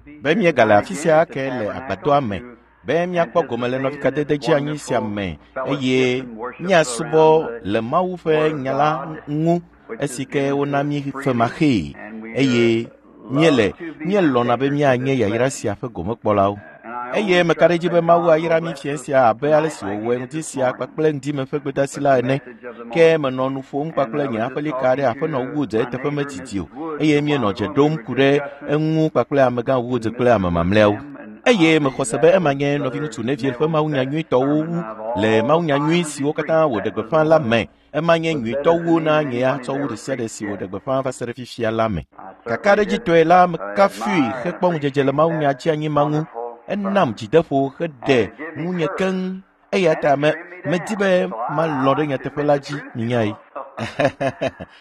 Be míegale afi sia ke le agbadɔa me be míakpɔ gome le nɔvikadede dzeanyi sia me eye míasubɔ le Mawu ƒe nya la ŋu esi ke wona mí femaxee eye míele míelɔ̃na be míanye yayra sia ƒe gomekpɔlawo. Eye meka ɖe edzi be Mawu ayra mí fiẽ sia abe ale si wòwɔe ŋdi sia kpakple ŋdime ƒe gbedeasi la ene. Ke menɔ nu ƒom kpakple nye aƒelika aɖe aƒenɔ Woods eteƒe medidi o eye míenɔ dze ɖom ku ɖe eŋu kpakple amegã Woods kple ame mamlɛawo. Eye mexɔ se be ema nye nɔviŋutsu Neville ƒe mawunya nyuitɔwo wu le mawunya nyui siwo katã wòɖe gbeƒã la me. Ema nye nyuitɔ wu na nye ya tsɔ wu ɖe sia ɖe si wòɖe gbeƒã va se ɖe fifia la me. Kakaɖedzitɔe la mekafui hekpɔ ŋudzedze le mawunya dzeanyi ma ŋu. Enam dzideƒo heɖe ŋunye keŋ eya ta me medi be malɔ̃ ɖe nyateƒe la dzi minyae.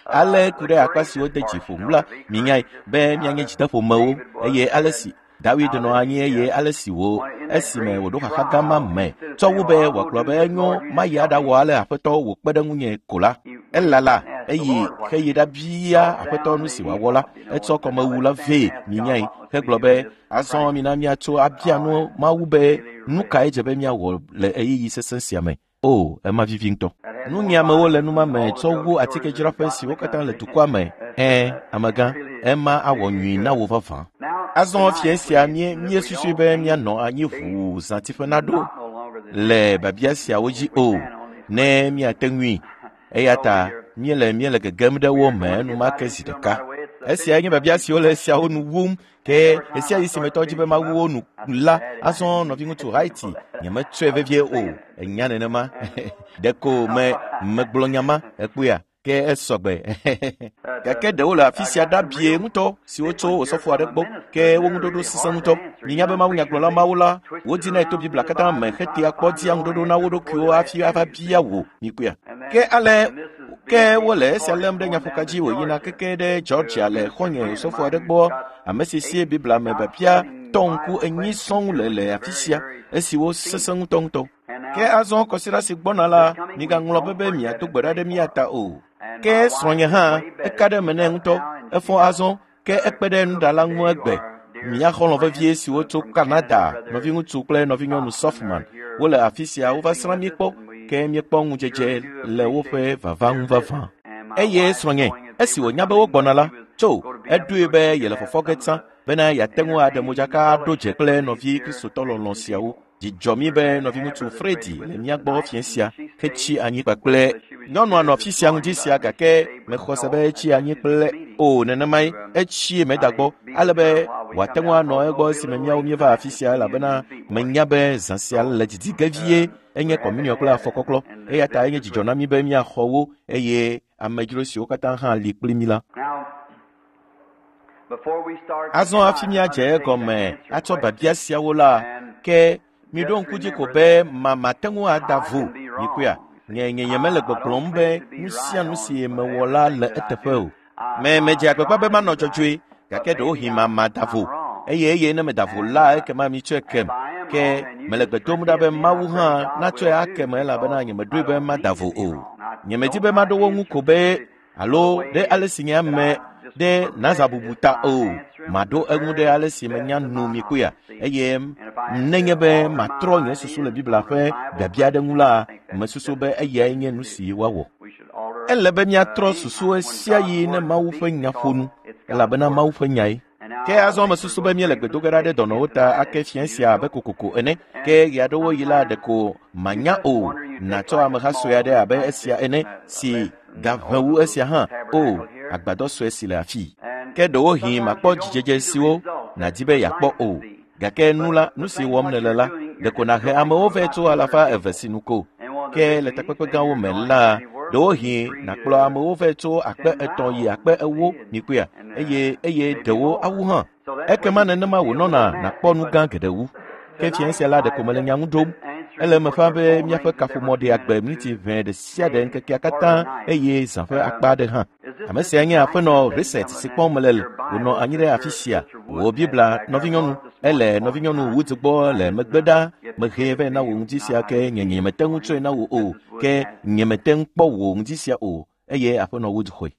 Ale ku ɖe akpa siwo de dzi ƒo ŋu la minyae be míanye dzideƒomewo eye ale si Dawid nɔ anyi eye ale si wo esime wòɖo xaxa gã ma me tsɔ wu be wòagblɔ be enyo mayi aɖawɔ ale aƒetɔ wòkpe ɖe ŋunye ko la. Elala eyi heyi ɖabia aƒetɔ nu si wòawɔ la etsɔ kɔmewu la vɛ minyae hegblɔ be azɔ mina míatso abia nu Mawu be nu kae dze be míawɔ le ɣeyiɣi sesẽ sia me. O, ema vivi ŋutɔ. Nunyiamewo le numa me tsɔ wu atikedzraƒe siwo katã le dukɔa me. Ẽ, amegã, ema awɔ nyui na wò vavã. Azɔ fiẽ sia mí míesusui be míanɔ anyi ʋuu zãtiƒe naɖo le biabia siawo dzi o, ne míate ŋui. Eya ta míele míele gegem ɖe wo me enumake zi ɖeka. Esia nye biabia siwo le esiawo nu wum ke ɣesia ɣi si metɔ dzi be mawu wo nu la azɔ nɔviŋutsu Haiti nyemetsɔe vevie o enya nenema ɖeko me megblɔ nya ma ekpɔea ke esɔgbe gake ɖewo le afi sia ɖabie ŋutɔ siwo tso osɔfo aɖe gbɔ ke wo ŋuɖoɖo sesẽ ŋutɔ minya be mawunyagblɔla mawo la wodinae to Biblia katã me hetea kpɔ dia ŋuɖoɖo na wo ɖokuiwo hafi ava bia wò mikpɔea ke ale ke wole esia lém ɖe nyaƒoka dzi wòyina keke ɖe Georgia le xɔ̃nye osɔfo aɖe gbɔ ame si sie Biblia me biabia tɔ ŋku enyi sɔŋ le le afi sia esiwo sesẽ ŋutɔŋutɔ. Ke azɔ kɔsiɖa si gbɔna la, migaŋlɔ be be miado gbe ɖa ɖe mía ta o. Ke srɔ̃nye hã eka ɖe eme nɛ ŋutɔ. Efɔ azɔ ke ekpe ɖe nuɖala ŋu egbe. Mía xɔlɔ̃ vevie siwo tso Canada, nɔviŋutsu kple nɔvinyɔnu Softman, wole afi sia wova srã mí kpɔ ke míekpɔ ŋudzedze le woƒe vava ŋu vavã. Eye srɔ̃nye, esi wònya be wogbɔna la, tso eɖoe be yele fɔfɔ ge tsã bena yeate ŋu aɖe modzaka aɖo dze kple nɔvi kristotɔ lɔlɔ̃ siawo. Dzi dzɔ mí be nɔviŋutsu Fredi le mía gbɔ fiẽ sia hetsi anyi kpakple nyɔnua nɔ afi sia ŋdi sia gake mexɔ se be etsi anyi kple o nenemae etsi meda gbɔ ale be wòate ŋu anɔ egbɔ esime míawo míeva afi sia elabena menya be zã sia le didi ge vie enye kɔmuniɔ kple afɔkɔklɔ eya ta enye dzidzɔ na mí be míaxɔ wo eye amedzro siwo katã hã li kpli mí la. Azɔ hafi míadze egɔme atsɔ biabia siawo la, ke miɖo ŋku dzi ko be mamate ŋu ada vo. Mikpɔea? Nye nye nyemele gbɔgblɔm be nu sia nu si mewɔ la le eteƒe o. Me medze agbagba be manɔ dzɔdzɔe gake ɖewohĩ mama da vo eye eye ne meda vo la ekema mitsɔe kem. Ke mele gbe dom ɖa be Mawu hã natsɔe ake me elabena nyemeɖoe be mada vo o. Nyemedi be maɖo wo ŋu ko be alo ɖe ale si nye ame ɖe nazabubu ta o. Maɖo eŋu ɖe ale si menya nu mi kpɔea eye nenye be matrɔ nye susu le Biblia ƒe biabia aɖe ŋu la, mesusu be eyae nye nu si woawɔ. Ele be míatrɔ susu ɣesiaɣi ne Mawu ƒe nya ƒo nu elabena Mawu ƒe nyae. Ke azɔ mesusu be míele gbe do ge ɖa ɖe dɔnɔwo ta ake fiẽ sia abe kokoko ene. Ke ɣeaɖewoɣi la ɖeko manya o nàtsɔ ameha sue aɖe abe esia ene si gaʋẽ wu esia hã o agbadɔ sue si le afii. Ke ɖewohĩ màkpɔ dzidzedze siwo nàdi be yeakpɔ o. Gake nu la, nu si wɔm nèle la, ɖeko nàhe amewo vɛ tso alafa eve si nu ko. Ke le takpekpe gãwo me la, ɖewohĩ nàkplɔ amewo vɛ tso akpe etɔ̃ yi akpe ewo mikpɔea eye eye ɖewo awu hã. Ekema nenema wònɔna nàkpɔ nu gã geɖe wu. Ke fiẽ sia la ɖeko mele nya ŋu ɖom. Ele eme ƒã be míaƒe kaƒomɔ ɖea gbe miniti ʋɛ ɖe sia ɖe ŋkekea katã eye zã ƒe akpa aɖe hã. Ame sia nye aƒenɔ Reset si kpɔm mele wònɔ anyi ɖe afi sia. Wò Biblia nɔvinyɔnu ele nɔvinyɔnu Woods gbɔ le megbe ɖa. Mehee vɛ na wò ŋdi sia ke nye nyemete ŋu tsɔe na wò o ke nyemete ŋu kpɔ wò ŋdi sia o eye aƒenɔ Woods xɔe.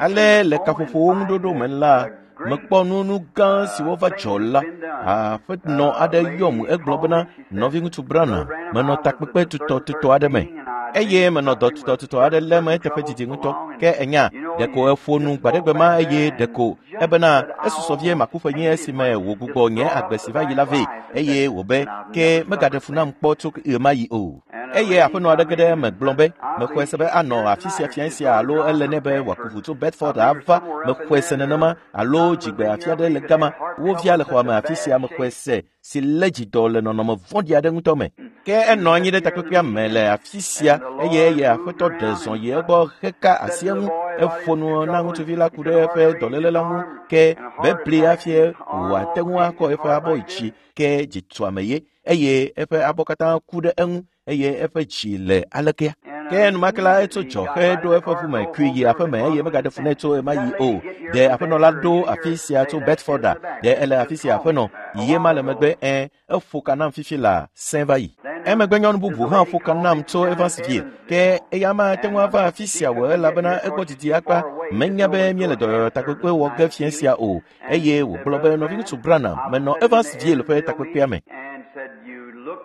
Ale le kaƒoƒowo ŋuɖoɖo me la, Mekpɔ nu gã siwo va dzɔ la. Aƒenɔ aɖe yɔm egblɔ bena nɔviŋutsu Branham, menɔ takpekpe tutɔtutɔ aɖe me eye menɔ dɔ tutɔtutɔ aɖe lém eteƒe didi ŋutɔ. Ke enya ɖeko eƒo nu gbaɖegbe ma eye ɖeko ebena esusɔ vie maku ƒe nye esime wògbugbɔ nye agbe si va yi la vɛ eye wòbe ke megaɖe fu nam kpɔ tso ɣemaɣi o. Eye aƒenɔ aɖe ge ɖe eme gblɔ be mexɔe se be anɔ afi sia fia sia alo ele nɛ be wòaku ʋu tso Bedford ava. Mexɔe se nenema alo dzigbe afi aɖe le gama. Wo via le xɔa me afi sia mexɔe se si lé dzidɔ le nɔnɔme vɔ̃ɖi aɖe ŋutɔ me. Ke enɔ anyi ɖe takpekpea me le afi sia eye eye aƒetɔ ɖe zɔ yi egbɔ heka asi eŋu. Eƒo nu na ŋutsuvi la ku ɖe eƒe dɔléle la ŋu ke bebli hafi wòate ŋu akɔ eƒe abɔ yi dzi ke dzituame ye eye eƒe abɔ katã ku ɖe eŋu eye eƒe dzi le alekea. Ke enumake la etso dzɔxe ɖo eƒe ʋu me kui yi aƒeme eye megaɖe fu nɛ tso ɣemaɣi o. Ɖe aƒenɔ la ɖo afi sia tso Bedforda? Ɖe ele afi sia aƒenɔ? Ye ma le megbe ẽ eƒo ka nam fifi la sẽ va yi. Emegbe nyɔnu bubu hã ƒo ka nam tso Evansville ke eya mate ŋu ava afi sia o elabena egbɔ didi akpa. Menya be míele dɔyɔyɔ takpekpe wɔ ge fiẽ sia o eye wògblɔ be nɔviŋutsu Branham menɔ Evansville ƒe takpekpea me.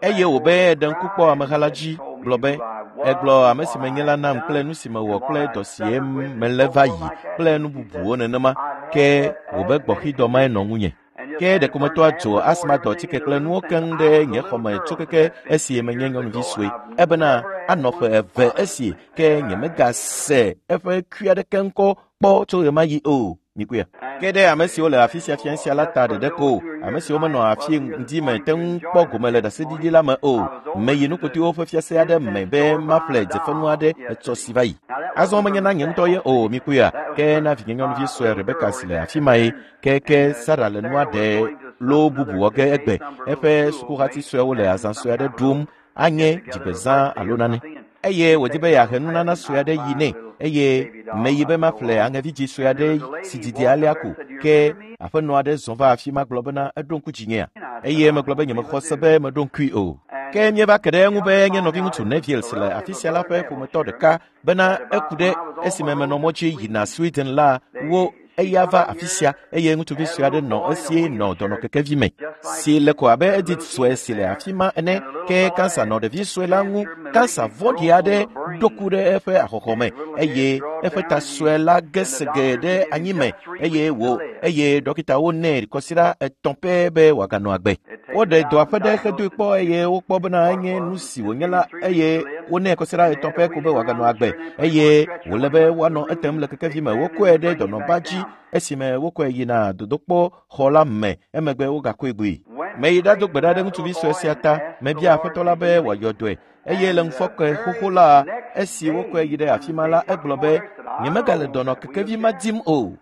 Eye wòbe eɖe ŋku kpɔ ameha la dzi gblɔ be egblɔ ame si menye la nam kple nu si mewɔ kple dɔ si melé va yi kple nu bubuwo nenema ke wòbe gbɔxidɔ mae nɔ ŋunye. Ke ɖeko metɔa dzo asma dɔ tike kple nuwo keŋ ɖe nye xɔme tso keke esi menye nyɔnuvi sue. Ebena anɔ ƒe eve esi ke nyemegase eƒe kui aɖeke ŋkɔ kpɔ tso ɣemaɣi o. Mikuya. Ke ɖe ame siwo le afi sia fia sia la ta ɖeɖe ko ame siwo menɔ afi ŋdi me te ŋu kpɔ gome le ɖaseɖiɖi la me o. Meyi nukotoewo ƒe fiase aɖe me be maƒle dzefenu aɖe etsɔ si va yi. Azɔ menye na nye ŋutɔ ye o mikuya ke na vinye nyɔnuvi sue Rebeka si le afi ma ye ke Sara le nua ɖe lo bubu wɔ ge egbe. Eƒe sukuhati suewo le azã sue aɖe ɖum anye dzigbezã alo nane. Eye wòdi be yeahe nunana sue aɖe yi nɛ eye meyi be maƒle aŋevidzi sue aɖe si didi alea ko ke aƒenɔ aɖe zɔ va afi ma gblɔ bena eɖo ŋku dzinyea eye megblɔ be nyemexɔ se be meɖo ŋkui o. Ke míeva ke ɖe eŋu be nye nɔviŋutsu Neville si le afi sia la ƒe ƒometɔ ɖeka bena eku ɖe esime menɔ mɔ dzi yina Sweden la wo eya va afi sia eye ŋutsuvi sue aɖe nɔ esie nɔ dɔnɔkekevi me si le ko abe Edith sue si le afi ma ene ke kansa nɔ ɖevi sue la ŋu. Kansa vɔ̃ɖi aɖe ɖo ku ɖe eƒe axɔxɔ me eye eƒe ta sue la ge sege ɖe anyi me eye wò eye dɔkitawo nɛ kɔsiɖa etɔ̃ pɛ be wòaganɔ agbe. Woɖe dɔa ƒe ɖe hedoe kpɔ eye wokpɔ bena enye nu si wònye la eye wonɛ kɔsiɖa etɔ̃ pɛ ko be wòaganɔ agbe eye wòle be woanɔ etem le kekevi me. Wokɔe ɖe dɔnɔba dzi esime wokɔe yina dodokpɔ xɔ la me emegbe wogakɔe gbɔe. Meyi ɖado gbe ɖa ɖe ŋutsuvi sue sia ta mebia aƒetɔ la be wòayɔ dɔe eye le ŋufɔke xoxo la esi wokɔe yi ɖe afi ma la egblɔ be nyemegale dɔnɔ kekevi ma dim o.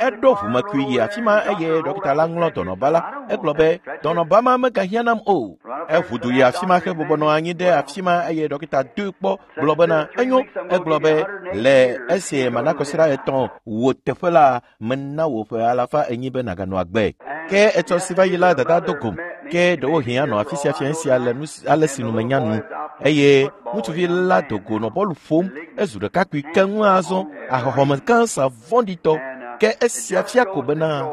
Eɖo ʋumekui yi afi ma eye dɔkita la ŋlɔ dɔnɔba la. Egblɔ be dɔnɔba ma megahiã nam o. Eʋu du yi afi ma hebɔbɔ nɔ anyi ɖe afi ma eye dɔkita doe kpɔ gblɔ bena enyo. Egblɔ be le esi mana kɔsiɖa etɔ̃ wò teƒe la mena wò ƒe alafa enyi be nàganɔ agbe. Ke etsɔ si va yi la dada do gom ke ɖewohĩ anɔ afi sia fia sia le nu ale si nu menya nu eye ŋutsuvi la do go nɔ bɔlu ƒom ezu ɖekakpui keŋ azɔ axɔxɔme kansa vɔ̃ɖitɔ ke esia fia ko bena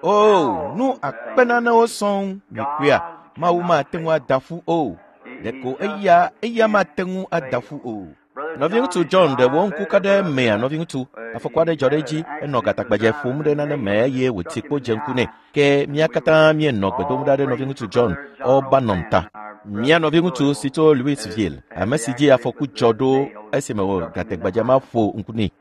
o nu akpe nanewo sɔŋ mikuia Mawu mate ŋu ada ƒu o. Ɖeko eya mate ŋu ada ƒu o. Nɔviŋutsu John ɖe wò ŋku ka ɖe mea nɔviŋutsu afɔku aɖe dzɔ ɖe edzi enɔ gatagbadze ƒom ɖe nane me eye wòti kpo dze ŋku nɛ. Ke mía katã míenɔ gbe dom ɖa ɖe nɔviŋutsu John Ɔbanɔn ta. Mía nɔviŋutsu si tso Louisville, ame si dzi afɔku dzɔ ɖo esime wò gatagbadze ma ƒo ŋku nɛ.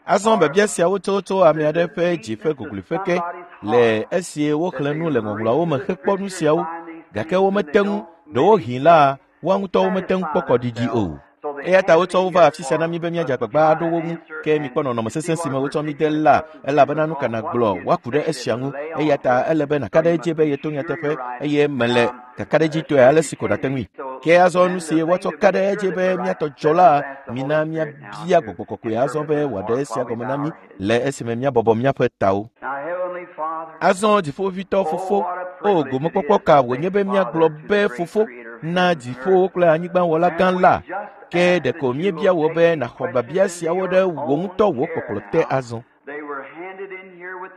Azɔ biabia siawo tso ame aɖe ƒe dzi ƒe gogloeƒe ke le esi woxlẽ nu le ŋɔŋlɔawo me hekpɔ nu siawo gake womete ŋu ɖewohĩ la woa ŋutɔwo mete ŋu kpɔ kɔɖiɖi o. Eya ta wotsɔ wo va afi sia na mí be míadze agbagba aɖo wo ŋu ke mikpɔ nɔnɔme sesẽ si me wotsɔ mí de la elabena nu ka nàgblɔ woaku ɖe esia ŋu. Eya ta ele be nàka ɖe edzi be yeto nyateƒe eye mele kakaɖedzitɔe ale si ko nàte ŋui. Ke azɔ nu si woatsɔ ka ɖe edzi be míatɔ dzɔ la mina míabia gbɔgbɔ kɔkɔe azɔ be wòaɖe esia gɔme na mí le esime míabɔbɔ míaƒe tawo. Azɔ dziƒovitɔ fofo o gomekpɔkpɔ ka wònye be míagblɔ be fofo na dziƒowo kple anyigbawɔla gã la ke ɖeko míebia wò be nàxɔ biabia siawo ɖe wò ŋutɔ wò kpɔkplɔ te azɔ.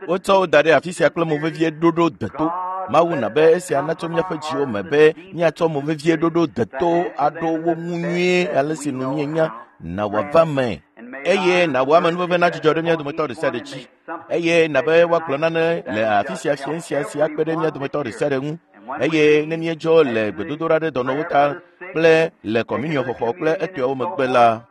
Wotsɔ wo da ɖe afi sia kple movevie ɖoɖo deto. Mawu na be esia natso míaƒe dziwo me be míatsɔ movevie ɖoɖo deto aɖo wo ŋu nyuie ale si nu míenya na wòava me eye nàwɔ amenuveve nadzudzɔ ɖe mía dometɔ ɖe sia ɖe dzi eye nabe woagblɔ nane le afi sia fiẽ sia si akpe ɖe mía dometɔ ɖe sia ɖe ŋu eye ne míedzɔ le gbedodoɖa ɖe dɔnɔwo ta kple le kɔminiɔxɔxɔ kple etɔewo megbe la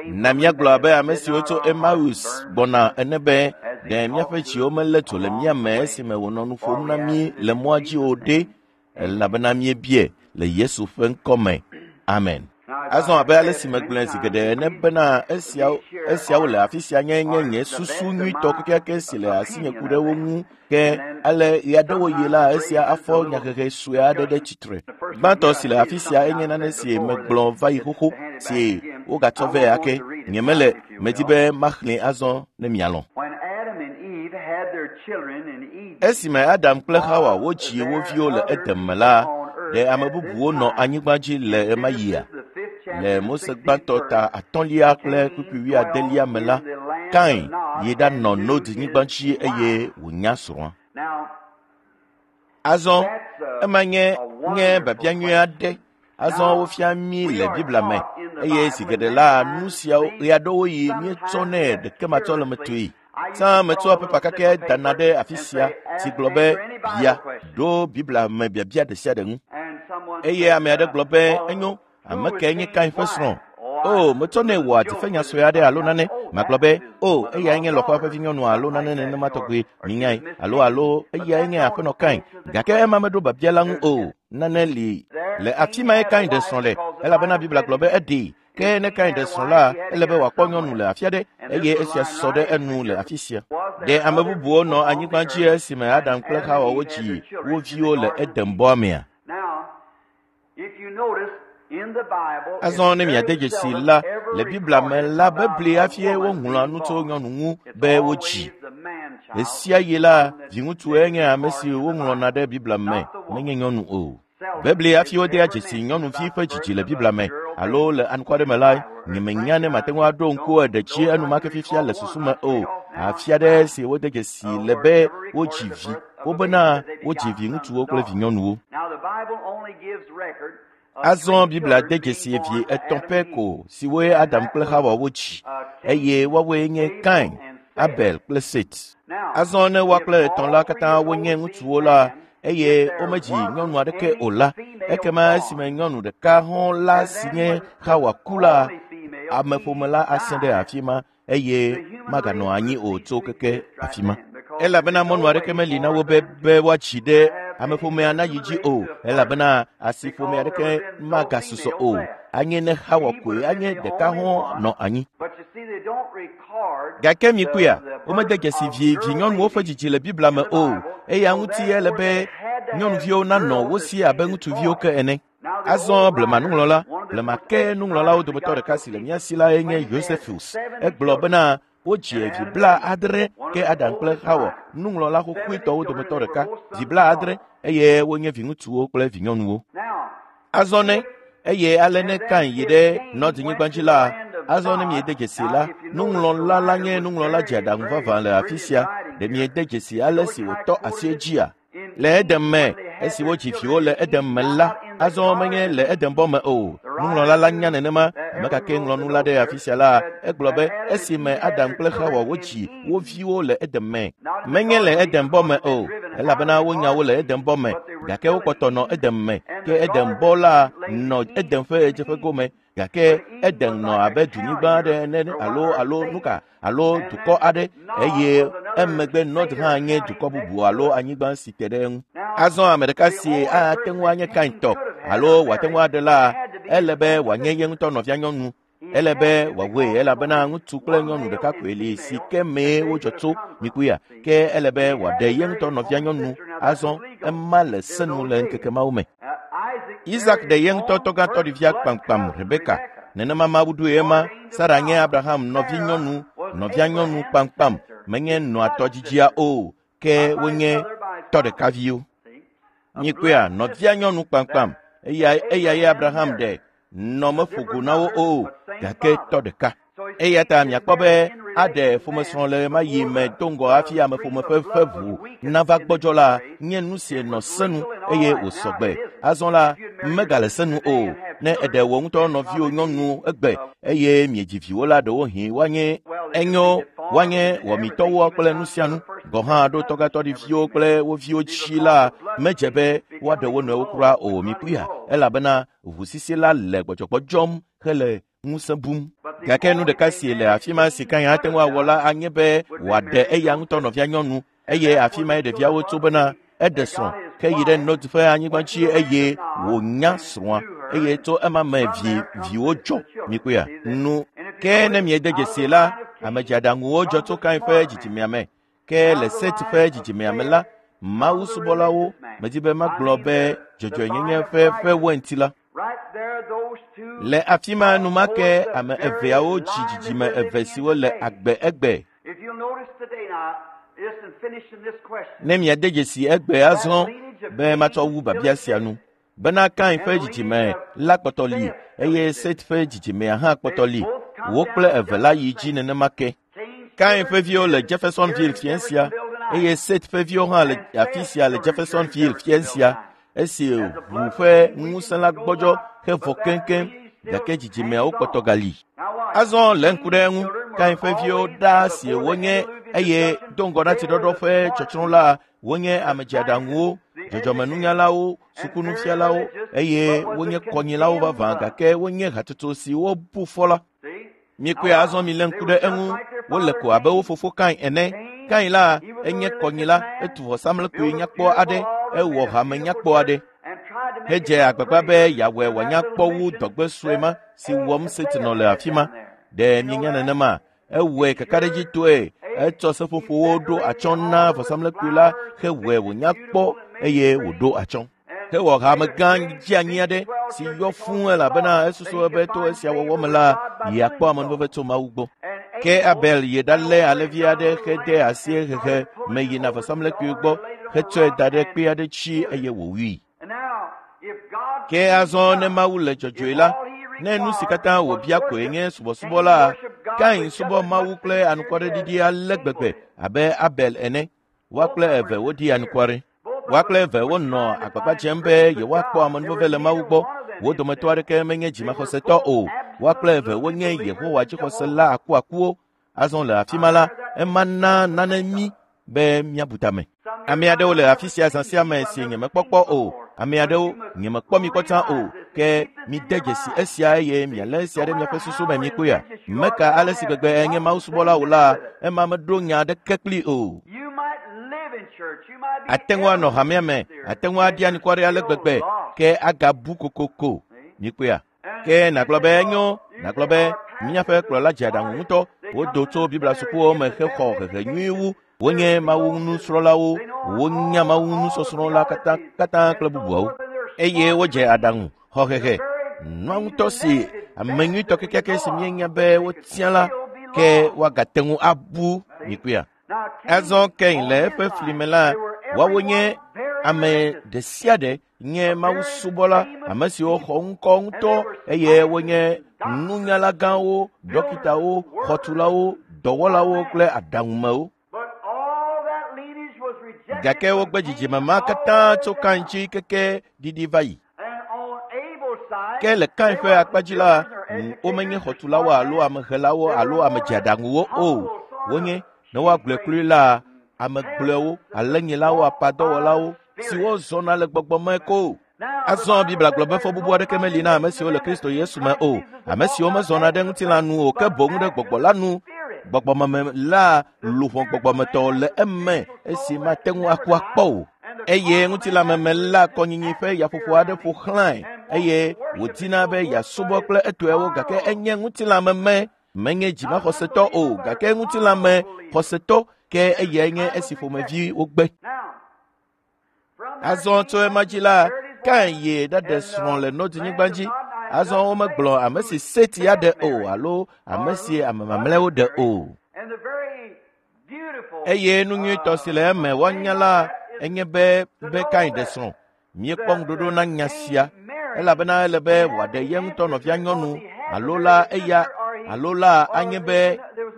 na míagblɔ abe ame siwo tso Emmaus gbɔna ene be ɖe míaƒe dziwo melé dzo le mía me esime wònɔ nu ƒom na mí le mɔa dzi o ɖe elabena míebie le Yesu ƒe ŋkɔ me. Amen. Azɔ abe ale si megblɔe zi geɖe ene bena esiawo le afi sia nye nye susu nyuitɔ kekeake si le asinye ku ɖe wo ŋu ke ale ɣeaɖewoɣi la esia afɔ nyahehe sue aɖe ɖe tsitre. Gbãtɔ si le afi sia enye nane si megblɔ va yi xoxo si wogatsɔ vɛ ake. Nyemele medi be maxlẽe azɔ ne mialɔ̃. Esime Adam kple Xawa wodzi wo viwo le Eden me la, ɖe ame bubuwo nɔ anyigba dzi le ɣemaɣia? Le Mose gbãtɔ ta atɔ̃lia kple kpukpui wuiadelia me la, Kain yi ɖanɔ Nod-nyigba dzi eye wònya srɔ̃a. Azɔ ema nye biabia nyui aɖe. Azɔ wofia mí le Biblia me eye zi geɖe la nu siawo ɣeaɖewoɣi míetsɔnɛ ɖekematsɔlemetɔe. Tsã metsɔa pepa kakɛ dana ɖe afi sia si gblɔ be bia ɖo Biblia me biabia ɖe sia ɖe ŋu. Eye ame aɖe gblɔ be enyo ame kae nye Kain ƒe srɔ̃? O, metsɔnɛ wɔ adifenya sue aɖe alo nane. Magblɔ be, o, eyae nye lɔƒoa ƒe vinyɔnu alo nane nenema tɔgbi minyae alo eyae nye aƒenɔ Kain. Gake ema meɖo biabia la ŋu o. Nane li le afi mae Kain ɖe srɔ̃ le elabena Biblia gblɔ be eɖee. Ke ne Kain ɖe srɔ̃ la, ele be wòakpɔ nyɔnu le afi aɖe eye esia sɔ ɖe enu le afi sia. Ɖe ame bubuwo nɔ anyigba dzi esime Adam kple Xawa wodzi wo viwo le Eden-bɔa mea? Azɔ ne miade dzesi la, le Biblia me la bebli hafi woŋlɔa nu tso nyɔnu ŋu be wodzi. Ɣesiaɣi la, viŋutsue nye ame si woŋlɔna ɖe Biblia me, menye nyɔnu o. Bebli hafi wodea dzesi nyɔnuvi ƒe dzidzi le Biblia me alo le anukware me la, nyemenya ne mate ŋu aɖo ŋku eɖe dzi enumake fifia le susu me o. Afi aɖe si wode dzesi le be wodzi vi, wobena wodzi vi ŋutsuwo kple vi nyɔnuwo. Azɔ Biblia de dzesi vi etɔ̃ pɛ ko siwoe Adam kple Xawa wodzi eye woawoe nye Kain, Abel kple Set. Azɔ ne woa kple etɔ̃ la katã wonye ŋutsuwo la, eye womedzi nyɔnu aɖeke o la, ekema esime nyɔnu ɖeka hɔ̃ la si nye Xawa ku la, ameƒome la asẽ ɖe afi ma eye maganɔ anyi o tso keke afi ma. Elabena mɔnu aɖeke meli na wo be woatsi ɖe ameƒomea nayi dzi o, elabena asiƒome aɖeke magasusɔ o. Anye ne Xawa koe anye ɖeka hɔ̃ nɔ anyi. Gake mikpɔea, womede dzesi vinyɔnuwo ƒe dzidzi le Biblia me o, eya ŋuti ele be nyɔnuviwo nanɔ wo si abe ŋutsuviwo ke ene. Azɔ blemanuŋlɔla, blema ke nuŋlɔlawo dometɔ ɖeka si le mía si lae nye Josephus. Egblɔ bena wodzi vi 70 ke Adam kple Xawa, nuŋlɔla xoxoetɔwo dometɔ ɖeka, vi 70 eye wonye viŋutsuwo kple vinyɔnuwo. Azɔ ne eye ale ne Kain yi ɖe Nod-nyigba dzi la, azɔ ne miede dzesi la, nuŋlɔla la nye nuŋlɔla dzeaɖaŋu vavã le afi sia. Ɖe miede dzesi ale si wòtɔ asi edzia? Le Eden me, esi wodzi viwo le Eden me la, azɔ menye le Eden-bɔ me o. Nuŋlɔla la nya nenema, ame gake ŋlɔ nu la ɖe afi sia la, egblɔ be esime Adam kple Xawa wodzi wo viwo le Eden me, menye le Eden-bɔ me o, elabena wonya wo le Eden-bɔ me, gake wokpɔtɔ nɔ Eden me, ke Eden-bɔ la nɔ Eden ƒe ɣedzeƒe gome, gake Eden nɔ abe dunyigba aɖe ene alo nuka alo dukɔ aɖe eye emegbe Nod hã nye dukɔ bubu alo anyigba si te ɖe eŋu. Azɔ ame ɖeka si ate ŋu anye Kain tɔ alo wòate ŋu aɖe la, ele be wòanye ye ŋutɔ nɔvia nyɔnu. Ele be wòawɔe elabena ŋutsu kple nyɔnu ɖeka koe li si ke mee wodzɔ tso mikuya ke ele be wòaɖe ye ŋutɔ nɔvia nyɔnu. Azɔ ema le se nu le ŋkeke mawo me. Isak ɖe ye ŋutɔ tɔgãtɔɖivia kpamkpam Rebeka. Nenema Mawu ɖoe ema. Sara nye Abraham nɔvinyɔnu, nɔvia nyɔnu kpamkpam, menye nɔa tɔdzidzia o, ke wonye tɔ ɖeka viwo. Mikpɔea, nɔvia nyɔnu kpamkpam, eyae Abraham ɖe, nɔ meƒo go na wo o, gake tɔ ɖeka. Eya ta miakpɔ be aɖe ƒomesrɔ̃ le ma yi me do ŋgɔ hafi ameƒome ƒe ƒe ʋu nava gbɔdzɔ la nye nu si nɔ senu eye wòsɔ gbe. Azɔ la megale senu o. Ne eɖe wò ŋutɔ nɔviwò nyɔnu egbe eye miedzi viwo la ɖewohĩ woanye enyo woanye wɔmitɔwo kple nu sia nu gɔ̃ hã ɖo tɔgatɔɖiviwo kple wo viwo tsi la medze be woaɖe wo nɔewo kura o mikpɔea elabena ʋusisi la le gbɔdzɔgbɔdzɔm hele ŋusẽ bum. Gake nu ɖeka si le afi ma si Kain ate ŋu awɔ la anye be wòaɖe eya ŋutɔ nɔvia nyɔnu eye afi mae ɖeviawo tso bena eɖe srɔ̃ ke yi ɖe Nod ƒe anyigba dzi eye wònya srɔ̃a eye tso ema me vi viwo dzɔ mikpɔea nu ke ne miede dzesi la ame dzeaɖaŋuwo dzɔ tso Kain ƒe dzidzimea me ke le Set ƒe dzidzimea me la Mawu subɔlawo medi be magblɔ be dzɔdzɔenyenye ƒe ƒe wɛnti la le afi ma enumake ame eveawo dzi dzidzime eve siwo le agbe egbe. Ne miade dzesi egbe azɔ be matsɔ wu babia sia nu bena Kain ƒe dzidzime la kpɔtɔ li eye Set ƒe dzidzimea hã kpɔtɔ li. Wo kple eve la yi dzi nenema ke. Kain ƒe viwo le Jeffersonville fiẽ sia eye Set ƒe viwo hã le afi sia le Jeffersonville fiẽ sia esi ʋu ƒe ŋusẽ la gbɔdzɔ hevɔ keŋkeŋ gake dzidzimeawo kpɔtɔ gali. Azɔ le ŋku ɖe eŋu Kain ƒe viwo ɖaa si wonye eye do ŋgɔ na tsiɖɔɖɔ ƒe tsɔtsrɔ̃ la wonye ame dzeaɖaŋuwo, dzɔdzɔmenunyalawo, sukunufialawo eye wonye kɔnyilawo vavã gake wonye hatsotso siwo bu fɔ la. Mikpɔe azɔ milé ŋku ɖe eŋu wole ko abe wo fofo Kain ene. Kain la enye kɔnyila, etu vɔsamlekpui nyakpɔ aɖe, ewɔ hame nyakpɔ aɖe hedze agbagba be yeawɔe wòanyakpɔ wu dɔgbe sue ma si wɔm Set nɔ le afi ma. Ɖe mienya nenema? Ewɔe kakaɖedzitɔe, etsɔ seƒoƒowo ɖo atsyɔ̃ na vɔsamlekpui la hewɔe wònyakpɔ eye wòɖo atsyɔ̃. Hewɔ hame gã dzeanyi aɖe si yɔ fũu elabena esusu be to esia wɔwɔ me la yeakpɔ amenuveve tso Mawu gbɔ. Ke Abel yi ɖalé alẽvi aɖe hede asi hehe me yina vɔsamlekpui gbɔ hetsɔe da ɖe kpe aɖe dzi eye wòwui. Ke azɔ ne Mawu le dzɔdzɔe la, ne nu si katã wòbia koe nye subɔsubɔ la, Kain subɔ Mawu kple anukwareɖiɖi ale gbegbe abe Abel ene. Woa kple eve woɖi anukware. Woa kple eve wonɔ agbagba dzem be yewoakpɔ amenuveve le Mawu gbɔ. Wo dometɔ aɖeke menye dzimaxɔsetɔ o. Woa kple eve wonye Yehowa dzixɔsela akuakuwo. Azɔ le afi ma la, ema na nane mí be míabu tame. Ame aɖewo le afi sia zã sia me si nyemekpɔkpɔ o. Ame aɖewo nyemekpɔ mi kpɔ tsã o. Ke mide dzesi esia eye mialé esia ɖe miaƒe susu me mikpɔea. Meka ale si gbegbe enye Mawu subɔla o la, ema meɖo nya aɖeke kpli o. Ate ŋu anɔ hamea me, ate ŋu aɖi anukware ale gbegbe, ke agabu kokoko. Mikpɔea? Ke nàgblɔ be enyo, nàgblɔ be míaƒe kplɔla dze aɖaŋu ŋutɔ. Wodo tso Biblia sukuwo me hexɔ hehe nyui wu. Wonye Mawu nusrɔ̃lawo, wonya Mawu nusɔsrɔ̃ la katã katã kple bubuawo. Eye wodze aɖaŋu, xɔ hehe. Nua ŋutɔ si ame nyuitɔ kekeake si míenya be wotia la, ke woagate ŋu abu mikpɔea. Azɔ Kain le eƒe fli me la, woawo nye ame ɖe sia ɖe nye Mawu subɔla, ame siwo xɔ ŋkɔ ŋutɔ eye wonye nunyala gãwo, dɔkitawo, xɔtulawo, dɔwɔlawo kple aɖaŋumewo. Gake wogbe dzidzime ma katã tso Kain dzi keke ɖiɖi va yi. Ke le Kain ƒe akpa dzi la, womenye xɔtulawo alo amehelawo alo ame dzeaɖaŋuwo o. Wonye, ne woagblɔe kloe la, ame gblɔewo, alẽnyilawo, apadɔwɔlawo siwo zɔna le gbɔgbɔ me ko. Azɔ Biblia gblɔ be fɔ bubu aɖeke meli na ame siwo le Kristo Yesu me o, ame siwo mezɔna ɖe ŋutilã nu o ke boŋ ɖe gbɔgbɔ la nu. Gbɔgbɔmeme la luʋɔ gbɔgbɔmetɔ le eme esi mate ŋu aku akpɔ o. Eye ŋutilãmeme la kɔnyinyi ƒe yaƒoƒo aɖe ƒo xlãe eye wòdina be yeasubɔ kple etɔewo gake enye ŋutilãmeme menye dzimaxɔsetɔ o gake ŋutilãme xɔsetɔ ke eyae nye esi ƒomevi wogbe. Azɔ tso ema dzi la, Kain yi ɖaɖe srɔ̃ le Nod-nyigba dzi. Azɔ womegblɔ ame si Set ya ɖe o alo ame si ame mamlɛawo ɖe o. Eye nu nyuitɔ si le eme woanya la enye be be Kain ɖe srɔ̃. Míekpɔ ŋuɖoɖo na nya sia elabena ele be wòaɖe ye ŋutɔ nɔvia nyɔnu alo la eya alo la anye be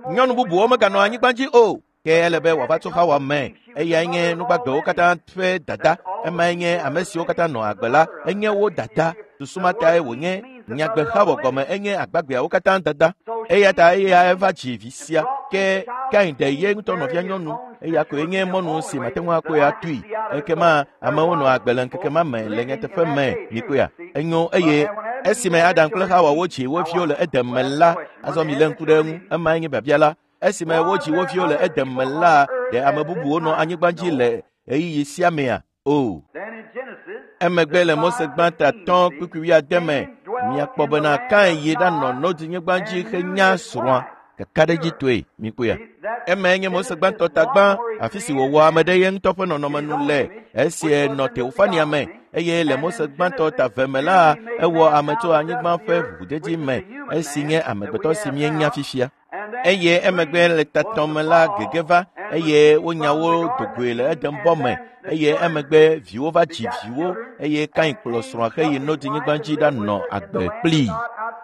Nyɔnu bubuwo meganɔ anyigba dzi o. Ke ele be wòava tso Xawa me. Eyae nye nugbagbewo katã ƒe dada. Emae nye ame siwo katã nɔ agbe la, enye wo dada. Susu ma tae wònye nyagbe Xawa gɔme enye agbagbeawo katã dada. Eya ta eya eva dzi vi sia. Ke Kain ɖe ye ŋutɔ nɔvia nyɔnu. Eya koe nye mɔnu si mate ŋu akpɔe atui. Ekema amewo nɔ agbe le ŋkeke ma me le nyateƒe me. Mikpɔea? Enyo eye esime Adam kple Xawa wodzi wo viwo le Eden me la, azɔ milé ŋku ɖe eŋu. Emae nye biabia la. Esime wodzi wo viwo le Eden me la, ɖe ame bubuwo nɔ anyigba dzi le ɣeyiɣi sia mea? O. Emegbe le Mose gbãta tɔ̃ kpukpui wuiade me, miakpɔ bena Kain yi ɖanɔ Nod-nyigba dzi henya srɔ̃a kakaɖedzitɔe. Mikpɔea? Emae nye Mose gbãtɔ ta gbã, afi si wòwɔ ame ɖe ye ŋutɔ ƒe nɔnɔme nu le esie nɔ Teofania me eye le Mose gbãtɔ ta ve me la, ewɔ ame tso anyigba ƒe ʋuʋudedi me esi nye amegbetɔ si míenya fifia. Eye emegbe le tatɔ me la gege va eye wonya wo dogoe le Edenbɔ me eye emegbe viwo va dzi viwo eye Kain kplɔ srɔ̃a heyi Nod-nyigba dzi ɖanɔ agbe kplii.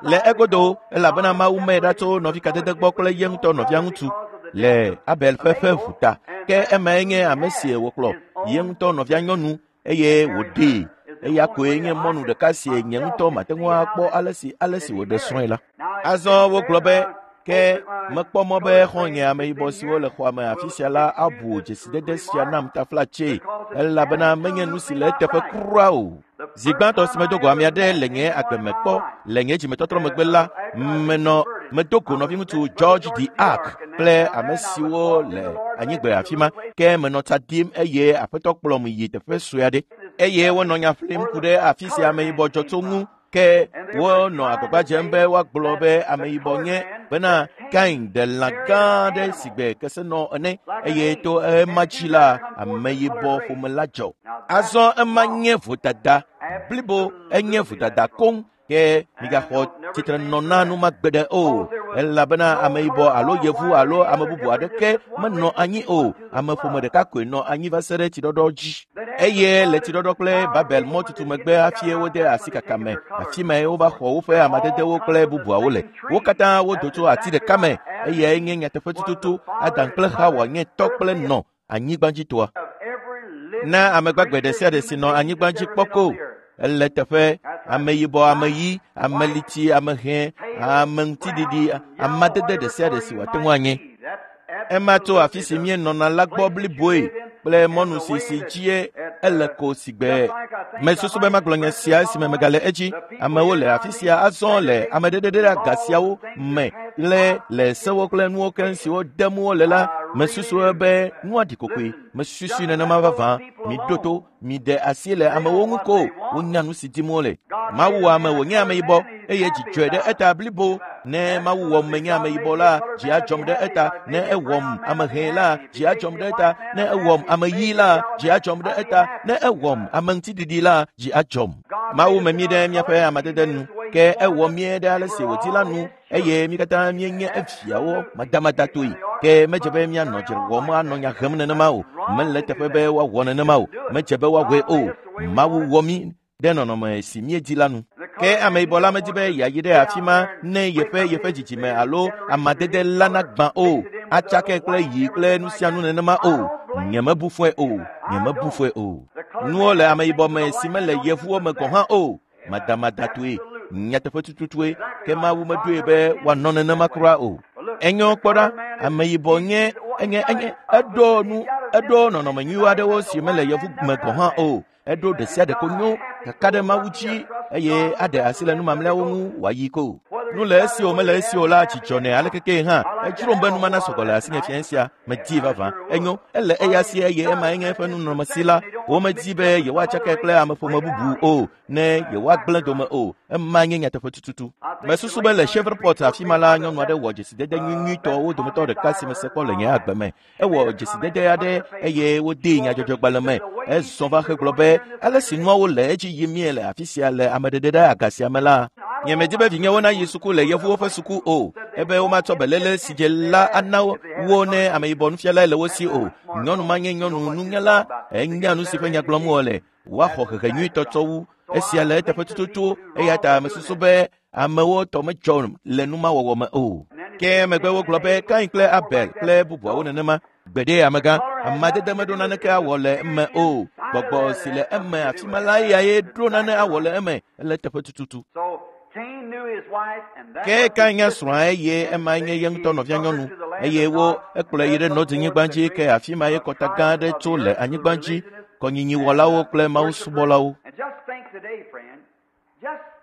Le egodo elabena Mawu mee ɖa tso nɔvi kadede gbɔ kple ye ŋutɔ nɔvia ŋutsu le Abel ƒe ƒe ʋu ta. Ke emae nye ame si wòkplɔ ye ŋutɔ nɔvia nyɔnu eye wòɖee. Eya koe nye mɔnu ɖeka si nye ŋutɔ mate ŋu akpɔ ale si ale si wòɖe srɔ̃e la. Azɔ wogblɔ be ke mekpɔ mɔ be xɔ̃nye ameyibɔ siwo le xɔa me afi sia la abu dzesidede sia nam taflatse elabena menye nu si le eteƒe kura o. Zi gbãtɔ si medo go ame aɖe le nye agbe me kpɔ le nye dzimetɔtrɔ megbe la, menɔ medo go nɔviŋutsu George D. Ark kple ame siwo le anyigbe afi ma ke menɔ tsa ɖim eye aƒetɔ kplɔm yi teƒe sue aɖe eye wonɔ nya ƒlim ku ɖe afi sia ameyibɔ dzɔ tso ŋu ke wonɔ agbagba dzem be woagblɔ be ameyibɔ nye bena Kain ɖe lã gã aɖe si gbe kesenɔ ene eye to ema dzi la ameyibɔ ƒome la dzɔ. Azɔ ema nye vodada blibo enye vodada koŋ ke migaxɔ tsitrenɔ na nu ma gbeɖe o elabena ameyibɔ alo yevu alo ame bubu aɖeke menɔ anyi o. Ame ƒome ɖeka koe nɔ anyi va se ɖe tsiɖɔɖɔ dzi eye le tsiɖɔɖɔ kple Babel mɔtutu megbe hafi wode asi kaka me. Afi mae wova xɔ woƒe amadedewo kple bubuawo le. Wo katã wodo tso ati ɖeka me eyae nye nyateƒe tututu. Adam kple Xawa nye tɔ kple nɔ anyigbadzitɔa. Na ame gbagbe ɖe sia ɖe si nɔ anyigba dzi kpɔ ko ele teƒe ameyibɔ, ameyi, ameliti, amehẽ, ameŋutiɖiɖi, amadede ɖe sia ɖe si wòate ŋu anye. Ema tso afi si míenɔna la gbɔ bliboe kple mɔnu si si dzie ele ko si gbe. Mesusu be magblɔ nya sia esime megale edzi. Amewo le afi sia azɔ le ameɖeɖeɖe aga siawo me le le sewo kple nuwo keŋ siwo dem wole la. Mesusu be nua ɖi kokoe. Mesusui nenema vavã. Miɖo to, miɖe asi le amewo ŋu ko wonya nu si dim wole. Mawu wɔ ame wònye ameyibɔ eye dzidzɔe ɖe eta blibo. Ne Mawu wɔm menye ameyibɔ la, dzi adzɔm ɖe eta. Ne ewɔm ame hẽ la, dzi adzɔm ɖe eta. Ne ewɔm ame ɣi la, dzi adzɔm ɖe eta. Ne ewɔm ame ŋutiɖiɖi la, dzi adzɔm. Mawu me mí ɖe míaƒe amadede nu ke ewɔ mí ɖe ale si wòdi la nu eye mí katã míenye eviawo madamadatɔe. Ke medze be míanɔ dzre wɔm anɔ nya hem nenema o. Mele teƒe be woawɔ nenema o. Medze be woawɔe o. Mawu wɔ mí ɖe nɔnɔme si míedi la nu. Ke ameyibɔ la medi be yeayi ɖe afi ma ne yeƒe yeƒe dzidzime alo amadede la nagbã o. Atsakae kple yi kple nu sia nu nenema o. Nyemebu fɔe o. Nyemebu fɔe o. Nuwo le ameyibɔ me si mele yevuwo me gɔ̃ hã o. Madamadatɔe, nyateƒe tututue, ke Mawu meɖoe be woanɔ nenema kura o. Enyo kpɔ ɖa, ameyibɔ nye enye enye eɖo nu eɖo nɔnɔme nyui aɖewo si mele yevu me gɔ̃ hã o. Eɖo ɖe sia ɖe ko nyo kaka ɖe Mawu dzi eye aɖe asi le nu mamlɛawo ŋu wòayi ko. Nu le esi o mele esi o la dzidzɔ nɛ aleke kee hã. Edzrom be numa nasɔgbɔ le asinye fia sia. Medii vavã. Enyo, ele eya si eye emae nye eƒe nunɔamesi la. Womedi be yewoatsakae kple ameƒome bubu o ne yewoagblẽ dome o. Ema nye nyateƒe tututu. Mesusu be le Shreveport afi ma la, nyɔnu aɖe wɔ dzesidede nyuinyuitɔwo dometɔ ɖeka si mese kpɔ le nye agbe me. Ewɔ dzesidede aɖe eye wodee nyadzɔdzɔgbalẽ me. Ezɔ va hegblɔ be ale si nuawo le edzi yim mie le afi sia le ameɖeɖe ɖe aga sia me la, nyemedi be vinyewo nayi suku le yevuwo ƒe suku o. Ebe womatsɔ beléle si dze la ana wo ne ameyibɔ nufialae le wo si o. Nyɔnu ma nye nyɔnu nunyala, enya nu si ƒe nya gblɔm wole. Woaxɔ hehe nyuitɔ tsɔ wu esia le eteƒe tututu eya ta mesusu be amewo tɔ medzɔ le nu ma wɔwɔ me o. Ke emegbe wogblɔ be Kain kple Abel kple bubuawo nenema. Gbeɖe amegã, amadede meɖo naneke awɔ le eme o. Gbɔgbɔ si le eme afi ma la eyae ɖo nane awɔ le eme ele teƒe tututu. Ke Kain nye srɔ̃a eye ema nye ye ŋutɔ nɔvia nyɔnu eye wo ekplɔe yi ɖe nɔdzinyigba dzi ke afi ma ye kɔta gã aɖe tso le anyigba dzi kɔnyinyiwɔlawo kple mawusubɔlawo.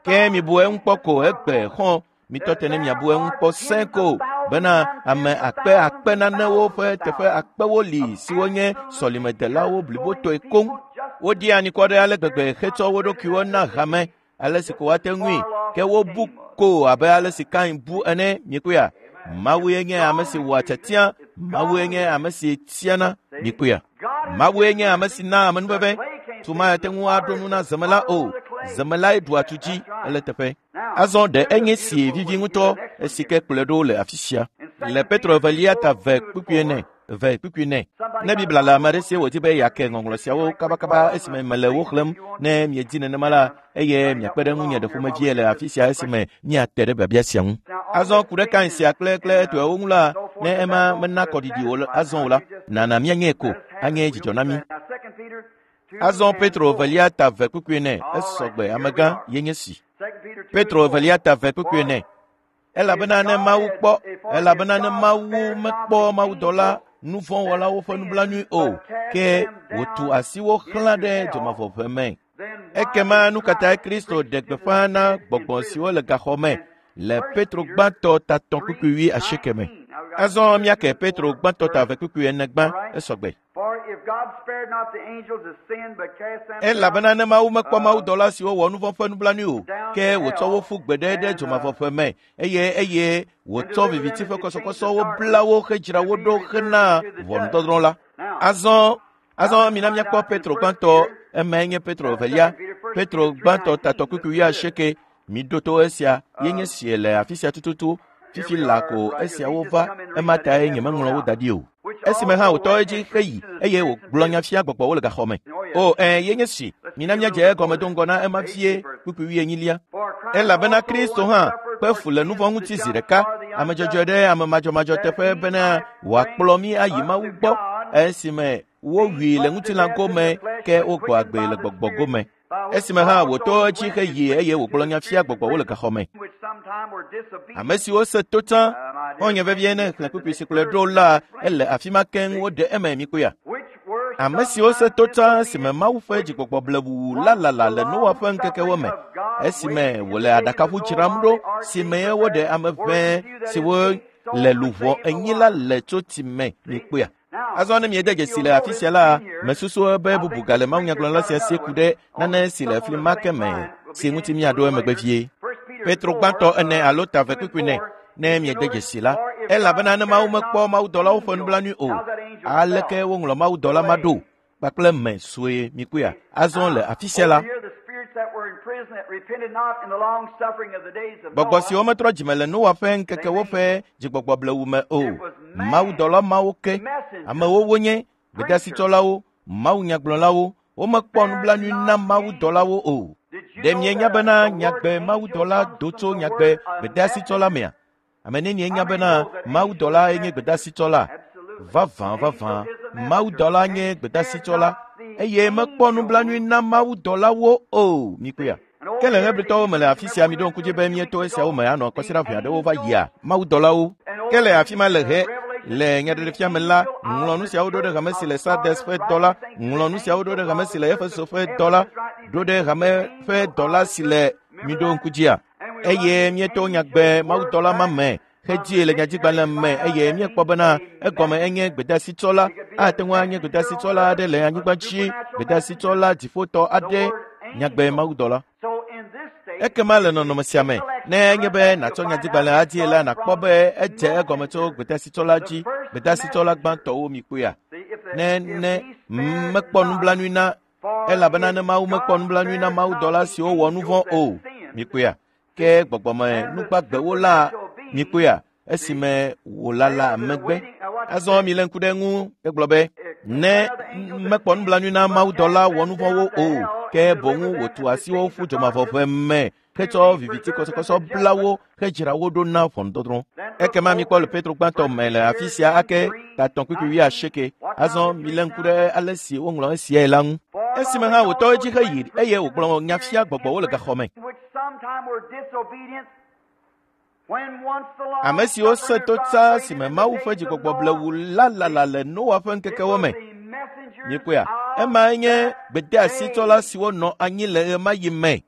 Ke mibu eŋu kpɔ ko egbe xɔ mitɔ te ne miabu eŋu kpɔ sẽ ko bena ame akpe akpe nanewo ƒe teƒe akpewo li siwo nye sɔlimedelawo blibotɔe koŋ. Woɖi anikɔ ɖe ale gbegbe hetsɔ wo ɖokuiwo na hame ale si ko woate ŋui ke wobu ko abe ale si Kain bu ene mikpɔea. Mawue nye ame si wɔa tiatia, Mawue nye ame si tiana mikpɔea. Mawue nye ame si na amenuveve. Tu mate ŋu aɖo nu na zemela o. Zemelae ɖua tu dzi ele teƒe. Azɔ ɖe enye si vivi ŋutɔ esi ke kplɔe ɖo le afi sia. Le Petro evelia ta 2:4 2:4. Ne Biblia le ame aɖe si wòdi be yeake ŋɔŋlɔ siawo kabakaba esime mele wo xlẽm ne miedi nenema la eye miakpe ɖe ŋunye ɖe ƒomevie le afi sia esime miate ɖe biabia sia ŋu. Azɔ ku ɖe Kain sia kple etɔewo ŋu la, ne ema mena kɔɖiɖi o azɔ o la, nana míanye ko anye dzidzɔ na mí. Azɔ Petro evelia ta 2:4 esɔgbe amegã ye nye si. Petro evelia ta 2:4. Elabena ne Mawu kpɔ, elabena ne Mawu mekpɔ mawudɔla nuvɔ̃wɔlawo ƒe nublanui o, ke wòtu asi wo xlã ɖe dzomavɔʋe me. Ekema nu ka tae Kristo ɖe gbeƒã na gbɔgbɔ siwo le gaxɔ me le Petro gbãtɔ ta 3:18 me. Azɔ míake Petro gbãtɔ ta 2:4 gbã esɔgbe. Elabena ne Mawu mekpɔ mawudɔla siwo wɔ nuvɔ̃ ƒe nublanui o, ke wòtsɔ wo ƒu gbe ɖe ɖe dzomavɔʋe me eye wòtsɔ viviti ƒe kɔsɔkɔsɔwo bla wo hedzra wo ɖo hena ʋɔnudɔdrɔ̃ la. Azɔ mina míakpɔ Petro gbãtɔ, emae nye Petro evelia. Petro gbãtɔ ta 3:18. Miɖo to esia, ye nye sie le afi sia tututu. Fifi la ko esiawo va, ema tae nyemeŋlɔ wo da ɖi o. Esime hã wòtɔ edzi heyi eye wògblɔ nya fia gbɔgbɔwo le gaxɔ me. O, ye nye si. Mina míadze egɔme do ŋgɔ na ema vie 24. Elabena Kristo hã kpe fu le nuvɔ̃ ŋuti zi ɖeka, ame dzɔdzɔe ɖe ame madzɔmadzɔ teƒe bena wòakplɔ mí ayi Mawu gbɔ esime wowui le ŋutilã gome ke wogbɔ agbee le gbɔgbɔ gome. Esime hã wòtɔ edzi heyi eye wògblɔ nya fia gbɔgbɔwo le gaxɔ me. Ame siwo se to tsã, xɔ̃nye vevie ne xlẽ kpukpui si kplɔe ɖo la, ele afi ma keŋ woɖe eme mikpɔea. Ame siwo se to tsã esime Mawu ƒe dzigbɔgbɔ blewu la lala le Noa ƒe ŋkekewo me, esime wòle aɖakaʋu dzram ɖo si mee woɖe ame ʋɛ siwo le luʋɔ 4 la le tso tsi me mikpɔea. Azɔ ne miede dzesi le afi sia la, mesusu be bubu gale mawunyagblɔla sia si ku ɖe nane si le fli ma ke me si ŋuti míaɖo emegbe vie. Petro gbãtɔ 4 alo ta 2:4 ne miede dzesi la, elabena ne Mawu mekpɔ mawudɔlawo ƒe nublanui o, aleke woŋlɔ mawudɔla ma ɖo kpakple me sue mikpɔea? Azɔ le afi sia la, gbɔgbɔ siwo metrɔ dzime le Noa ƒe ŋkekewo ƒe dzigbɔgbɔ blewu me o, mawudɔla mawo ke, amewo wonye, gbedeasitsɔlawo, mawunyagblɔlawo, womekpɔ nublanui na mawudɔlawo o. Ɖe mienya bena nyagbe mawudɔla do tso nyagbe gbedeasitsɔla mea? Ame nenie nya bena mawudɔla nye gbedeasitsɔla? Vavã, mawudɔla nye gbedeasitsɔla eye mekpɔ nublanui na mawudɔlawo o. Mikpɔea? Ke le Hebritɔwo me le afi sia miɖo ŋku dzi be míeto esiawo me anɔ kɔsiɖa ʋɛ aɖewo va yia mawudɔlawo. Ke le afi ma le he le nyaɖeɖefia me la, ŋlɔ nu siawo ɖo ɖe hame si le Sardes ƒe dɔla, ŋlɔ nu siawo ɖo ɖe hame si le Efeso ƒe dɔla, ɖo ɖe hame ƒe dɔla si le miɖo ŋku dzia. Eye míeto nyagbe mawudɔla ma me hedie le nyadzigbalẽ me eye míekpɔ bena egɔme enye gbedeasitsɔla, ate ŋu anye gbedeasitsɔla aɖe le anyigba dzi, gbedeasitsɔla dziƒotɔ aɖe, nyagbe mawudɔla. Ekema le nɔnɔme sia me, ne enye be nàtsɔ nyadzigbalẽ adie la, nàkpɔ be edze egɔme tso gbedeasitsɔla dzi, gbedeasitsɔla gbãtɔwo mikpɔea. Ne mekpɔ nublanui na elabena ne Mawu mekpɔ nublanui na mawudɔla siwo wɔ nuvɔ̃ o, mikpɔea. Ke gbɔgbɔme nugbagbewo la mikpɔea esime wòlala megbe. Azɔ mi le ŋku ɖe ŋu egblɔ be ne mekpɔ nublanui na mawudɔla wɔ nuvɔ̃wo o, ke boŋ wòtu asi wo ƒu dzomavɔʋe me. hetsɔ viviti kɔsɔkɔsɔ bla wo hedzra wo ɖo na ʋɔnudɔdrɔ̃. Ekema mikpɔ le Petro gbãtɔ me le afi sia ake tatɔ̃ kpukpui wuiasieke. Azɔ milé ŋku ɖe ale si woŋlɔ esiae la ŋu. Esime hã wòtɔ edzi heyi eye wògblɔ nya fia gbɔgbɔwo le gaxɔ me. Ame siwo sẽ to tsã si me Mawu ƒe dzigbɔgbɔ blewu la lala le Noa ƒe ŋkekewo me. Mikpɔea, emae nye gbedeasitsɔla siwo nɔ anyi le ɣemaɣi me.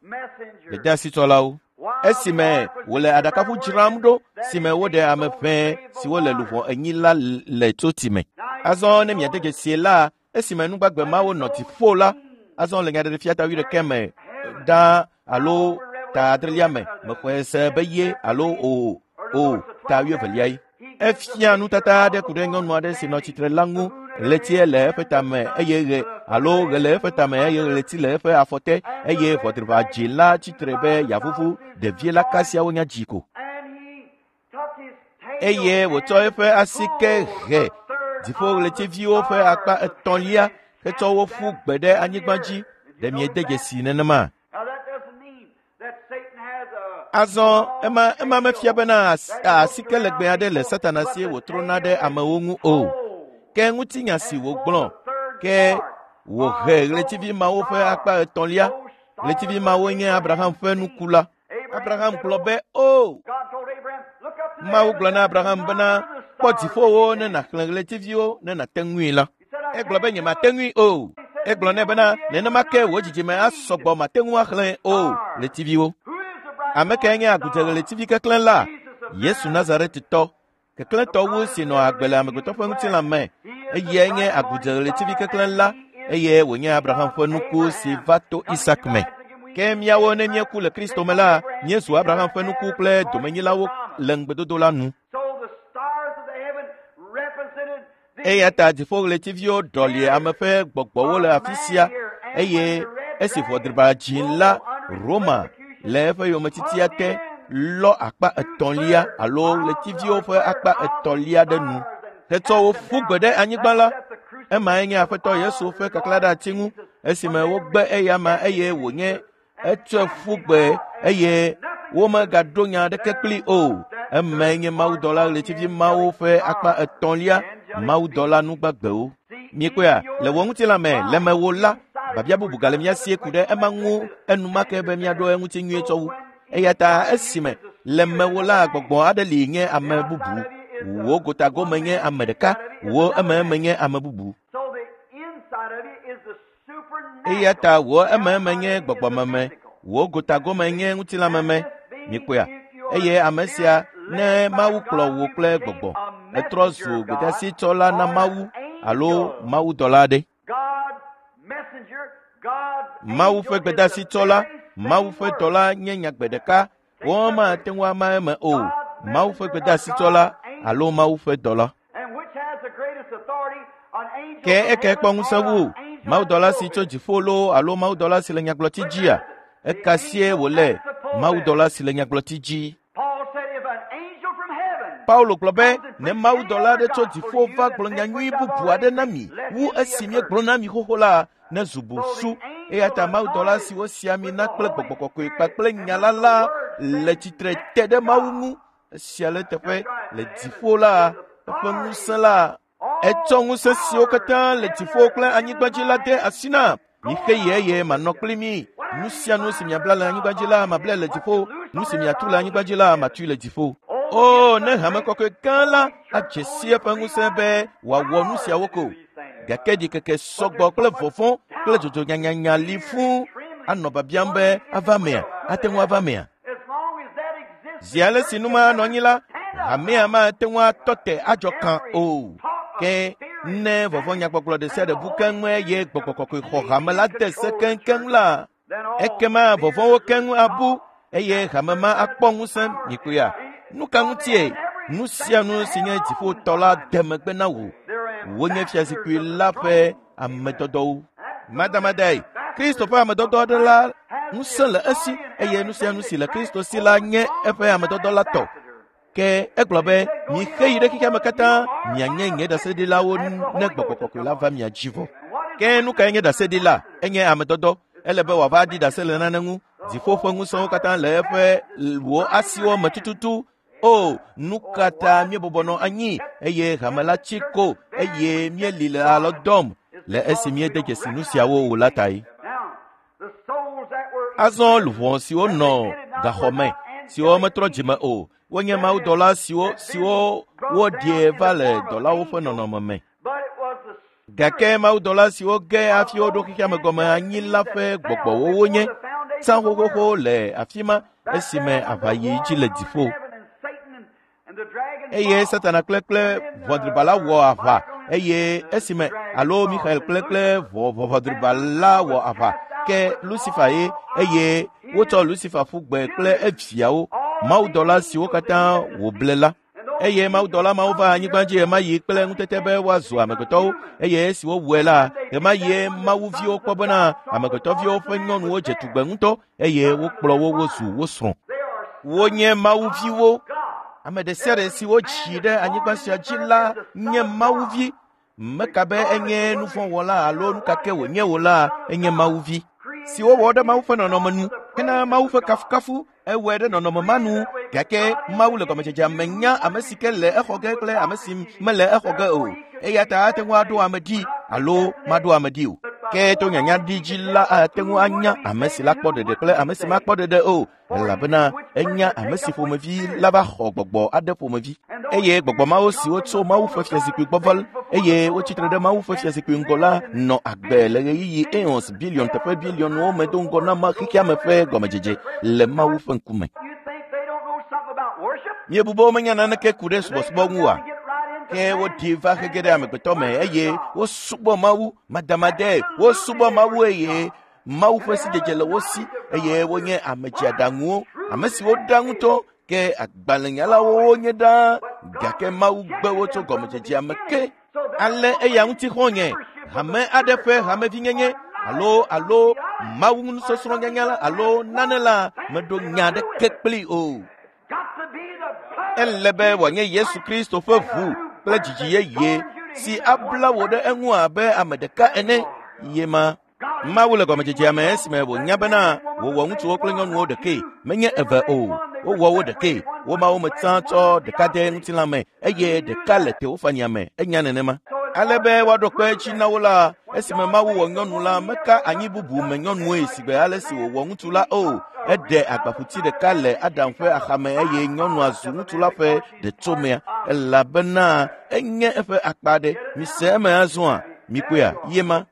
Gbedeasitsɔlawo. Esime wòle aɖakaƒu dzram ɖo si me woɖe ame ʋɛ siwo le luʋɔ enyi la le tso tsi me. Azɔ ne miade dzesie la, esime nugbagbe mawo nɔ dziƒo la, azɔ le nyaɖeɖefia ta wuiɖekɛ me ɖaa alo ta adrelia me mexɔe se be ye alo o o ta wuieveliae. Efia nutata aɖe ku ɖe nyɔnu aɖe si nɔ tsitre la ŋu. Ɣletie le eƒe tame eye ɣe alo ɣe le eƒe tame eye ɣleti le eƒe afɔ te eye ʋɔdriba dzi la tsitre be yeavuvu ɖevie la kasia wonya dzi ko. Eye wòtsɔ eƒe asike he dziƒoɣletiviwo ƒe akpa etɔ̃lia hetsɔ wo ƒu gbe ɖe anyigba dzi. Ɖe miede dzesi nenema? Azɔ ema ema mefia bena asike legbe aɖe le Satana sie wòtrɔna ɖe amewo ŋu o. Ke ŋutinya si wògblɔ ke wòhe ɣletivi mawo ƒe akpa etɔ̃lia. Ɣletivi mawo nye Abraham ƒe nuku la. Abraham gblɔ be o. Mawu gblɔ na Abraham bena kpɔ dziƒowo ne nàxlẽ ɣletiviwo ne nàte ŋui la. Egblɔ be nyemate ŋui o. Egblɔ nɛ bena nenema ke wò dzidzime asɔgbɔ mate ŋu axlẽ o ɣletiviwo. Ame kae nye agudze ɣletivi keklẽ la? Yesu Nazaretitɔ, keklẽtɔ wu si nɔ agbe le amegbetɔ ƒe ŋutilã me. Eyae nye agudze ɣletivi keklẽ la eye wònye Abraham ƒe nuku si va to Isak me. Ke míawo ne míeku le Kristo me la, míezu Abraham ƒe nuku kple domenyilawo le ŋugbedodo la nu. Eya ta dziƒoɣletiviwo ɖɔli ame ƒe gbɔgbɔwo le afi sia eye esi ʋɔdriba dzi la Roma le eƒe yometitia te lɔ akpa etɔ̃lia alo ɣletiviwo ƒe akpa etɔ̃lia ɖe nu hetsɔ wo ƒu gbe ɖe anyigba la. Emae nye Aƒetɔ Yesu ƒe kaklaɖeati ŋu esime wogbe eyama eye wònye etsɔe ƒu gbe eye womegaɖo nya aɖeke kpli o. Emae nye mawudɔla ɣletivi mawo ƒe akpa etɔ̃lia, mawudɔla nugbagbewo. Miekpɔea, le wò ŋutilã me, le mewò la, biabia bubu gale mía sie ku ɖe ema ŋu enumake be míaɖo eŋuti nyuie tsɔ wu. Eya ta esime le mewò la gbɔgbɔ aɖe li nye ame bubu, wò gotagome nye ame ɖeka, wò ememe nye ame bubu. Eya ta wò ememe nye gbɔgbɔmeme, wò gotagome nye ŋutilãmeme. Mikpɔea? Eye ame sia ne Mawu kplɔ wò kple gbɔgbɔ, etrɔ zu gbedeasitsɔla na Mawu alo mawudɔla aɖe. Mawu ƒe gbedeasitsɔla, Mawu ƒe dɔla nye nyagbe ɖeka. Womate ŋu ama eme o. Mawu ƒe gbedeasitsɔla alo Mawu ƒe dɔla. Ke eke kpɔ ŋusẽ wu mawudɔla si tso dziƒo loo alo mawudɔla si le nyagblɔti dzia? Eka sie wòle mawudɔla si le nyagblɔti dzi. Paulo gblɔ be ne mawudɔla aɖe tso dziƒo va gblɔ nya nyui bubu aɖe na mi wu esi míegblɔ na mi xoxo la, nezu busu. Eya ta mawudɔla si wosi ami na kple gbɔgbɔ kɔkɔe kpakple nya la la le tsitre te ɖe Mawu ŋu. Esia le teƒe le dziƒo la, eƒe ŋusẽ la etsɔ ŋusẽ siwo katã le dziƒo kple anyigba dzi la de asi na. Mixe yi eye manɔ kpli mi. Nu sia nu si miabla le anyigba dzi la, mablae le dziƒo. Nu si miatu le anyigba dzi la, matui le dziƒo. O, ne hame kɔkɔe gã la adze si eƒe ŋusẽ be wòawɔ nu siawo ko. Gake ɖikeke sɔgbɔ kple vɔvɔ̃ kple dzodzo nyanyanya li fũu anɔ biabiam be ava mea? Ate ŋu ava mea? Zi ale si nu ma nɔ anyi la, hamea mate ŋu atɔ te adzɔ kã o. Ke ne vɔvɔ̃ nyagbɔgblɔ ɖe sia ɖe bu keŋ eye gbɔgbɔ kɔkɔe xɔ hame la de se keŋkeŋ la, ekema vɔvɔ̃wo keŋ abu eye hame ma akpɔ ŋusẽ mikpɔea. Nu ka ŋutie? Nu sia nu si nye dziƒotɔ la de megbe na wò. Wonye fiazikpui la ƒe amedɔdɔwo. Madamadae, Kristo ƒe amedɔdɔ aɖe la ŋusẽ le esi eye nu sia nu si le Kristo si la nye eƒe amedɔdɔ la tɔ. Ke egblɔ be mixe yi ɖe xexea me katã mianye nye ɖaseɖilawo ne gbɔgbɔ kɔkɔe la va mia dzi vɔ. Ke nu kae nye ɖaseɖila? Enye amedɔdɔ. Ele be wòava ɖi ɖase le nane ŋu. Dziƒo ƒe ŋusẽwo katã le eƒe wò asiwo me tututu. O, nu ka ta míebɔbɔ nɔ anyi eye hame la tsi ko eye míeli le alɔ dɔm le esi míede dzesi nu siawo o la tae. Azɔ luʋɔ siwo nɔ gaxɔ me, siwo metrɔ dzime o, wonye mawudɔla siwo woɖie va le dɔlawo ƒe nɔnɔme me. Gake mawudɔla siwo ge hafi woɖo xexea me gɔme anyi la ƒe gbɔgbɔwo wonye tsã xoxoxo le afi ma esime aʋa yi dzi le dziƒo. Eye Satana kple ʋɔdriba la wɔ aʋa eye esime alo Michael kple ʋɔdriba la wɔ aʋa ke Lucifer ye eye wotsɔ Lucifer ƒu gbe kple eviawo, mawudɔla siwo katã wòble la. Eye mawudɔla mawo va anyigba dzi ɣemaɣi kple ŋutete be woazu amegbetɔwo eye esi wowɔe la, ɣemaɣie mawuviwo kpɔ bena amegbetɔviwo ƒe nyɔnuwo dze tugbe ŋutɔ eye wokplɔ wo wozu wo srɔ̃. Wonye mawuviwo. Ame ɖe sia ɖe si wodzi ɖe anyigba sia dzi la nye mawuvi. Meka be enye nuvɔ̃wɔla alo nu ka ke wònye o la, enye mawuvi. Si wowɔ ɖe Mawu ƒe nɔnɔme nu hena Mawu ƒe kafukafu, ewɔe ɖe nɔnɔme ma nu, gake Mawu le gɔmedzedzea me nya ame si ke le exɔ ge kple ame si mele exɔ ge o. Eya ta ate ŋu aɖo ame ɖi alo maɖo ame ɖi o. Ke to nyanya ɖi dzi la ate ŋu anya ame si la kpɔ ɖeɖe kple ame si makpɔ ɖeɖe o, elabena enya ame si ƒomevi la va xɔ gbɔgbɔ aɖe ƒomevi. Eye gbɔgbɔ mawo siwo tso Mawu ƒe fiazikpui gbɔ va eye wotsitre ɖe Mawu ƒe fiazikpui ŋgɔ la nɔ agbe le ɣeyiɣi eons biliɔn teƒe biliɔnwo me do ŋgɔ na xexea me ƒe gɔmedzedze le Mawu ƒe ŋkume. Míebu be womenya naneke ku ɖe subɔsubɔ ŋu oa? Ke woɖi va xege ɖe amegbetɔ me eye wosubɔ Mawu madamade, wosubɔ Mawu eye Mawu ƒe sidzedze le wo si eye wonye ame dziaɖaŋuwo, ame siwo ɖa ŋutɔ ke agbalẽnyalawo wonye ɖaa, gake Mawu gbe wo tso gɔmedzedzea me ke. Ale eya ŋuti xɔ̃nye, hame aɖe ƒe hamevinyenye alo Mawu nusɔsrɔ̃ nyanya la alo nane la meɖo nya aɖeke kpli o. Ele be wòanye Yesu Kristo ƒe ʋu kple dzidzi yeye si abla wò ɖe eŋu abe ame ɖeka ene ye ma. Mawu le gɔmedzedzea me esime wònya bena wòwɔ ŋutsuwo kple nyɔnuwo ɖeke, menye eve o. Wowɔ wo ɖeke, womawo me tsã tsɔ ɖeka de ŋutilã me eye ɖeka le teofania me, enya nenema. Ale be woaɖo kpe edzi na wo la, esime Mawu wɔ nyɔnu la, meka anyi bubu me nyɔnue sigbe ale si wòwɔ ŋutsu la o. Eɖe agbaƒuti ɖeka le Adam ƒe axame eye nyɔnua zu ŋutsu la ƒe ɖetsomea, elabena enye eƒe akpa aɖe. Mise eme azɔa? Mikpɔea? Ye ma.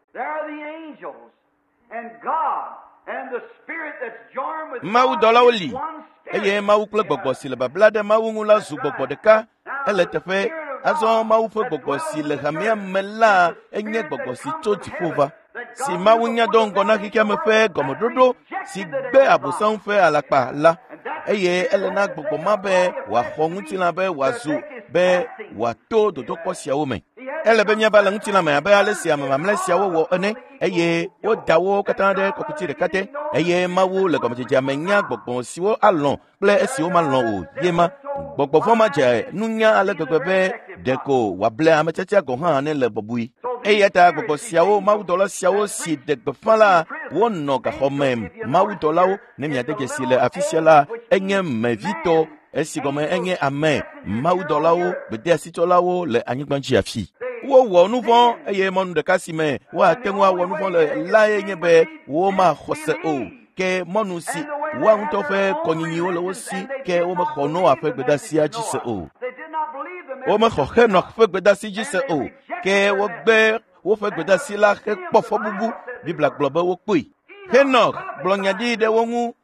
Mawudɔlawo li eye Mawu kple gbɔgbɔ si le babla ɖe Mawu ŋu la zu gbɔgbɔ ɖeka. Ele teƒe. Azɔ Mawu ƒe gbɔgbɔ si le hamea me la enye gbɔgbɔ si tso dziƒo va, si Mawu nya do ŋgɔ na xexea me ƒe gɔmeɖoɖo si gbe Abosam ƒe alakpa la. Eye ele na gbɔgbɔ ma be wòaxɔ ŋutilã be wòazu be wòato dodokpɔ siawo me. Ele be míava le ŋutilã me abe ale si ame mamlɛ siawo wɔ ene eye woda wo katã ɖe kɔkuti ɖeka te eye Mawu le gɔmedzedzea me nya gbɔgbɔ siwo alɔ̃ kple esiwo malɔ̃ o ye ma. Gbɔgbɔ vɔ̃ ma dze nunya ale gbegbe be ɖeko wòable ame tiatia gɔ̃ hã ne le bɔbɔe. Eya ta gbɔgbɔ siawo, mawudɔla siawo si ɖe gbeƒã la, wonɔ gaxɔ me. Mawudɔlawo, ne miade dzesi le afi sia la, enye mevitɔ esi gɔme enye ame, mawudɔlawo, gbedeasitsɔlawo le anyigba dzi afi. Wowɔ nu vɔ̃ eye mɔnu ɖeka si me woate ŋu awɔ nu vɔ̃ le lae nye be womaxɔ se o. Ke mɔnu si woa ŋutɔ ƒe kɔnyinyiwo le wo si ke womexɔ Noa ƒe gbedeasia dzi se o. Womexɔ Henok ƒe gbedeasi dzi se o. Ke wogbe woƒe gbedeasi la hekpɔ fɔbubu. Biblia gblɔ be wokpɔe. Henok gblɔ nya ɖi ɖe wo ŋu.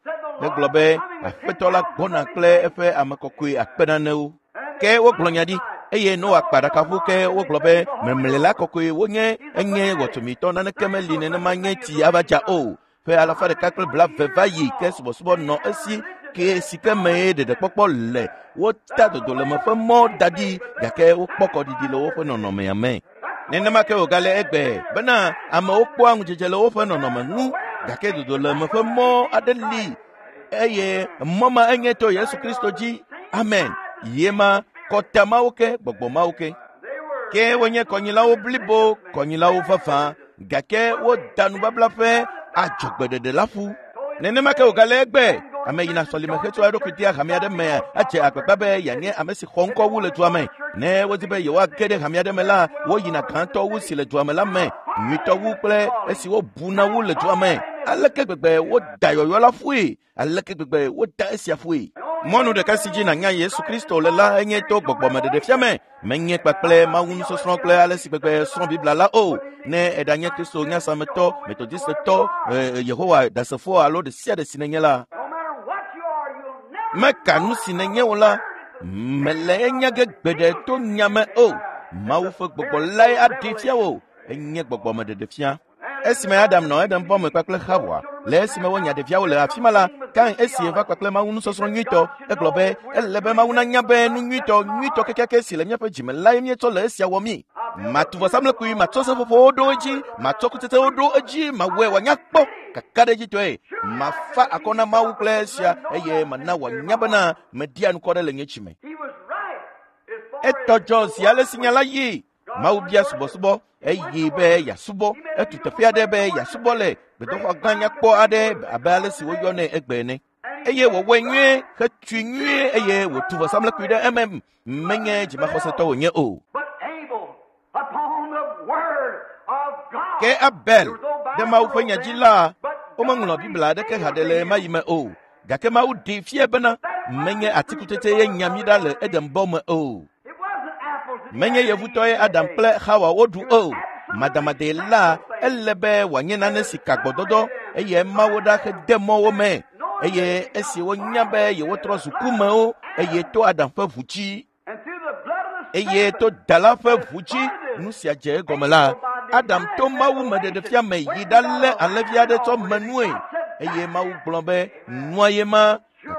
Egblɔ be Aƒetɔ la gbɔna kple eƒe ame kɔkɔe akpe nanewo. Ke wogblɔ nya ɖi eye Noa kpa ɖakaʋu ke wogblɔ be memlela kɔkɔe wonye enye wɔtɔmitɔ naneke meli nenema nye tsi ava dza o. Ƒe alafa ɖeka kple blaeve va yi ke subɔsubɔ nɔ esi ke si ke mee ɖeɖekpɔkpɔ le. Wota dodoleme ƒe mɔ da ɖi gake wokpɔ kɔɖiɖi le woƒe nɔnɔmea me. Nenema ke wògale egbe bena amewo kpɔa ŋudzedze le woƒe nɔnɔme ŋu gake dodoleme ƒe mɔ aɖe li eye mɔ ma enye to Yesu Kristo dzi. Amen. Ye ma kɔta mawo ke, gbɔgbɔ mawo ke. Ke wonye kɔnyilawo blibo, kɔnyilawo vavã, gake woda nubabla ƒe adzɔgbeɖeɖe la ƒu. Nenema ke wògale egbe. Ame yina sɔlime hetsɔa eɖokui dea hame aɖe me adze agbagba be yeanye ame si xɔ ŋkɔ wu le dua me. Ne wodi be yewoage ɖe hame aɖe me la, woyina gãtɔ wu si le dua me la me, nyuitɔ wu kple esi wobuna wu le dua me. Aleke gbegbe woda yɔyɔ la ƒui? Aleke gbegbe woda esia ƒui? Mɔnu ɖeka si dzi nànya Yesu Kristo le la enye to gbɔgbɔmeɖeɖefia me. Menye kpakple Mawu nusɔsrɔ̃ kple ale si gbegbe srɔ̃ Biblia la o. Ne èɖanye Kristo nyasametɔ, Metodistetɔ, Yehowa Ɖasefo alo ɖe sia ɖe si nènye la, meka nu si nènye o la, mele enya ge gbeɖe to nya me o. Mawu ƒe gbɔgbɔ lae aɖee fia wò. Enye gbɔgbɔmeɖeɖefia. Esime Adam nɔ Eden bɔ me kpakple Xawa, le esime wonya ɖeviawo le afi ma la, Kain esi eva kpakple Mawu nusɔsrɔ̃ nyuitɔ, egblɔ be ele be Mawu nanya be nu nyuitɔ nyuitɔ kekeake si le míaƒe dzime lae míetsɔ le esia wɔ mí. Matu vɔsamlekpui, matsɔ seƒoƒowo ɖo edzi, matsɔ kutsetsewo ɖo edzi, mawɔe wòanya kpɔ kakaɖedzitɔe, mafa akɔ na Mawu kple esia eye mana wòanya bena meɖia nukɔ ɖe le nye dzime. Etɔ dzɔ zi ale si nya la yii. Mawu bia subɔsubɔ eye be yeasubɔ etu teƒe aɖe be yeasubɔ le gbedoxɔ gã nyakpɔ aɖe abe ale si woyɔnɛ egbe ene. Eye wòwɔe nyuie hetui nyuie eye wòtu vɔsamlekpui ɖe eme. Menye dzimaxɔsetɔ wònye o. Ke Abel ɖe Mawu ƒe nya dzi la, womeŋlɔ Biblia aɖeke haɖe le ɣemaɣi me o. Gake Mawu ɖee fia bena menye atikutsetse ye nya mí ɖa le Eden bɔ me o. Menye yevutɔe Adam kple Xawa woɖu o. Madamade la, ele be wòanye nane si ka gbɔdɔdɔ eye Mawu ɖa hede mɔ wo me. Eye esi wonya be yewotrɔ zu kumewo eye to Adam ƒe ʋu dzi eye to da la ƒe ʋu dzi nu sia dze egɔme la, Adam to Mawu me ɖeɖefia me yi ɖalé alẽvi aɖe tsɔ me nue eye Mawu gblɔ be nua ye ma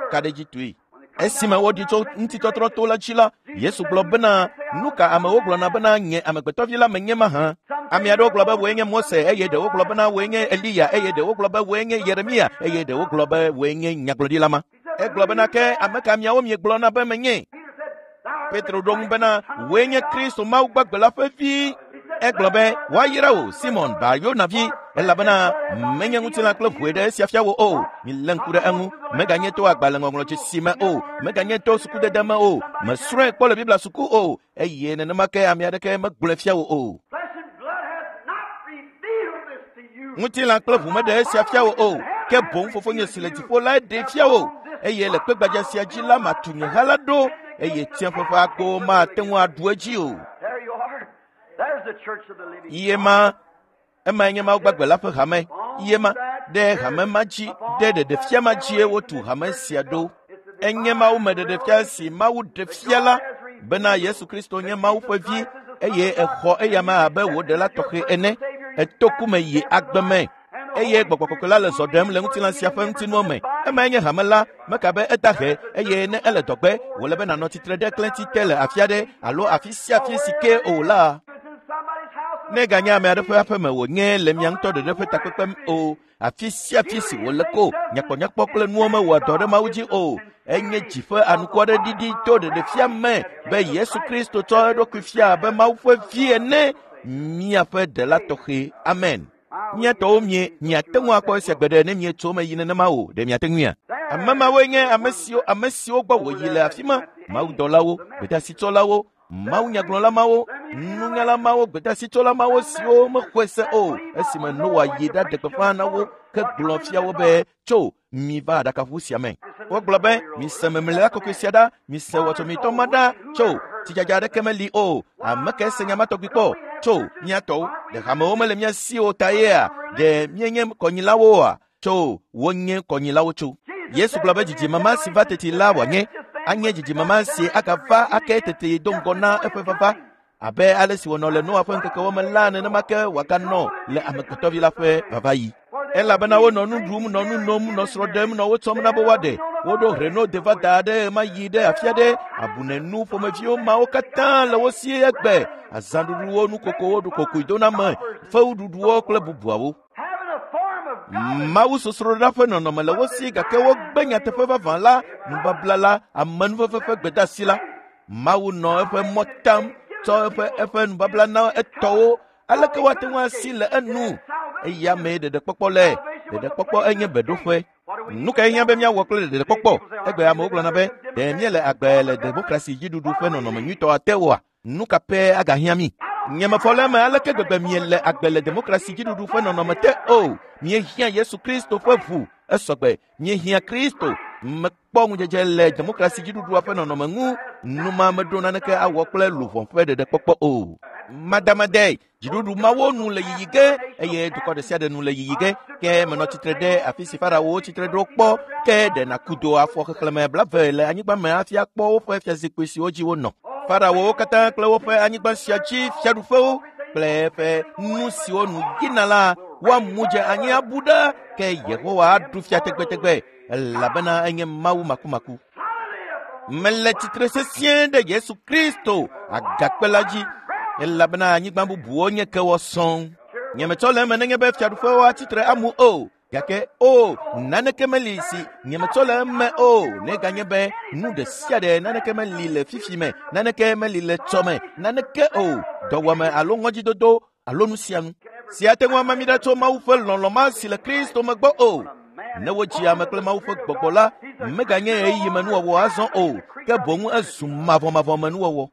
kakaɖedzitɔe. Esime woɖi tso ŋutitɔtrɔ to la dzi la, Yesu gblɔ bena, nu ka amewo gblɔna bena nye amegbetɔvi la menye mahã? Ame aɖewo gblɔ be wòe nye Mose eye ɖewo gblɔ bena wòe nye Eliya eye ɖewo gblɔ be wòe nye Yeremia eye ɖewo gblɔ be wòe nye nyagblɔɖila ma. Egblɔ bena ke ame ka miawo miegblɔna be menye? Petro ɖo ŋu bena wòe nye Kristo Mawu gbagbe la ƒe vi. Egblɔ be woayra wò Simon Bar Yona vi elabena menye ŋutilã kple ʋue ɖe esia fia wò o. Milé ŋku ɖe eŋu. Meganye to agbalẽŋɔŋlɔdzesi me o. Meganye to sukudede me o. Mesrɔ̃e kpɔ le Biblia suku o. Eye nenema ke ame aɖeke megblɔe fia wò o. Ŋutilã kple ʋu meɖe esia fia wò o. Ke boŋ fofonye si le dziƒo lae ɖee fia wò. Eye le kpe gbadza sia dzi la matu nye ha la ɖo eye tsiẽƒe ƒe agbowo mate ŋu aɖu edzi o. Ye ma emae nye Mawu gbagbe la ƒe hame. Ye ma ɖe hame ma dzi ɖe ɖeɖefia ma dzie wotu hame sia ɖo. Enye Mawu me ɖeɖefia si Mawu ɖe fia la bena Yesu Kristo nye Mawu ƒe vi eye exɔ eyama abe wò ɖela tɔxɛ ene. Eto ku me yi agbe me eye gbɔgbɔ kɔkɔe la le zɔ ɖem le ŋutilã sia ƒe ŋutinuwo me. Emae nye hame la, meka be eda he eye ne ele dɔgbe, wòle be nànɔ tsitre ɖe klẽti te le afi aɖe alo afi sia afi si ke o la. Ne ganye ame aɖe ƒe aƒeme wònye le mia ŋutɔ ɖeɖe ƒe takpekpe o, afi sia afi si wòle ko, nyakpɔnyakpɔ kple nuwo mewɔa dɔ ɖe Mawu dzi o. Enye dzi ƒe anukware ɖiɖi to ɖeɖefia me be Yesu Kristo tsɔ eɖokui fia abe Mawu ƒe vi ene, míaƒe ɖela tɔxɛ. Amen. Mía tɔwo mie miate ŋu akpɔ esia gbeɖe ne mietso eme yi nenema o. Ɖe miate ŋuia? Ame mawoe nye ame siwo ame siwo gbɔ wòyi le afi ma, mawudɔlawo, gbedeasitsɔlawo, mawunyagblɔla mawo, nunyala mawo, gbedeasitsɔla mawo siwo mexɔe se o esime Noa yi ɖaɖe gbeƒã na wo ke gblɔ fia wo be tso mi va aɖakaʋu sia me. Wogblɔ be mise memlɛ kɔkɔe sia ɖa, mise wɔtsɔmitɔ ma ɖa tso tsidzadza aɖeke meli o. Ame ke se nya ma tɔgbi kpɔ tso mía tɔwo. Ɖe hamewo mele mía si o ta yea? Ɖe míenye kɔnyilawo oa? Tso wonye kɔnyilawo tso. Yesu gblɔ be dzidzime ma si va teti la wòanye anye dzidzime ma si agava ake tete do ŋgɔ na eƒe vava abe ale si wònɔ le Noa ƒe ŋkekewo me la nenema ke wòaganɔ le amegbetɔvi la ƒe vavaɣi. Elabena wonɔ nu ɖum, nɔ nu nom, nɔ srɔ̃ ɖem, nɔ wo tsɔm na be woaɖe. Woɖo Reno devada aɖe ɣemaɣi ɖe afi aɖe. Abunenu ƒomeviwo mawo katã le wo si egbe. Azãɖuɖuwo, nukokowo, ɖokokoedoname, fewuɖuɖuwo kple bubuawo. Mawu sosroɖa ƒe nɔnɔme le wo si gake wogbe nyateƒe vavã la, nubabla la, amenuveve ƒe gbedeasi la. Mawu nɔ eƒe mɔ tam tsɔ eƒe eƒe nubabla na etɔwo. Aleke woate ŋu asi le enu? Eya mee ɖeɖekpɔkpɔ le. Ɖeɖekpɔkpɔ enye beɖoƒe. Nu kae hiã be míawɔ kple ɖeɖekpɔkpɔ? Egbe amewo gblɔna be ɖe míele agbe le demokrasi dziɖuɖu ƒe nɔnɔme nyuitɔ te oa? Nu ka pɛ agahiã mí? Nyemefɔ le eme aleke gbegbe miele agbe le demokrasi dziɖuɖu ƒe nɔnɔme te o. Míehiã Yesu Kristo ƒe ʋu esɔgbe. Míehiã Kristo. Mekpɔ ŋudzedze le demokrasi dziɖuɖua ƒe nɔnɔme ŋu. Numa meɖo naneke awɔ kple luʋɔ ƒe ɖeɖekpɔkpɔ o. Madamadae, dziɖuɖu mawo nu le yiyi ge eye dukɔ ɖe sia ɖe nu le yiyi ge. Ke menɔ tsitre ɖe afi si Faraowo tsitre ɖo kpɔ. Ke ɖe nàku do afɔ xexlẽme 20 le anyigba me hafi akpɔ woƒe fiazikpui siwo dzi wonɔ. Faraowo katã kple woƒe anyigba sia dzi fiaɖuƒewo kple eƒe nu siwo nu yina la, woamu dze anyi abu ɖa. Ke Yehowa aɖu fia tegbetegbe elabena enye Mawu makumaku. Mele tsitre sesĩe ɖe Yesu Kristo agakpe la dzi elabena anyigba bubuwo nye kewɔ sɔŋ. Nyemetsɔ le eme nenye be fiaɖuƒewo atsitre amu o. Gake o, naneke meli si nyemetsɔ le eme o. Neganye be nu ɖe sia ɖe naneke meli le fifi me, naneke meli le tsɔme, naneke o. Dɔwɔame alo ŋɔdzidodo alo nu sia nu si ate ŋu ama mí ɖa tso Mawu ƒe lɔlɔ̃ ma si le Kristo me gbɔ o. Ne wodzi ame kple Mawu ƒe gbɔgbɔ la, meganye ɣeyiɣi me nuwɔwɔ azɔ o, ke boŋ ezu mavɔmavɔ me nuwɔwɔ.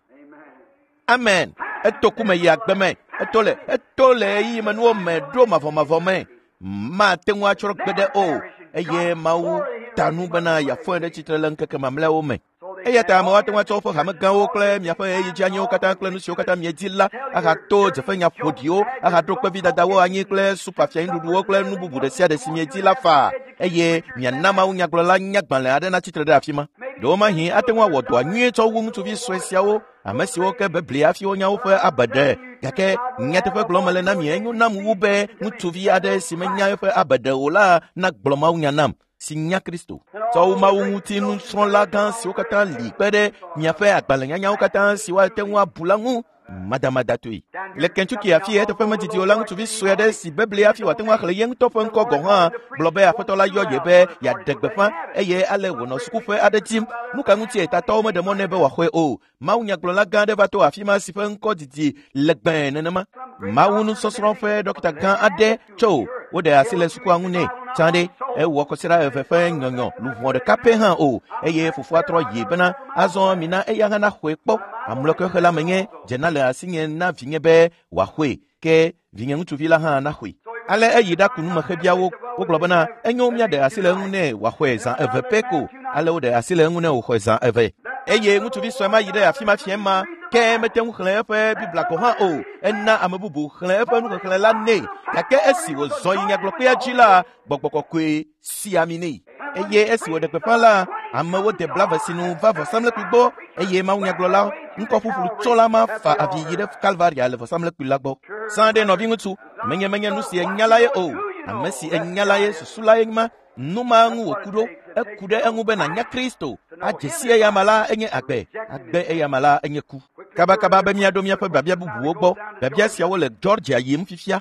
Amen. Eto ku me yi agbe me. Eto le ɣeyiɣi me nuwo me ɖo mavɔmavɔ me. Mate ŋu atsrɔ̃ gbeɖe o eye Mawu ta nu bena yeafɔe ɖe tsitre le ŋkeke mamlɛawo me. Eya ta amewo ate ŋu atsɔ woƒe hamegãwo kple miaƒe ɣeyiɣi dzeanyiwo katã kple nu siwo katã miedi la ahato dzeƒenya ƒoɖiwo, ahaɖo kpevidadawo anyi kple supafianuɖuɖuwo kple nu bubu ɖe sia ɖe si miedi la faa eye miana Mawu nyagblɔla nyagbalẽ aɖe natsitre ɖe afi ma. Ɖewomahi ate ŋu awɔ dɔa nyuie tsɔ wu ŋutsuvi sue siawo, ame siwo ke bebli hafi wonya woƒe abeɖe. Gake nyateƒe gblɔm mele na mi enyo nam wu be ŋutsuvi aɖe si menya eƒe abeɖe o la nagblɔ mawunya nam si nya Kristo. Tsɔ wu Mawu ŋuti nusrɔ̃la gã siwo katã li kpe ɖe miaƒe agbalẽnyanyawo katã si woate ŋu abu la ŋu madamadatɔe. Le Kentucky afi eteƒe medidi o la, ŋutsuvi sue aɖe si bebli hafi wòate ŋu axlẽ ye ŋutɔ ƒe ŋkɔ gɔ̃ hã gblɔ be aƒetɔ la yɔ ye be yeaɖe gbeƒã eye ale wònɔ sukuƒe aɖe dim. Nu ka ŋutie tatɔwo meɖe mɔ nɛ be wòaxɔe o? Mawu nyagblɔla gã aɖe va to afi ma si ƒe ŋkɔ didi legbee nenema. Mawu nusɔsrɔ̃ ƒe ɖɔkita gã aɖe tso woɖe asi le sukua ŋu nɛ. Tsã ɖe ewɔ kɔsiɖa eve ƒe nyɔnyɔ luʋɔ ɖeka pɛ hã o eye fofoa trɔ yi bena azɔ mina eya hã naxɔe kpɔ. Amlɔkɔxe la menye dzena le asinye na vinye be wòaxɔe ke vinye ŋutsuvi la hã naxɔe. Ale eyi ɖaku numexebiawo. Wogblɔ bena enyo míaɖe asi le eŋu nɛ wòaxɔe zã eve pɛ ko. Ale woɖe asi le eŋu nɛ wòxɔe zã eve. Eye ŋutsuvi sue ma yi ɖe afi ma fiẽ ma ke mete ŋu xlẽ eƒe Biblia gɔ̃ hã o. Ena ame bubu xlẽ eƒe nuxexlẽ la nɛ. Gake esi wòzɔ yi nyagblɔkpea dzi la, gbɔgbɔ kɔkɔe si ami nɛ. Eye esi wòɖe gbeƒã la, amewo de 20 sinu va vɔsamlekpui gbɔ eye mawunyagblɔla ŋkɔ ƒuƒlu tsɔla ma fa avi yi ɖe Kalvaria le vɔsamlekpui la gbɔ. Sã ɖe nɔviŋutsu, menye nu si enya la ye o. Ame si enya la ye susu la ye ma. Nu ma ŋu wòku ɖo. Eku ɖe eŋu be nànya Kristo. Adze si eyama la enye agbe. Agbe eyama la enye ku. Kabakaba be míaɖo míaƒe biabia bubuwo gbɔ. Biabia siawo le Georgia yim fifia.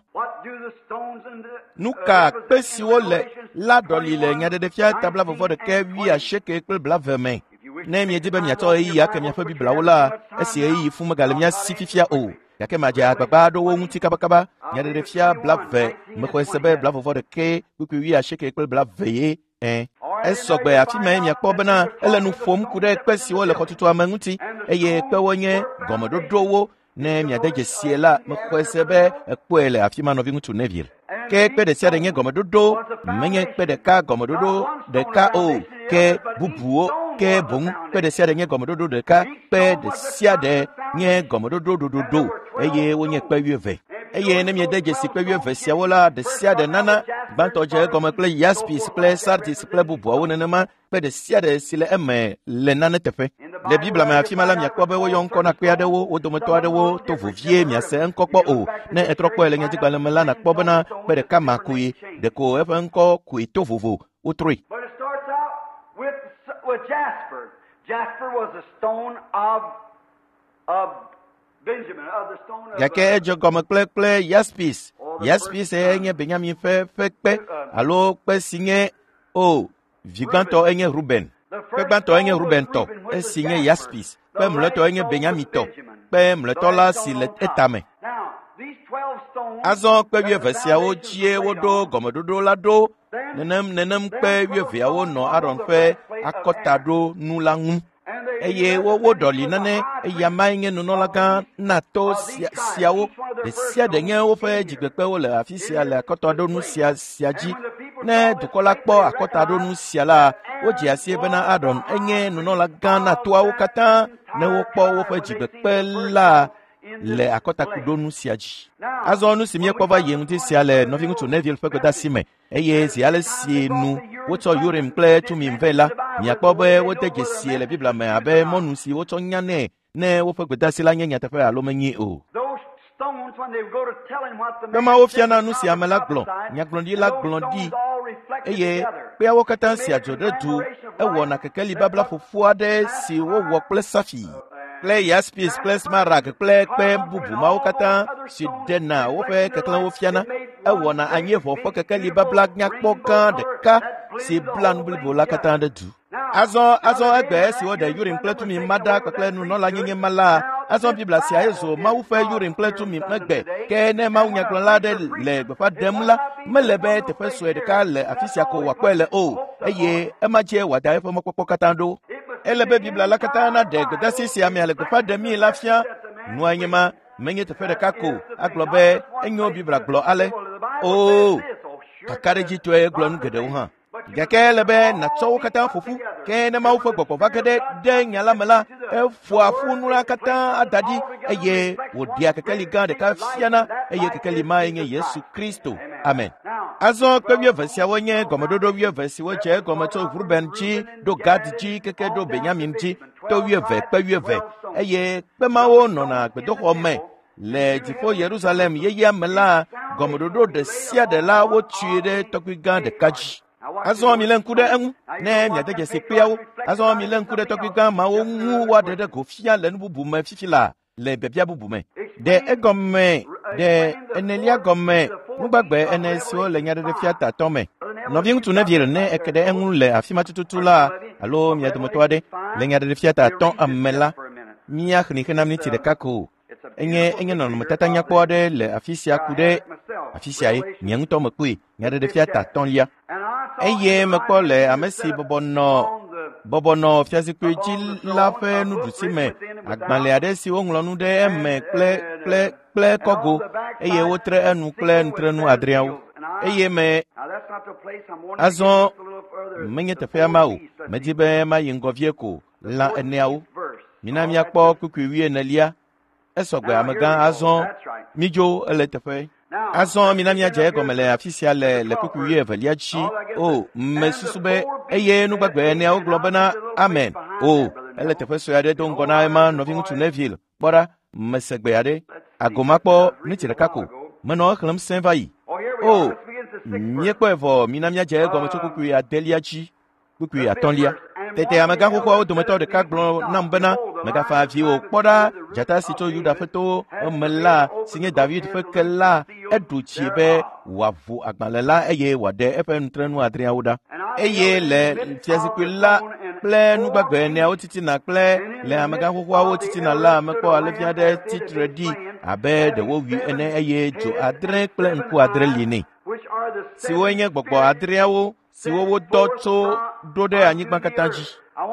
Nu ka kpe siwo le la ɖɔli le nyaɖeɖefia ta 21 80 kple 20 me? Ne miedi be miatsɔ ɣeyiɣi ake miaƒe Bibliawo la, esi ɣeyiɣi fũ megale mía si fifia o. Gake madze agbagba aɖo wo ŋuti kabakaba. Nyaɖeɖefia 20 mexɔe se be 21 kpukpui 80 kple 20 ye. Esɔgbe afi mae miakpɔ bena ele nu ƒom ku ɖe kpe siwo le xɔtutua me ŋuti eye kpewo nye gɔmeɖoɖowo. Ne miade dzesie la, mexɔe se be ekpɔe le afi ma nɔviŋutsu Neville. Ke kpe ɖe sia ɖe nye gɔmeɖoɖo, menye kpe ɖeka gɔmeɖoɖo ɖeka o, ke bubuwo ke boŋ kpe ɖe sia ɖe nye gɔmeɖoɖo ɖeka, kpe ɖe sia ɖe nye gɔmeɖoɖo ɖoɖoɖo eye wonye kpe 20. Eye ne miede dzesi kpe 20 siawo la, ɖe sia ɖe nana gbãtɔ dze egɔme kple yaspis kple sardis kple bubuawo nenema. Kpe ɖe sia ɖe si le eme le nane teƒe. Le Biblia me afi ma la, miakpɔ be woyɔ ŋkɔ na kpe aɖewo, wo dometɔ aɖewo to vovie miase eŋkɔ kpɔ o. Ne etrɔ kpɔe le nyadzigbalẽ me la, nàkpɔ bena kpe ɖeka ma koe, ɖeko eƒe ŋkɔ koe to vovo, wotrɔe. But it starts out with jasper. Jasper was a stone of Benjamin, of the stone of Gake edze gɔme kple yaspis. Yaspis enye Benyamin ƒe kpe alo kpe si nye o vi gbãtɔ enye Ruben. Kpe gbãtɔ enye Ruben tɔ, esi nye yaspis. Kpe mlɔetɔ enye Benyamin tɔ. Kpe mlɔetɔ la si le etame. Now, these 12 Azɔ kpe wuieve siawo dzie woɖo gɔmeɖoɖo la ɖo. Nenem kpe wuieveawo nɔ Aron ƒe akɔtaɖonu la ŋu. Eye woɖɔli nane, eya mae nye nunɔlagã na to siawo. Ɖe sia ɖe nye woƒe dzigbekpewo le afi sia le akɔtaɖonu sia dzi. Ne dukɔ la kpɔ akɔtaɖonu sia la, wodze asi bena Aron enye nunɔlagã na toawo katã ne wokpɔ woƒe dzigbekpe la le akɔtaɖonu sia dzi. Azɔ nu si míekpɔ va yi ŋuti sia le nɔviŋutsu Neville ƒe gbedeasi me, eye zi ale si nu wotsɔ Urim kple Tumim vɛ la, miakpɔ be wode dzesie le Biblia me abe mɔnu si wotsɔ nyanɛ ne woƒe gbedeasi la nye nyateƒe alo menye o. Kpe mawo fiana nu si ame la gblɔ, nyagblɔɖila gblɔ ɖi, eye kpeawo katã sia dzo ɖe du. Ewɔna kekeli babla ƒoƒu aɖe si wowɔ kple safi, kple yaspis kple smaragd kple kpe bubu mawo katã si ɖena woƒe keklẽwo fiana. Ewɔna anyieʋɔ ƒe kekeli babla nyakpɔ gã ɖeka si bla nu blibo la katã ɖe du. Azɔ egbe esi woɖe Urim kple Tumim ma ɖa kpakple nunɔlanyenye ma la, azɔ Biblia sia ezu Mawu ƒe Urim kple Tumim megbe. Ke ne Mawu nyagblɔla aɖe le gbeƒã ɖem la, mele be teƒe sue ɖeka le afi sia ko wòakpɔe le o, eye ema dzie wòada eƒe mɔkpɔkpɔ katã ɖo. Ele be Biblia la katã naɖe gbedeasi sia mea le gbeƒã ɖemii la fia. Nua nye ma, menye teƒe ɖeka ko agblɔ be enyo Biblia gblɔ ale. Oo, kakaɖedzitɔe gblɔ nu geɖewo hã. Gake ele be nàtsɔ wo katã ƒo ƒu. Ke ne Mawu ƒe gbɔgbɔ va ge ɖe nya la me la, eƒoa ƒu nu la katã ada ɖi eye wòɖea kekeli gã ɖeka fiana, eye kekeli mae nye Yesu Kristo. Amen. Azɔ kpe wuieve siawo nye gɔmeɖoɖo wuieve siwo dze egɔme tso Ruben dzi ɖo Gad dzi keke ɖo Benyamin dzi, to wuieve kpe wuieve, eye kpe mawo nɔna gbedoxɔ me. Le dziƒo Yerusalem yeyea me la, gɔmeɖoɖo ɖe sia ɖe la wotui ɖe tɔkpui gã ɖeka dzi. Azɔ milé ŋku ɖe eŋu ne miade dzesi kpeawo. Azɔ milé ŋku ɖe tɔkpui gã mawo ŋu woaɖe ɖe go fia le nu bubu me fifi la le biabia bubu me. Ɖe egɔme, ɖe enelia gɔme, nugbagbe ene siwo le nyaɖeɖefia tatɔ me. Nɔviŋutsu Neville ne eke ɖe eŋu le afi ma tututu la, alo mia dometɔ aɖe le nyaɖeɖefia tatɔ ame la, míaxlẽe hena miniti ɖeka ko. Enye nɔnɔmetata nyakpɔ aɖe le afi sia ku ɖe afi sia ye nye ŋutɔ mekpɔe nyaɖeɖefia tatɔ̃lia. Eye mekpɔ le ame si bɔbɔ nɔ fiazikpui dzi la ƒe nuɖusi me agbalẽ aɖe si woŋlɔ nu ɖe eme kple kɔgo, eye wotre enu kple nutrenu adreawo. Eye me azɔ menye teƒea ma o, medi be mayi ŋgɔ vie ko lã eneawo. Mina míakpɔ kpukpui wuienelia. Esɔgbe amegã azɔ midzo ele teƒe. Azɔ mina míadze egɔme le afi sia le kpukpui wuievelia dzi. O, mesusu be eye nugbagbe eneawo gblɔ bena amen. O, ele teƒe sue aɖe do ŋgɔ na ema nɔviŋutsu Neville. Kpɔ ɖa, mese gbe aɖe. Agomakpɔ miniti ɖeka ko. Menɔ exlẽm sẽ va yi. O, míekpɔe vɔ, mina míadze egɔme tso kpukpui adelia dzi. Kpukpui atɔ̃lia. Tete amegã xoxoawo dometɔ ɖeka gblɔ nam bena, megafa avi o, kpɔ ɖa, dzata si tso Yuda ƒe towo me la, si nye David ƒe ke la, eɖu dzi be wòaʋu agbalẽ la eye wòaɖe eƒe nutrenu adreawo ɖa. Eye le fiazikpui la kple nugbagbe eneawo titina kple le amegã xoxoawo titina la, mekpɔ alẽvi aɖe tsitre ɖi abe ɖe wowui ene, eye dzo adre kple ŋku adre li nɛ, siwo nye gbɔgbɔ adreawo siwo wodɔ tso ɖo ɖe anyigba katã dzi.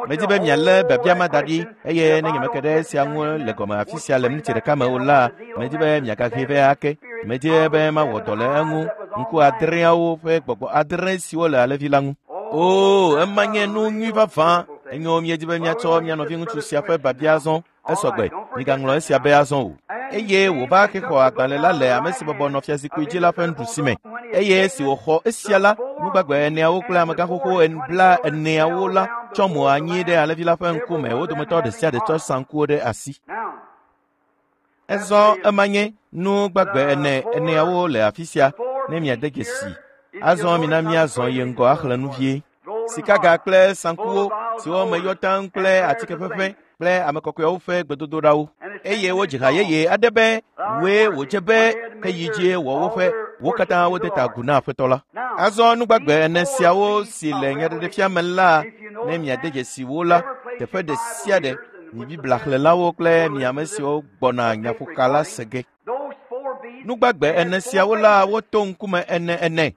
Medi be mialé biabia ma da ɖi, eye ne nyemeke ɖe esia ŋu le gɔme afi sia le miniti ɖeka me o la, medi be miagahe vɛ ake. Medi be mawɔ dɔ le eŋu. Ŋku adreawo ƒe gbɔgbɔ adre siwo le alẽvi la ŋu. Oo, ema nye nu nyui vavã. Enyo míedi be míatsɔ mía nɔviŋutsu sia ƒe biabia azɔ. Esɔgbe, migaŋlɔ esia be azɔ o. Eye wòva xexɔ agbalẽ la le ame si bɔbɔ nɔ fiazikpui dzi la ƒe nuɖusi me. Eye esi wòxɔ esia la, nugbagbe eneawo kple amegãxoxo bla eneawo la tsɔ mo anyi ɖe alẽvi la ƒe ŋkume. Wo dometɔ ɖe sia ɖe tsɔ saŋkuwo ɖe asi. Ezɔ ema nye nugbagbe eneawo le afi sia ne miade dzesi. Azɔ mina míazɔ yi ŋgɔ axlẽ nu vie. Sikaga kple saŋkuwo siwo me yɔ taŋ kple atike ʋeʋẽ kple ame kɔkɔeawo ƒe gbedodoɖawo. Eye wodzi ha yeye aɖe be woe wòdze be ke yi dzie wɔ woƒe wo katã wode ta agu na Aƒetɔ la. Azɔ nugbagbe ene siawo si le nyaɖeɖefia me la, ne miade dzesi wo la, teƒe ɖe sia ɖe mi Biblia xlẽlawo kple mi ame siwo gbɔna nyaƒoka la se ge. Nugbagbe ene siawo la woto ŋkume ene ene.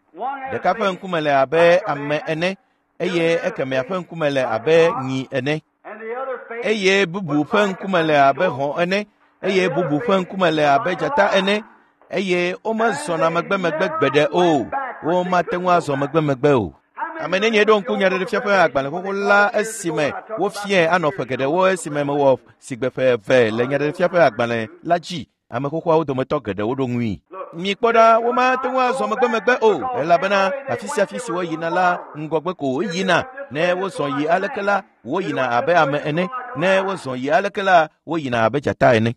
Ɖeka ƒe ŋkume le abe ame ene eye ekemɛa ƒe ŋkume le abe nyi ene eye bubu ƒe ŋkume le abe hɔ̃ ene eye bubu ƒe ŋkume le abe dzata ene eye womezɔna megbemegbe gbeɖe o womate ŋu azɔ megbemegbe o. Ame nenye ɖo ŋku nyaɖeɖefia ƒe agbalẽ xoxo la esime wofiae anɔ ƒe geɖewo esime mewɔ sigbe ƒe eve le nyaɖeɖefia ƒe agbalẽ la dzi. Ame xoxoawo dometɔ geɖewo ɖo ŋui. Mikpɔ ɖa, womate ŋu azɔ megbemegbe o, elabena afi sia afi si woyina la, ŋgɔgbe ko woyina. Ne wozɔ yi aleke la, woyina abe ame ene. Ne wozɔ yi aleke la, woyina abe dzata ene.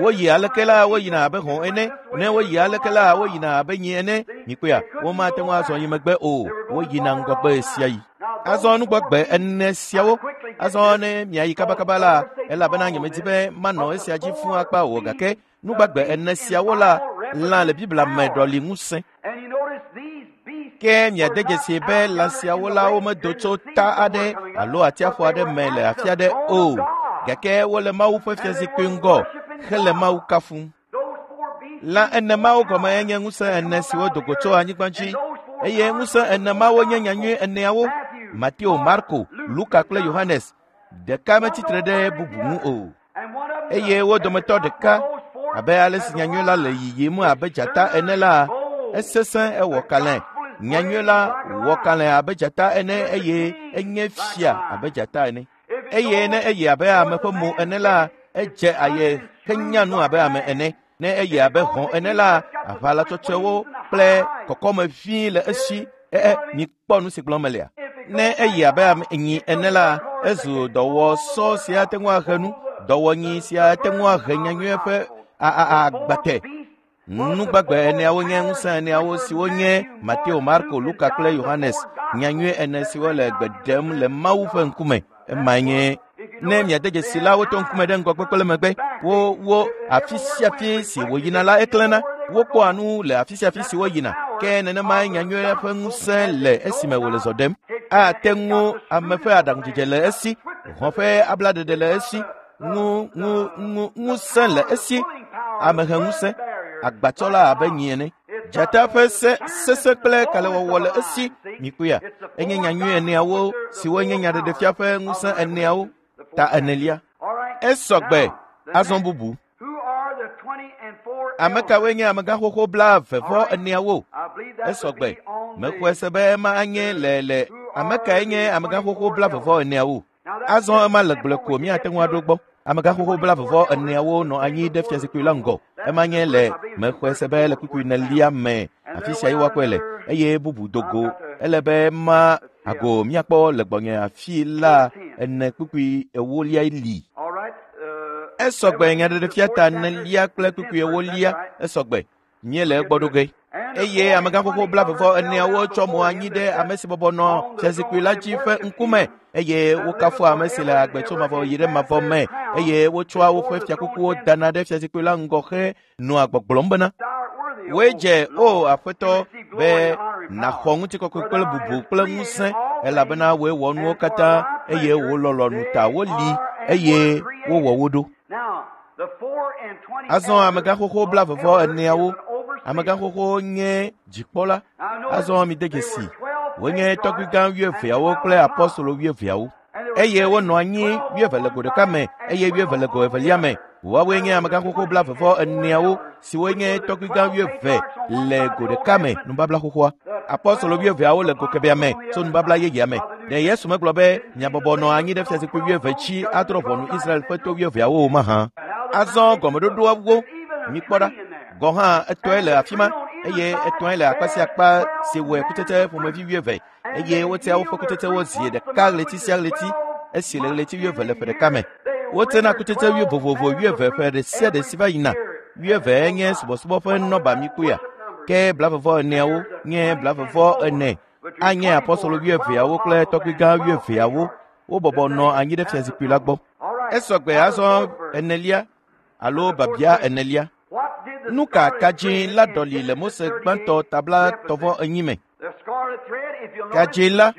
Woyi aleke la, woyina abe hɔ̃ ene. Ne woyi aleke la, woyina abe nyi ene. Mikpɔea, womate ŋu azɔ yi megbe o, woyina ŋgɔgbe sia yi. Azɔ nugbɔgbe ene siawo. Azɔ ne miayi kabakaba la, elabena nyemedi be manɔ esia dzi fũu akpa o gake nugbagbe ene siawo la lã le Biblia me ɖɔli ŋusẽ. Ke miade dzesi be lã siawo la womedo tso ta aɖe alo atsiaƒu aɖe me le afi aɖe o gake wole Mawu ƒe fiazikpui ŋgɔ hele Mawu kafum. Lã ene mawo gɔme enye ŋusẽ ene siwo do go tso anyigba dzi eye ŋusẽ ene mawo nye nyanyui eneawo Mateo, Marko, Luka kple Yohanes. Ɖeka metsitre ɖe bubu ŋu o eye wo dometɔ ɖeka abe ale si nyanyui la le yiyim abe dzata ene la, esesẽ ewɔ kalẽ. Nyanyui la wɔ kalẽ abe dzata ene eye enye fia abe dzata ene. Eye ne eyi abe ame ƒe mo ene la, edze aye henya nu abe ame ene. Ne eyi abe hɔ̃ ene la, aʋalatsɔtsɔewo kple kɔkɔme vi le esi. Ee, mikpɔ nu si gblɔm melea. Ne eyi abe ame nyi ene la, ezu dɔwɔsɔ si ate ŋu ahe nu, dɔwɔnyi si ate ŋu ahe nyanyui ƒe agbate. Nugbagbe eneawo nye ŋusẽ eneawo siwo nye Mateo, Marko, Luka kple Yohanes, nyanyui ene siwo le gbe ɖem le Mawu ƒe ŋkume. Emae nye ne miade dzesi la, woto ŋkume ɖe ŋgɔgbe kple megbe. Wo wo afi sia afi si woyina la eklẽna. Wokpɔa nu le afi sia afi si woyina. Ke nenemae nyanyui ƒe ŋusẽ le esime wòle zɔ ɖem. Ate ŋu ame ƒe aɖaŋudzedze le esi, hɔ̃ ƒe ablaɖeɖe le esi, ŋu ŋu ŋu ŋusẽ le esi, ameheŋusẽ, agbatsɔla abe nyi ene. Dzata ƒe se sesẽ kple kalẽwɔwɔ le esi. Mikpɔea, enye nyanyui eneawo siwo nye nyaɖeɖefia ƒe ŋusẽ eneawo ta enelia. Esɔgbe azɔ bubu. Ame kawoe nye amegãxoxo blaeve vɔ eneawo? Esɔgbe. Mexɔe se be ema anye le le ame kae nye amegãxoxo blaeve vɔ eneawo? Azɔ ema le gblɔe ko míate ŋu aɖo gbɔ. Amegãxoxo blaeve vɔ eneawo nɔ anyi ɖe fiazikpui la ŋgɔ. Ema nye le mexɔe se be le kpukpui enelia me afi sia ye woakpɔe le eye bubu do go. Ele be ma ago míakpɔ le gbɔnye afi la ene kpukpui ewolia li. Esɔgbe nyaɖeɖefia ta enelia kple kpukpui ewolia esɔgbe. Míele egbɔ ɖo ge. Eye amegãxoxo blaeve vɔ eneawo tsɔ mo anyi ɖe ame si bɔbɔ nɔ fiazikpui la dzi ƒe ŋkume eye wokafua ame si le agbe tso mavɔ yi ɖe mavɔ me eye wotsɔa woƒe fiakukuwo dana ɖe fiazikpui la ŋgɔ henɔa gbɔgblɔm bena, Wòe dze, o Aƒetɔ, be nàxɔ ŋutikɔkɔe kple bubu kple ŋusẽ elabena wòe wɔ nuwo katã eye wò lɔlɔ̃nu ta woli eye wowɔ wo ɖo. Azɔ amegãxoxo blaeve vɔ eneawo. Amegãxoxo nye dzikpɔla. Azɔ mide dzesi. Wonye tɔgbuigã wuieveawo kple apɔstolo wuieveawo. Eye wonɔ anyi wuieve le go ɖeka me eye wuieve le go evelia me. Woawoe nye amegãxoxo blaeve vɔ eneawo siwo nye tɔgbuigã wuieve le go ɖeka me nubabla xoxoa. Apɔstolo wuieveawo le go kemɛa me tso nubabla yeyea me. Ɖe Yesu megblɔ be miabɔbɔ nɔ anyi ɖe fiazikpui wuieve dzi adrɔ̃ ʋɔnu Israel ƒe to wuieveawo o mahã? Azɔ gɔmeɖoɖoawo mikpɔ ɖa. Gɔ hã etɔe le afi ma eye etɔe le akpa sia akpa si wɔe kutsetse ƒomevi wuieve eye wotia woƒe kutsetsewo zi ɖeka ɣleti sia ɣleti esi le ɣleti wuieve le ƒe ɖeka me. Wotena kutsetse wui vovovo wuieve ƒe ɖe sia ɖe si va yina. Wuieve nye subɔsubɔ ƒe nɔba mikpɔea. Ke blaeve vɔ eneawo nye blaeve vɔ ene anye apɔstolo wuieveawo kple tɔgbuigã wuieveawo. Wobɔbɔ nɔ anyi ɖe fiazikpui la gbɔ. Esɔgbe azɔ enelia alo babia enelia. Nu ka ka dzĩ la ɖɔli le Mose gbãtɔ tabla tɔvɔ enyi me? Ka dzĩ la,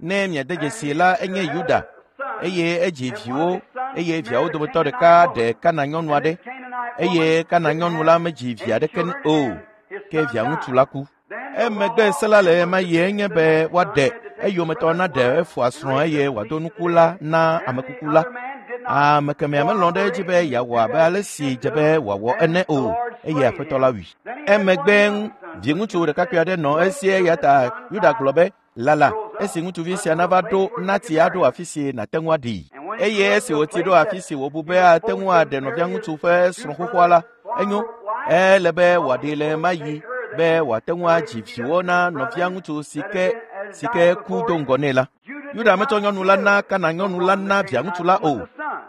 ne miade dzesi la, enye Yuda eye edzi viwo eye viawo dometɔ ɖeka ɖe Kana nyɔnu aɖe. Eye Kana nyɔnu la medzi vi aɖeke o, ke via ŋutsu la ku. Emegbe se la le ɣe ɣie nye be woaɖe eyometɔ naɖe efoa srɔ̃ eye wòado nuku la na amekuku la. Ame kemɛa melɔ̃ ɖe edzi be yeawɔ abe ale si dze be wòawɔ ene o, eye Aƒetɔ la wui. Emegbe viŋutsu ɖekakpui aɖe nɔ esi eya ta Yuda gblɔ be, “Lala, esi ŋutsuvi sia nava ɖo nati aɖo afi si nàte ŋu aɖee.” Eye esi wòti ɖo afi si wòbu be ate ŋu aɖe nɔvia ŋutsu ƒe srɔ̃ xoxoa la, enyo, ele be wòaɖee le ɣemaɣi be wòate ŋu adzi viwo na nɔvia ŋutsu si ke ku do ŋgɔ nɛ la. Yuda metsɔ nyɔnu la na Kana nyɔnu la na via ŋutsu la o.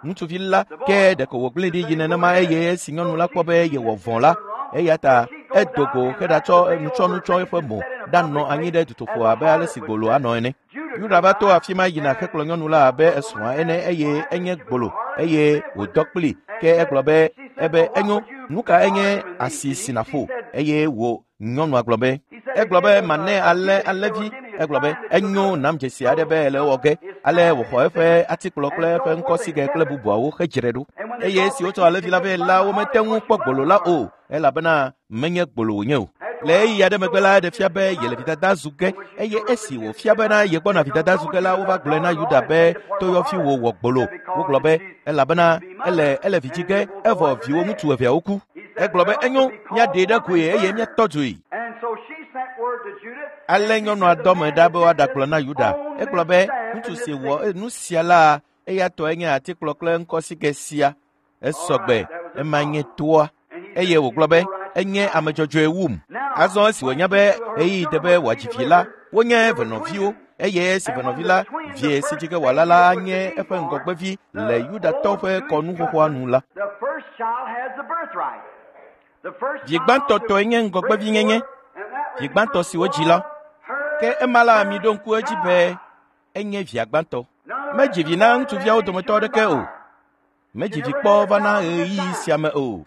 Ŋutsuvi la ke ɖeko wògblẽe ɖi yi nenema eye esi nyɔnu la kpɔ be yewɔ vɔ̃ la, eya ta edo go heɖatsɔ nutsɔnu tsɔ eƒe mo ɖanɔ anyi ɖe dutoƒo abe ale si gbolo anɔ ene. Yuda va to afi ma yina hekplɔ nyɔnu la abe esrɔ̃a ene eye enye gbolo eye wòdɔ kplii ke egblɔ be ebe enyo, nu ka enye asi si nàƒo? Eye wò nyɔnua gblɔ be, egblɔ be manɛ ale alẽvi. Egblɔ be enyo nam dzesi aɖe be ele ewɔ ge. Ale wòxɔ eƒe atikplɔ kple eƒe ŋkɔsigɛ kple bubuawo hedzrae ɖo. Eye esi wotsɔ alẽvi la vɛ la, womete ŋu kpɔ gbolo la o, elabena menye gbolo wònye o. Le ɣeyiɣi aɖe megbe la, eɖe fia be yele vidada zu ge eye esi wòfia bena yegbɔna vidada zu ge la, wova gblɔe na Yuda be toyɔviwo wɔ gbolo. Wogblɔ be elabena ele vi dzi ge evɔ viwo ŋutsu eveawo ku. Egblɔ be enyo, míaɖee ɖe goe eye míatɔ dzoe. Ale nyɔnua dɔ me ɖa be woaɖagblɔ na Yuda. Egblɔ be ŋutsu si wɔ nu sia la, eya tɔe nye atikplɔ kple ŋkɔsigɛ sia. Esɔgbe, ema nye toa. Eye wògblɔ be enye ame dzɔdzɔe wum. Azɔ esi wònya be ɣeyiɣi de be wòadzi vi la, wonye venɔviwo eye esi venɔvi la vie si dzi ge wòala la nye eƒe ŋgɔgbevi le Yudatɔwo ƒe kɔnu xoxoa nu la. Vi gbãtɔ tɔe nye ŋgɔgbevinyenye, vi gbãtɔ si wodzi la. Ke ema la miɖo ŋku edzi be enye via gbãtɔ. Medzi vi na ŋutsuviawo dometɔ aɖeke o. Medzi vi kpɔ va na ɣeyiɣi sia me o.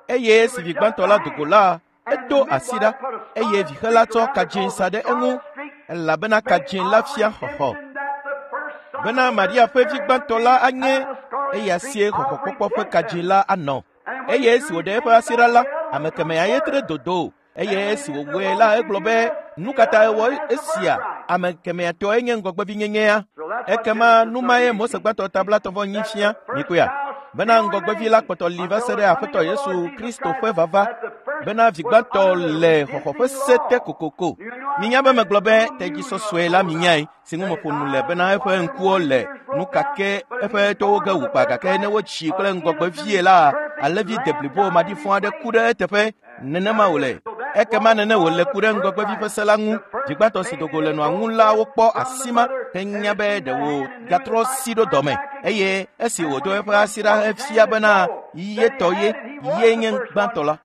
Eye esi vi gbãtɔ la do go la, edo asi ɖa eye vixela tsɔ kadzĩ sa ɖe eŋu elabena kadzĩ la fia xɔxɔ. Bena Maria ƒe vi gbãtɔ la anye eya sie xɔxɔkpɔkpɔ ƒe kadzĩ la anɔ. Eye esi wòɖe eƒe asi ɖa la, ame kemɛa ye tre dodo. Eye esi wòwɔe la, egblɔ be, nu ka ta ewɔ esia? Ame kemɛa tɔe nye ŋgɔgbevinyenyea. Ekema nu mae Mose gbãtɔ ta 34 fia, mikpɔea? Bena ŋgɔgbevi la kpɔtɔ li va se ɖe Aƒetɔ Yesu Kristo ƒe vava, bena vi gbãtɔ le xɔxɔ ƒe se te kokoko. Minya be megblɔ be tedzi sɔsɔe la minyae, si ŋu meƒo nu le bena eƒe ŋkuwo le nu kake eƒe towo ge wòkpa gake ne wotsi kple ŋgɔgbevie la, alẽvi deblibo maɖifɔ aɖe ku ɖe eteƒe. Nenema wòle. Ekema nene wòle ku ɖe ŋgɔgbevi ƒe se la ŋu. Vi gbãtɔ si do go le nɔa ŋu la wokpɔ asi ma henya be ɖe wògatrɔ si ɖo dɔme eye esi wòdo eƒe asi ɖa hefia bena ye tɔ ye, ye nye gbãtɔ la.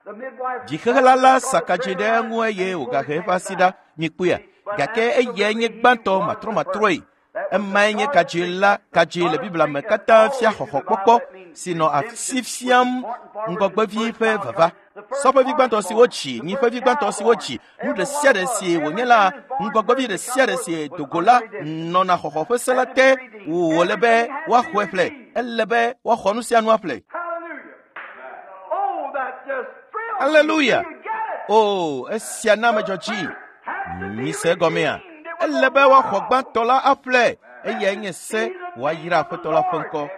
Dzixexela la sa kadzĩ ɖe eŋu eye wògahe eƒe asi ɖa. Mikpɔea? Gake eyae nye gbãtɔ matrɔmatrɔe. Emae nye kadzĩ la, kadzĩ le Biblia me katã fia xɔxɔkpɔkpɔ si nɔ asi fiam ŋgɔgbevi ƒe vava. Sɔƒevi gbãtɔ si wotsi, nyiƒevi gbãtɔ si wotsi, nu ɖe sia ɖe si wònye la, ŋgɔgbevi ɖe sia ɖe si do go la nɔna xɔxɔ ƒe se la te wòle be woaxɔe ƒle. Ele be woaxɔ nu sia nu aƒle. Aleluya! O, esia na medzɔ dzi. Mise egɔmea? Ele be woaxɔ gbãtɔ la aƒle. Eyae nye se wòayra Aƒetɔ la ƒe ŋkɔ.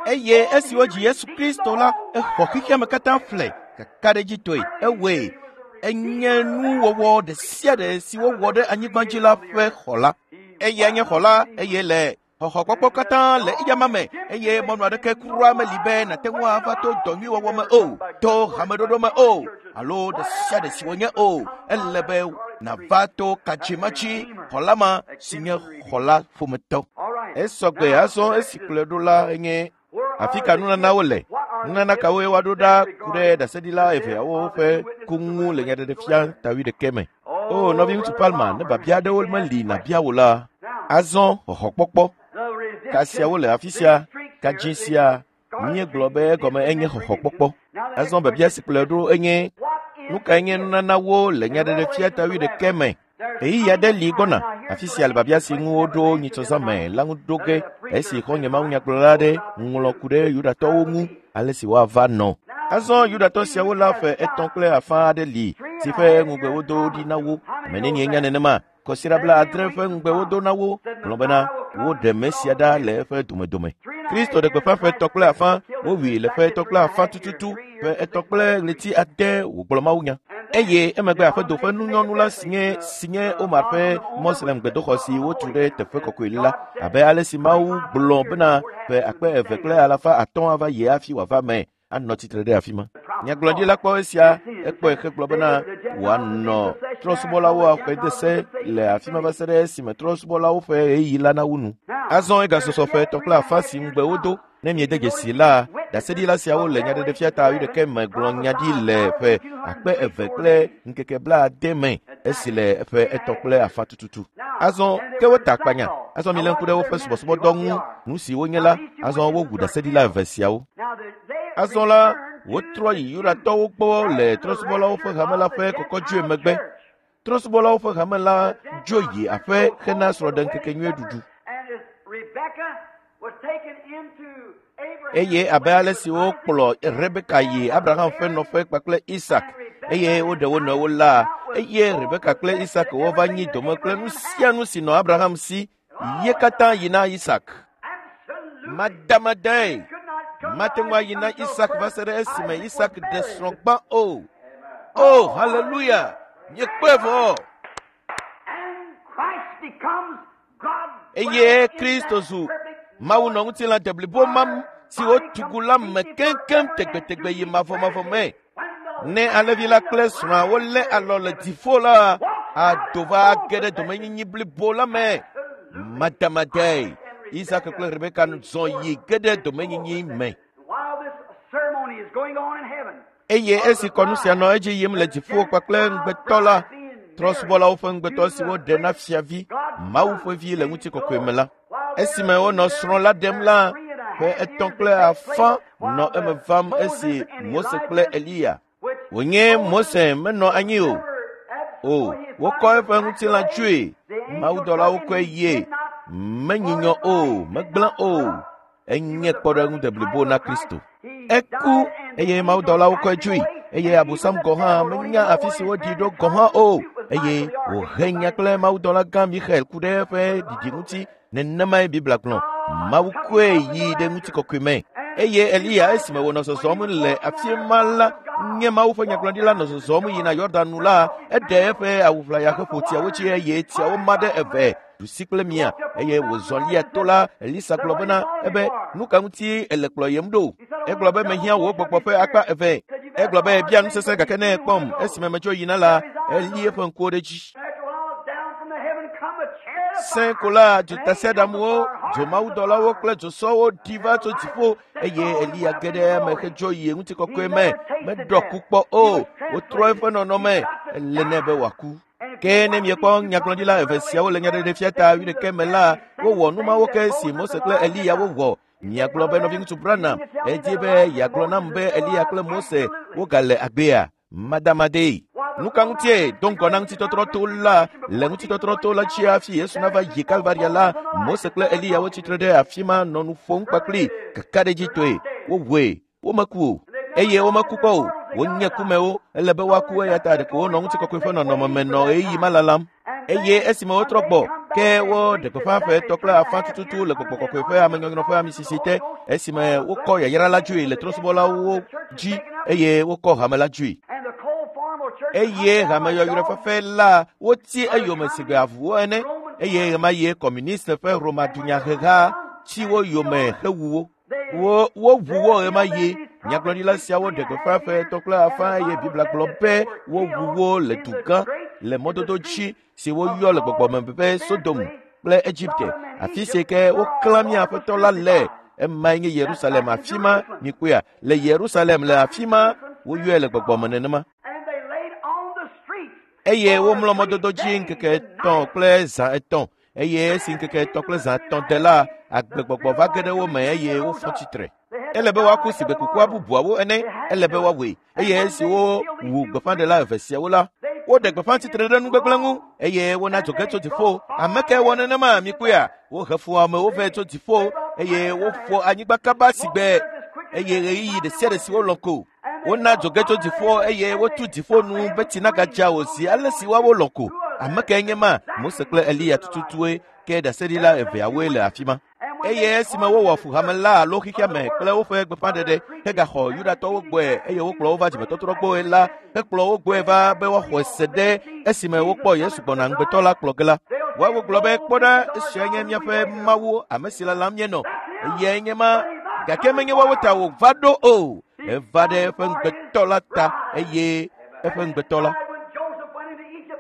Eye esi wodzi Yesu Kristo la, exɔ xexea me katã ƒle kakaɖedzitɔe. Ewɔe. Enye nuwɔwɔ ɖe sia ɖe si wowɔ ɖe anyigba dzi la ƒe xɔla. Eyae nye xɔla eye le xɔxɔkpɔkpɔ katã le eyama me eye mɔnu aɖeke kura meli be nàte ŋu ava to dɔ nyui wɔwɔ me o, to hameɖoɖo me o, alo ɖe sia ɖe si wònye o. Ele be nàva to kadzimatsi xɔla ma si nye xɔla ƒometɔ. Esɔgbe azɔ esi kplɔe ɖo la enye afi ka nunanawo le. Nunana kawoe woaɖo ɖa ku ɖe ɖaseɖila eveawo ƒe ku ŋu le nyaɖeɖefia ta 11 me. O nɔviŋutsu Palma, ne biabia aɖewo meli nàbia wò la, azɔ xɔxɔkpɔkpɔ ka siawo le afi sia, ka dzĩ sia, míegblɔ be egɔme enye xɔxɔkpɔkpɔ. Azɔ biabia si kplɔe ɖo enye, nu kae nye nunanawo le nyaɖeɖefia ta 11 me? Ɣeyiɣi aɖe li gbɔna. Afi sia le biabia si ŋu woɖo nyitsɔzã me la ŋu ɖo ge esi xɔ̃nye mawunyagblɔla aɖe ŋlɔ ku ɖe Yudatɔwo ŋu ale si woava nɔ. Azɔ Yudatɔ siawo la ƒe 3.5 aɖe li si ƒe ŋugbe wodo ɖi na wo. Ame nenie nya nenema? Kɔsiɖa 70 ƒe ŋugbe wodo na wo gblɔ bena woɖe Mesia ɖa le eƒe domedome. Kristo ɖe gbeƒã ƒe 3.5, wowui le ƒe 3.5 tututu, ƒe 3 kple ɣleti 6 wògblɔ mawunya. Eye emegbe aƒedo ƒe nunyɔnu la si nye Omar ƒe Moslem gbedoxɔ si wotu ɖe teƒe kɔkɔe la, abe ale si Mawu gblɔ bena ƒe 2500 ava yi hafi wòava me anɔ tsitre ɖe afi ma. Nyagblɔɖila kpɔ esia, ekpɔe hegblɔ bena wòanɔ trɔ̃subɔlawo axɔe de se le afi ma va se ɖe esime trɔ̃subɔlawo ƒe ɣeyiɣi la nawu nu. Azɔ egasɔsɔ ƒe 3.5 si ŋugbe wodo. Ne miede dzesi la, ɖaseɖila siawo le nyaɖeɖefia ta wuiɖekɛ me gblɔ nya ɖi le ƒe 2070 me esi le ƒe 3.5 tututu. Azɔ ke wota akpanya. Azɔ milé ŋku ɖe woƒe subɔsubɔdɔ ŋu, nu si wonye la. Azɔ wowu ɖaseɖila eve siawo. Azɔ la, wotrɔ yi Yudatɔwo gbɔ le trɔ̃subɔlawo ƒe hame la ƒe kɔkɔdzoe megbe. Trɔ̃subɔlawo ƒe hame la dzo yi aƒe hena srɔ̃ɖeŋkekenyui ɖuɖu. Eye abe ale si wokplɔ Rebeka yi Abraham ƒe nɔƒe kpakple Isak, eye woɖe wo nɔewo la, eye Rebeka kple Isak wova nyi dome kple nu sia nu si nɔ Abraham si, ye katã yi na Isak. Madamadae, mate ŋu ayi na Isak va se ɖe esime Isak ɖe srɔ̃ gbã o. O, haleluya! Miekpɔe vɔ. Eye Kristo zu Mawu nɔ ŋutilã deblibo mam si wotugu la me keŋkeŋ tegbetegbe yi mavɔmavɔ me. Ne alẽvi la kple srɔ̃a wolé alɔ le dziƒo la, ado va age ɖe domenyinyi blibo la me. Madamadae, Isak kple Rebeka zɔ yi ge ɖe domenyinyi me. Eye esi kɔnu sia nɔ edzi yim le dziƒo kpakple ŋugbetɔ la, trɔ̃subɔlawo ƒe ŋugbetɔ si woɖe na fiavi, Mawu ƒe vi le ŋutikɔkɔe me la, esime wonɔ srɔ̃ la ɖem la, ƒe 3.5 nɔ eme vam esi Mose kple Eliya. Wònye Mose menɔ anyi o. O, wokɔ eƒe ŋutilã tsoe, mawudɔlawo kɔe yie, menyinyɔ o, megblẽ o. Enye kpɔɖeŋu deblibo na Kristo. Eku eye mawudɔlawo kɔe dzoe, eye Abosam gɔ̃ hã menya afi si woɖii ɖo gɔ̃ hã o, eye wòhe nya kple mawudɔla gã Mixael ku ɖe eƒe ɖiɖi ŋuti. Nenemae Biblia gblɔ. Mawu kɔe yi ɖe ŋutikɔkɔe me. Eye Eliya esime wònɔ zɔzɔm le afi ma la, nye Mawu ƒe nyagblɔɖila nɔ zɔzɔm yina Yɔdan nu la, eɖe eƒe awu ʋlaya heƒo tsiawo dzi eye tsiawo ma ɖe eve, ɖusi kple mia, eye wòzɔ lia to la. Elisa gblɔ bena, ebe, nu ka ŋuti ele kplɔ yem ɖo? Egblɔ be mehiã wò gbɔgbɔ ƒe akpa eve. Egblɔ be bia nusese gake ne ekpɔm esime metso yina la, eli eƒe ŋkuwo ɖe dzi. Sẽ ko la, dzotasiaɖamuwo, dzomawudɔlawo kple dzosɔwo ɖi va tso dziƒo eye Eliya ge ɖe eme hedzo yi ŋutikɔkɔe me. Meɖɔ ku kpɔ o. Wotrɔ eƒe nɔnɔme. Ele nɛ be wòaku. Ke ne miekpɔ nyagblɔɖila eve siawo le nyaɖeɖefia ta wuiɖekɛ me la, wowɔ nu mawo ke si Mose kple Eliya wowɔ. Miagblɔ be nɔviŋutsu Branham edi be yeagblɔ nam be Eliya kple Mose wogale agbea? Madamadee. Nu ka ŋutie do ŋgɔ na ŋutitɔtrɔ to la le ŋutitɔtrɔ to la dzi hafi Yesu nava yi Kalvaria la, Mose kple Eliya wotsitre ɖe afi ma nɔ nu ƒom kpakpli kakaɖedzitɔe. Wowɔe, womeku o, eye womeku kpɔ o. Wonye kumewo, ele be woaku eya ta ɖeko wonɔ ŋutikɔkɔe ƒe nɔnɔme me nɔ ɣeyiɣi ma lalam. Eye esime wotrɔ gbɔ, ke woɖe gbeƒã ƒe 3.5 tututu le gbɔgbɔ kɔkɔe ƒe amenyɔnyrɔ ƒe amisisi te, esime wokɔ yayra la dzoe le trɔ̃subɔlawo dzi eye wokɔ hame la dzoe. Eye hame yɔyrɔfefe la woti eyome sigbe avuwo ene, eye ɣemaɣie kɔmunist ƒe Roma dunyaheha tsi wo yome hewu wo. Wowu wo ɣemaɣi. Nyagblɔɖila siawo ɖe gbeƒã ƒe 3.5 eye Biblia gblɔ be wowu wo le dugã le mɔdodo dzi si woyɔ le gbɔgbɔme be Sodom kple Egipte, afi si ke woklã mía Aƒetɔ la le. Emae nye Yerusalem. Afi ma mikpɔea, le Yerusalem le afi ma woyɔe le gbɔgbɔme nenema. Eye womlɔ mɔdodo dzi ŋkeke 3 kple zã 3. Eye esi ŋkeke 3 kple zã 3 de la, agbegbɔgbɔ va ge ɖe wo me eye wofɔ tsitre. Ele be woaku sigbe kukua bubuawo ene, ele be woawɔe. Eye esi wowu gbeƒãɖela eve siawo la, Woɖe gbeƒã tsitre ɖe nugbegblẽ ŋu eye wona dzoge tso dziƒo. Ame kae wɔ nenema mikpɔea? Wohe fuwɔamewo vɛ tso dziƒo eye woƒo anyigba kaba sigbe eye ɣeyiɣi ɖe sia ɖe si wolɔ̃ ko. Wona dzoge tso dziƒo eye wotu dziƒo nu be tsi nagadza o zi ale si woawo lɔ̃ ko. Ame kae nye ma? Mose kple Eliya tututue ke ɖaseɖila eveawoe le afi ma. Eye esime wowɔ fu hame la alo xexea me kple woƒe gbeƒãɖeɖe hegaxɔ Yudatɔwo gbɔe eye wokplɔ wo va dzimetɔtrɔ gbɔe la, hekplɔ wo gbɔe va be woaxɔe se ɖe esime wokpɔ Yesu gbɔna ŋugbetɔ la kplɔ ge la. Woawo gblɔ be, kpɔ ɖa, esiae nye míaƒe Mawu, ame si lalam míenɔ. Eyae nye ma, gake menye woawo ta wòva ɖo o. Eva ɖe eƒe ŋugbetɔ la ta eye eƒe ŋugbetɔ la.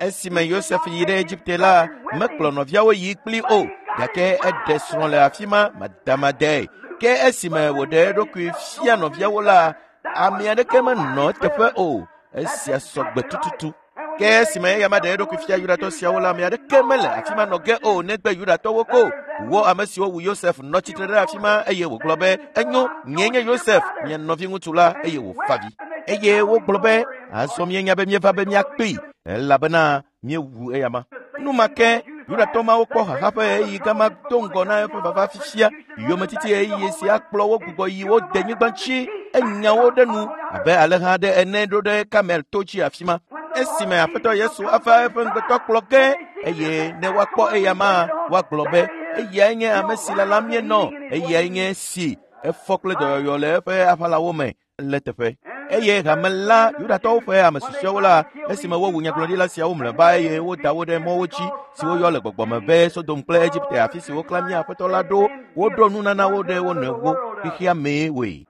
Esime Yosef yi ɖe Egipte la, mekplɔ nɔviawo yi kpli o, gake eɖe srɔ̃ le afi ma madamadae. Ke esime wòɖe eɖokui fia nɔviawo la, ame aɖeke menɔ eteƒe o. Esia sɔgbe tututu. Ke esime eya ma ɖe eɖokui fia Yudatɔ siawo la, ame aɖeke mele afi ma nɔ ge o negbe Yudatɔwo ko. Wo ame siwo wu Yosef nɔ tsitre ɖe afi ma eye wògblɔ be, enyo, nyee nye Yosef, mia nɔviŋutsu la, eye wòfa vi. Eye wogblɔ be, azɔ míenya be míeva be míakpee, elabena míewu eya ma. Nu ma ke Yudatɔ mawo kpɔ xaxa ƒe ɣeyiɣi gama do ŋgɔ na eƒe vava fifia. Yometiti ɣeyiɣi si akplɔ wo gbugbɔ yi wo denyigba dzi, enya wo ɖe nu abe alẽha aɖe ene ɖo ɖe Karmel to dzi afi ma. Esime Aƒetɔ Yesu ava eƒe ŋugbetɔ kplɔ ge eye ne woakpɔ eya ma, woagblɔ be, eyae nye ame si lalam míenɔ, eyae nye esi efɔ kple dɔyɔyɔ le eƒe aʋalawo me le teƒe. Eye hame la, Yudatɔwo ƒe ame susɔewo la, esime wowu nyagblɔɖila siawo mlɔeba eye woda wo ɖe mɔwo dzi si woyɔ le gbɔgbɔ me be Sodom kple Egipte, afi si woklã mía Aƒetɔ la ɖo, woɖo nunanawo ɖe wo nɔewo xexea mee woe.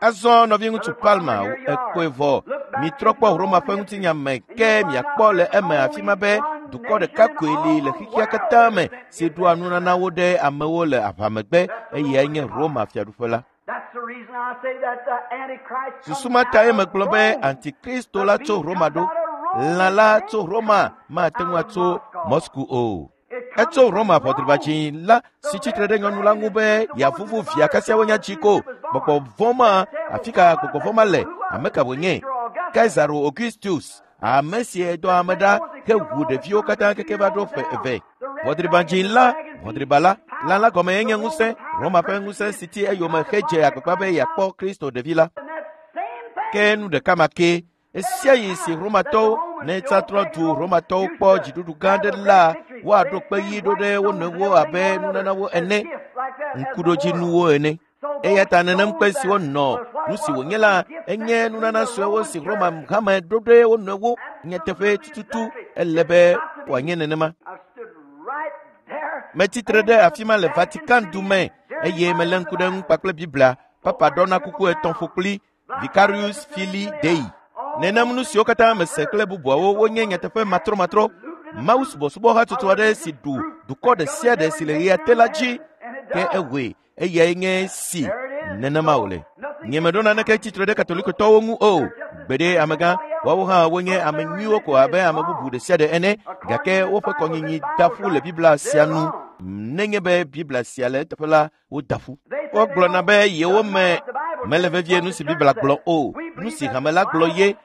Azɔ nɔviŋutsu Palmer, ekpɔe vɔ. Mitrɔ kpɔ Roma ƒe ŋutinya me ke miakpɔ le eme afi ma be dukɔ ɖeka koe li le xexea katã me si ɖoa nunanawo ɖe amewo le aʋamegbe, eyae nye Roma fiaɖuƒe la. Susu ma tae megblɔ be Antikristo la tso Roma ɖo. Lã la tso Roma mate ŋu atso Moscow o. Etso Roma ʋɔdribadzi la si tsitre ɖe nyɔnu la ŋu be yeavuvu via kasiawo nya dzi ko. Gbɔgbɔ vɔ̃ ma, afi ka gbɔgbɔ vɔ̃ ma le? Ame ka wònye? Kaisaro Augustus, ame si dɔ ame ɖa hewu ɖeviwo katã keke va ɖo ƒe eve. Ʋɔdribadzi la, ʋɔdriba la, lã la gɔme enye ŋusẽ, Roma ƒe ŋusẽ si ti eyome hedze agbagba be yeakpɔ Kristo ɖevi la. Ke nu ɖeka ma ke, esia yi si Romatɔwo ne tsatrɔ du Romatɔwo kpɔ dziɖuɖu gã aɖe la, woaɖo kpe ɣi ɖo ɖe wo nɔewo abe nunanawo ene, ŋkuɖodzinuwo ene. Eya ta nenem kpe siwo nɔ nu si wònye la, enye nunana suewo si Roma hame ɖo ɖe wo nɔewo. Nyateƒe tututu ele be wòanye nenema. Metsitre ɖe afi ma le Vatican du me eye melé ŋku ɖe eŋu kpakple Biblia. Papa ɖɔ na kuku etɔ̃ ƒokpli, Vicarius Filii Dei. Nenem nu siwo katã mese kple bubuawo wonye nyateƒe matrɔmatrɔ. Mawu subɔsubɔhatsotso aɖe si ɖu dukɔ ɖe sia ɖe si le ɣea te la dzi ke ewɔe. Eyae nye si nenema wòle. Nyemeɖo naneke tsitre ɖe Katolikotɔwo ŋu o. Gbeɖe amegã, woawo hã wonye ame nyuiwo ko abe ame bubu ɖe sia ɖe ene, gake woƒe kɔnyinyi da ƒu le Biblia sia nu. Nenye be Biblia sia le eteƒe la, woda ƒu. Wogblɔna be yewo me mele vevie nu si Biblia gblɔ o, nu si hame la gblɔ ye.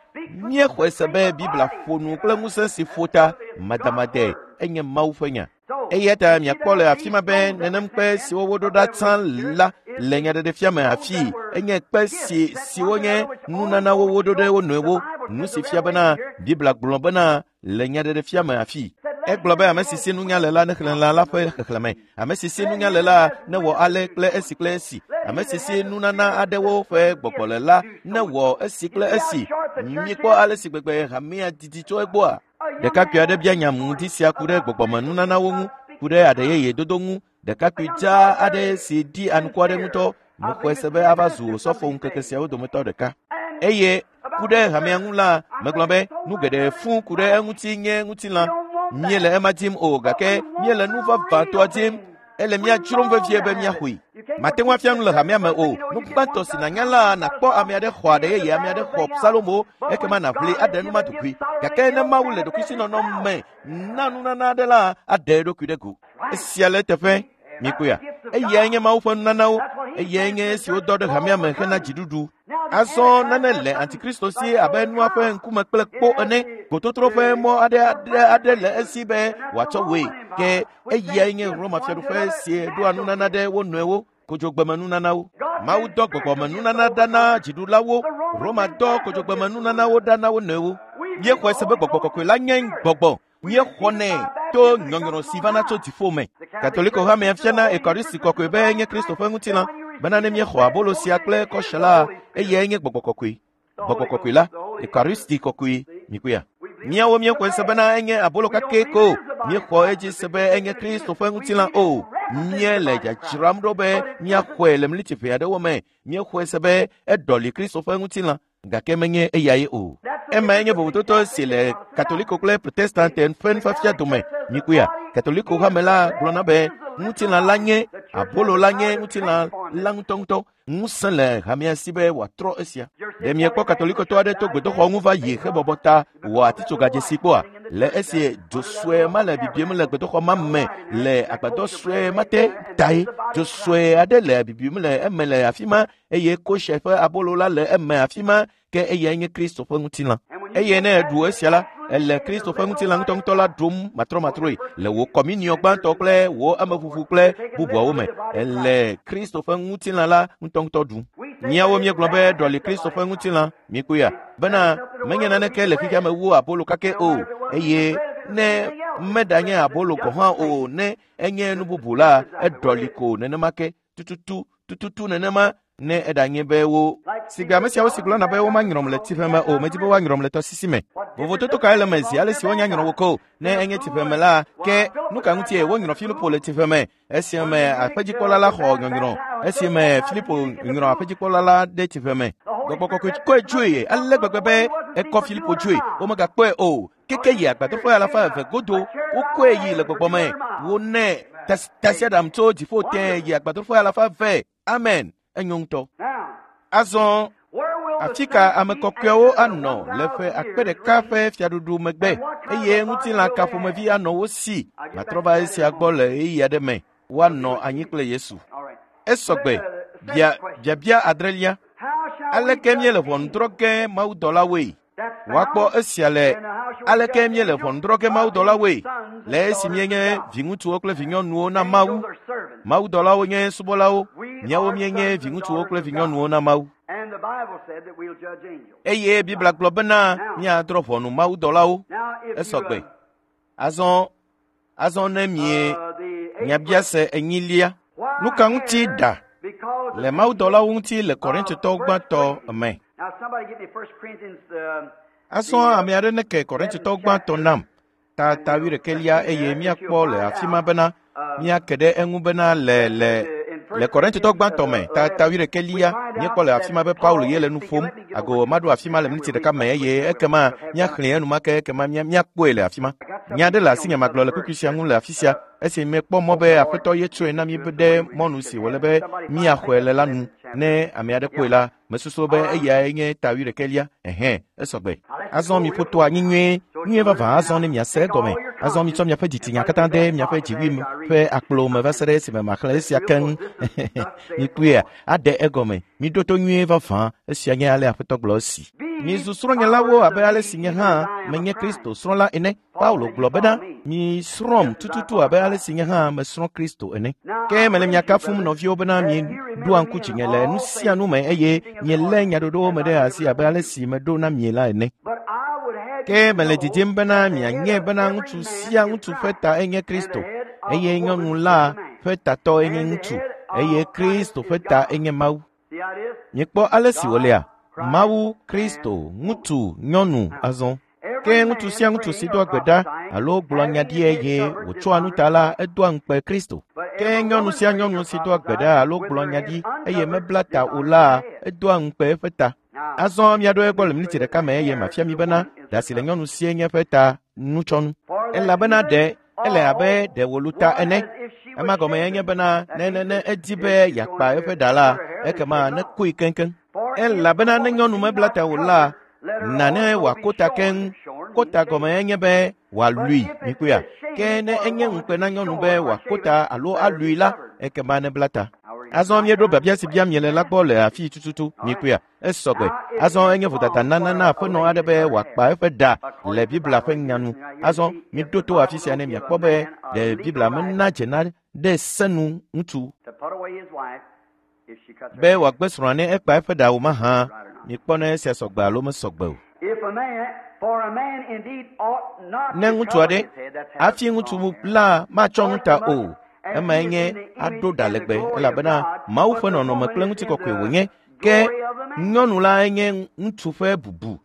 Míexɔe se be Biblia ƒo nu kple ŋusẽ si ƒo ta madamadae, enye Mawu ƒe nya. Eya ta miakpɔ le afi ma be nenem kpe siwo woɖo ɖa tsã la le nyaɖeɖefia me afii enye kpe si siwo nye nunanawo woɖo ɖe wo nɔewo. Nu si fia bena Biblia gblɔ bena le nyaɖeɖefia me afii. Egblɔ be ame si si nunya le la nexlẽ lã la ƒe xexlẽme. Ame si si nunya le la newɔ ale kple esi kple esi. Ame si si nunana aɖewo ƒe gbɔgbɔ le la newɔ esi kple esi. Mikpɔ ale si gbegbe hamea didi tso egbɔa. Ɖekakpui aɖe bia nya ŋdi sia ku ɖe gbɔgbɔmenunanawo ŋu, ku ɖe aɖe yeye dodo ŋu. Ɖekakpui dzaa aɖe si ɖi anukware ŋutɔ, mexɔe se be ava zu osɔfo ŋkeke siawo dometɔ ɖeka. Eye ku ɖe hamea ŋu la, megblɔ be nu geɖe fũ ku ɖe eŋuti nye ŋutilã. Míele ema dim o, gake míele nu vavãtɔa dim. Ele mía dzrom vevie be míaxɔe. Mate ŋu afia nu le hamea me o. Nu gbãtɔ si nànya la, nàkpɔ ame aɖe xɔ aɖe yeye, ame aɖe xɔ Salomo, ekema nàʋli aɖe nu ma ɖokui. Gake ne Mawu le ɖokuisinɔnɔ me na nunana aɖe la, aɖe eɖokui ɖe go. Esia le eteƒe. Mikpɔea? Eyae nye Mawu ƒe nunanawo. Eyae nye esi wodɔ ɖe hamea me hena dziɖuɖu. Azɔ nane le Antikristo si abe nua ƒe ŋkume kple kpo ene. Kototro ƒe mɔ aɖe aɖe aɖe le esi be wòatsɔ woe. Ke eyae nye Roma fiaɖuƒe si ɖoa nunana ɖe wo nɔewo, kodzogbemenunanawo. Mawu dɔ gbɔgbɔmenunana ɖa na dziɖulawo. Roma dɔ kodzogbemenunanawo ɖa na wo nɔewo. Míexɔe se be gbɔgbɔ kɔkɔe la nye gbɔgbɔ. Míexɔnɛ to nyɔnyrɔ si vana tso dziƒo me. Katoliko hamea fiana Ekaristi kɔkɔe be enye Kristo ƒe ŋutilã bena ne míexɔ abolo sia kple kɔse la, eyae nye gbɔgbɔ kɔkɔe. Gbɔgbɔ kɔkɔe la, Ekaristi kɔkɔe, mikpɔea. Míawo míexɔe se bena enye abolo kakɛ ko. Míexɔ edzi se be enye Kristo ƒe ŋutilã o. Míele dzadzram ɖo be míaxɔe le mliti ʋɛ aɖewo me. Míexɔe se be eɖɔli Kristo ƒe ŋutilã gake menye eyae o. Emae nye vovototo si le Katoliko kple Protestante ƒe nufiafia dome. Mikpɔea, Katoliko hame la gblɔna be ŋutilã la nye abolo la nye ŋutilã la ŋutɔŋutɔ. Ŋusẽ le hamea si be wòatrɔ esia. Ɖe miekpɔ Katolikotɔ aɖe to gbedoxɔ ŋu va yi hebɔbɔ ta wɔ atitsogadzesi kpɔa? Le esi dzo sue ma le bibim le gbedoxɔ ma me le agbadɔ sue ma te tae. Dzo sue aɖe le bibim le eme le afi ma eye koshe ƒe abolo la le eme afi ma ke eyae nye Kristo ƒe ŋutilã. Eye ne èɖu esia la, èle Kristo ƒe ŋutilã ŋutɔŋutɔ la ɖum matrɔmatrɔe le wò kɔminiɔ gbãtɔ kple wò emeʋuʋu kple bubuawo me. Èle Kristo ƒe ŋutilã la ŋutɔŋutɔ ɖum. Míawo míegblɔ be ɖɔli Kristo ƒe ŋutilã, mikpɔea, bena menye naneke le xexea me wu abolo kakɛ o, eye ne meɖanye abolo gɔ̃ hã o, ne enye nu bubu la, eɖɔli ko nenema ke tututu tututu nenema ne eɖanye be wo sigbe ame siawo si gblɔna be womanyrɔm le tsiʋe me o medi be woanyrɔm le tɔsisi me vovototo kae le me zi ale si wonyanyrɔ wo ko ne enye tsiʋe me la ke nu ka ŋutie wonyrɔ filipo le tsiʋe me esime aƒedzikpɔla la xɔ nyɔnyrɔ esime filipo nyrɔ aƒedzikpɔla la ɖe tsiʋe me gbɔgbɔ kɔkɔe kɔe dzoe ale gbegbe be ekɔ filipo dzoe womegakpɔe o keke yi agbadɔƒe alafa eve godo wokɔe yi le gbɔgbɔ me wonɛ tasiaɖam tso dziƒo tẽ yi agbadɔƒe alafa eve amen enyo ŋutɔ azɔ afi ka ame kɔkɔewo anɔ le ƒe akpe ɖeka ƒe fiaɖuɖu megbe eye ŋutilã ka ƒomevi anɔ wo si matrɔ va esia gbɔ le ɣeyiɣi aɖe me woanɔ anyi kple Yesu esɔgbe bia biabia adrelia aleke míele ʋɔnu drɔ̃ ge mawudɔlawoe woakpɔ esia le aleke míele ʋɔnu drɔ̃ ge mawudɔlawoe le esi míenye viŋutsuwo kple vinyɔnuwo na Mawu. Mawudɔlawo nye subɔlawo, míawo míenye viŋutsuwo kple vinyɔnuwo na Mawu. Eye Biblia gblɔ bena míadrɔ̃ ʋɔnu mawudɔlawo. Esɔgbe. Azɔ azɔ ne mie nyabiase enyilia nu ka ŋuti ɖa le mawudɔlawo ŋuti le Korintotɔwo gbãtɔ me. Azɔ ame aɖe neke Korintotɔwo gbãtɔ nam ta ta wuiɖekɛlia eye míakpɔ le afi ma bena míake ɖe eŋu bena le le le Korintotɔ gbãtɔ me ta ta wuiɖekɛlia míekpɔ le afi ma be Paulo ye le nu ƒom ago maɖo afi ma le miniti ɖeka me eye ekema míaxlẽ enumake ekema míakpɔe le afi ma. Nya aɖe le asinye magblɔ le kpukpui sia ŋu le afi sia esi mekpɔ mɔ be Aƒetɔ ye tsɔe na mí ɖe mɔnu si wòle be míaxɔe le la nu. Ne ame aɖe kpɔe la, mesusu be eyae nye ta wuiɖekɛlia. Ɛhɛ̃, esɔgbe. Azɔ miƒo to anyi nyuie, nyuie vavã azɔ ne miase egɔme. Azɔ mitsɔ miaƒe dzitsinya katã de miaƒe dziwui ƒe akplo me va se ɖe esime maxlẽ esia keŋ. Mikpɔea, aɖe egɔme. Miɖo to nyuie vavã. Esia nye ale Aƒetɔ gblɔ esi. Mizu srɔ̃nyelawo abe ale si nye hã menye Kristo srɔ̃la ene. Paulo gblɔ bena, misrɔ̃m tututu abe ale si nye hã mesrɔ̃ Kristo ene. Ke mele mia kafum nɔviwo bena mieɖoa ŋku dzinye le nu sia nu me eye mielé nyaɖoɖowo me ɖe asi abe ale si meɖo na mie la ene. Ke mele didim bena mianye bena ŋutsu sia ŋutsu ƒe ta enye Kristo, eye nyɔnu la ƒe tatɔ enye ŋutsu, eye Kristo ƒe ta enye Mawu. Miekpɔ ale si wòlea? Mawu, Kristo, ŋutsu, nyɔnu azɔ. Ke ŋutsu sia ŋutsu si doa gbe ɖa alo gblɔ nya ɖi eye wòtsɔa nu ta la, edoa ŋukpe Kristo. Ke nyɔnu sia nyɔnu si doa gbe ɖa alo gblɔ nya ɖi eye mebla ta o la, edoa ŋukpe eƒe ta. Azɔ miaɖo egbɔ le miniti ɖeka me eye mafia mi bena ɖa si le nyɔnu sie nye eƒe ta nutsɔnu. Elabena ɖe ele abe ɖe wòlu ta ene. Ema gɔme enye bena ne ne ne edi be yeakpa eƒe ɖa la, ekema nekoe keŋkeŋ. Elabena ne nyɔnu mebla ta o la, na ne wòako ta keŋ. Ko ta gɔme enye be wòalui, mikpɔea? Ke ne enye ŋukpe na nyɔnu be wòako ta alo alui la, ekema nebla ta. Azɔ míeɖo biabia si biam miele la gbɔ le afii tututu. Mikpɔea? Esɔgbe. Azɔ enye vodada nana na aƒenɔ aɖe be wòakpa eƒe ɖa le Biblia ƒe nya nu. Azɔ miɖo to afi sia ne miakpɔ be ɖe Biblia mena dzena ɖe se nu ŋutsu be wòagbe srɔ̃a ne ekpa eƒe ɖa o mahã. Mikpɔ ne esia sɔgbe alo mesɔgbe o. Ne ŋutsu aɖe hafi ŋutsu la matsɔ nu ta o, emae nye aɖo ɖa legbe elabena Mawu ƒe nɔnɔme kple ŋutikɔkɔe wònye. Ke nyɔnu la nye ŋutsu ƒe bubu.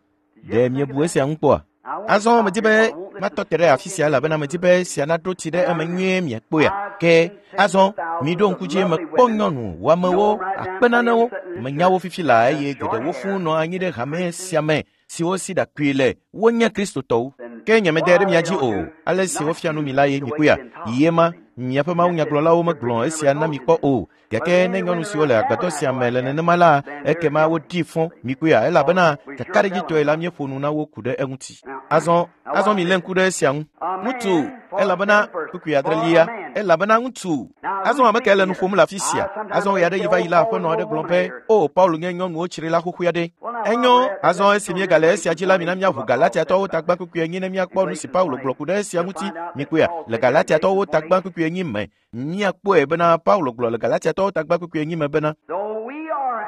Ɖe miebu esia ŋu kpɔa? Azɔ medi be matɔ te ɖe afi sia elabena medi be esia naɖo tsi ɖe eme nyuie miakpɔea. Ke azɔ miɖo ŋku dzi mekpɔ nyɔnu wɔamewo akpe nanewo menya wo fifi laa eye geɖewo fũu nɔ anyi ɖe hame sia me siwo si ɖakui le wonye kristotɔwo. Ke nyemede ɖe mia dzi o. Ale si wofia nu mi la ye mikpɔea. Ye ma miaƒe mawunyagblɔlawo megblɔ esia na mi kpɔ o. Gake ne nyɔnu siwo le agbadɔ sia me le nenema la, ekema woɖi fɔ mikpɔea elabena kakaɖedzitɔe la míeƒo nu na wo ku ɖe eŋuti. Azɔ azɔ milé ŋku ɖe esia ŋu. Ŋutsu elabena kpukpui adrelia elabena ŋutsu. Azɔ ame kae le nu ƒom le afi sia? Azɔ ɣe aɖe yi va yi la aƒenɔ aɖe gblɔ be, “O Paulo nye nyɔnuwo tsrila xoxoe aɖe.” Enyo, azɔ esi míegale esia dzi la mina míaʋu Galatiatɔwo tagbã kpukpui enyi ne míakpɔ nu si Paulo gblɔ ku ɖe esia ŋuti. Mikpɔea, le Galatiatɔwo tagbã kpukpui enyi me, míakpɔe bena Paulo gblɔ le Galatiatɔwo tagbã kpukpui enyi me bena,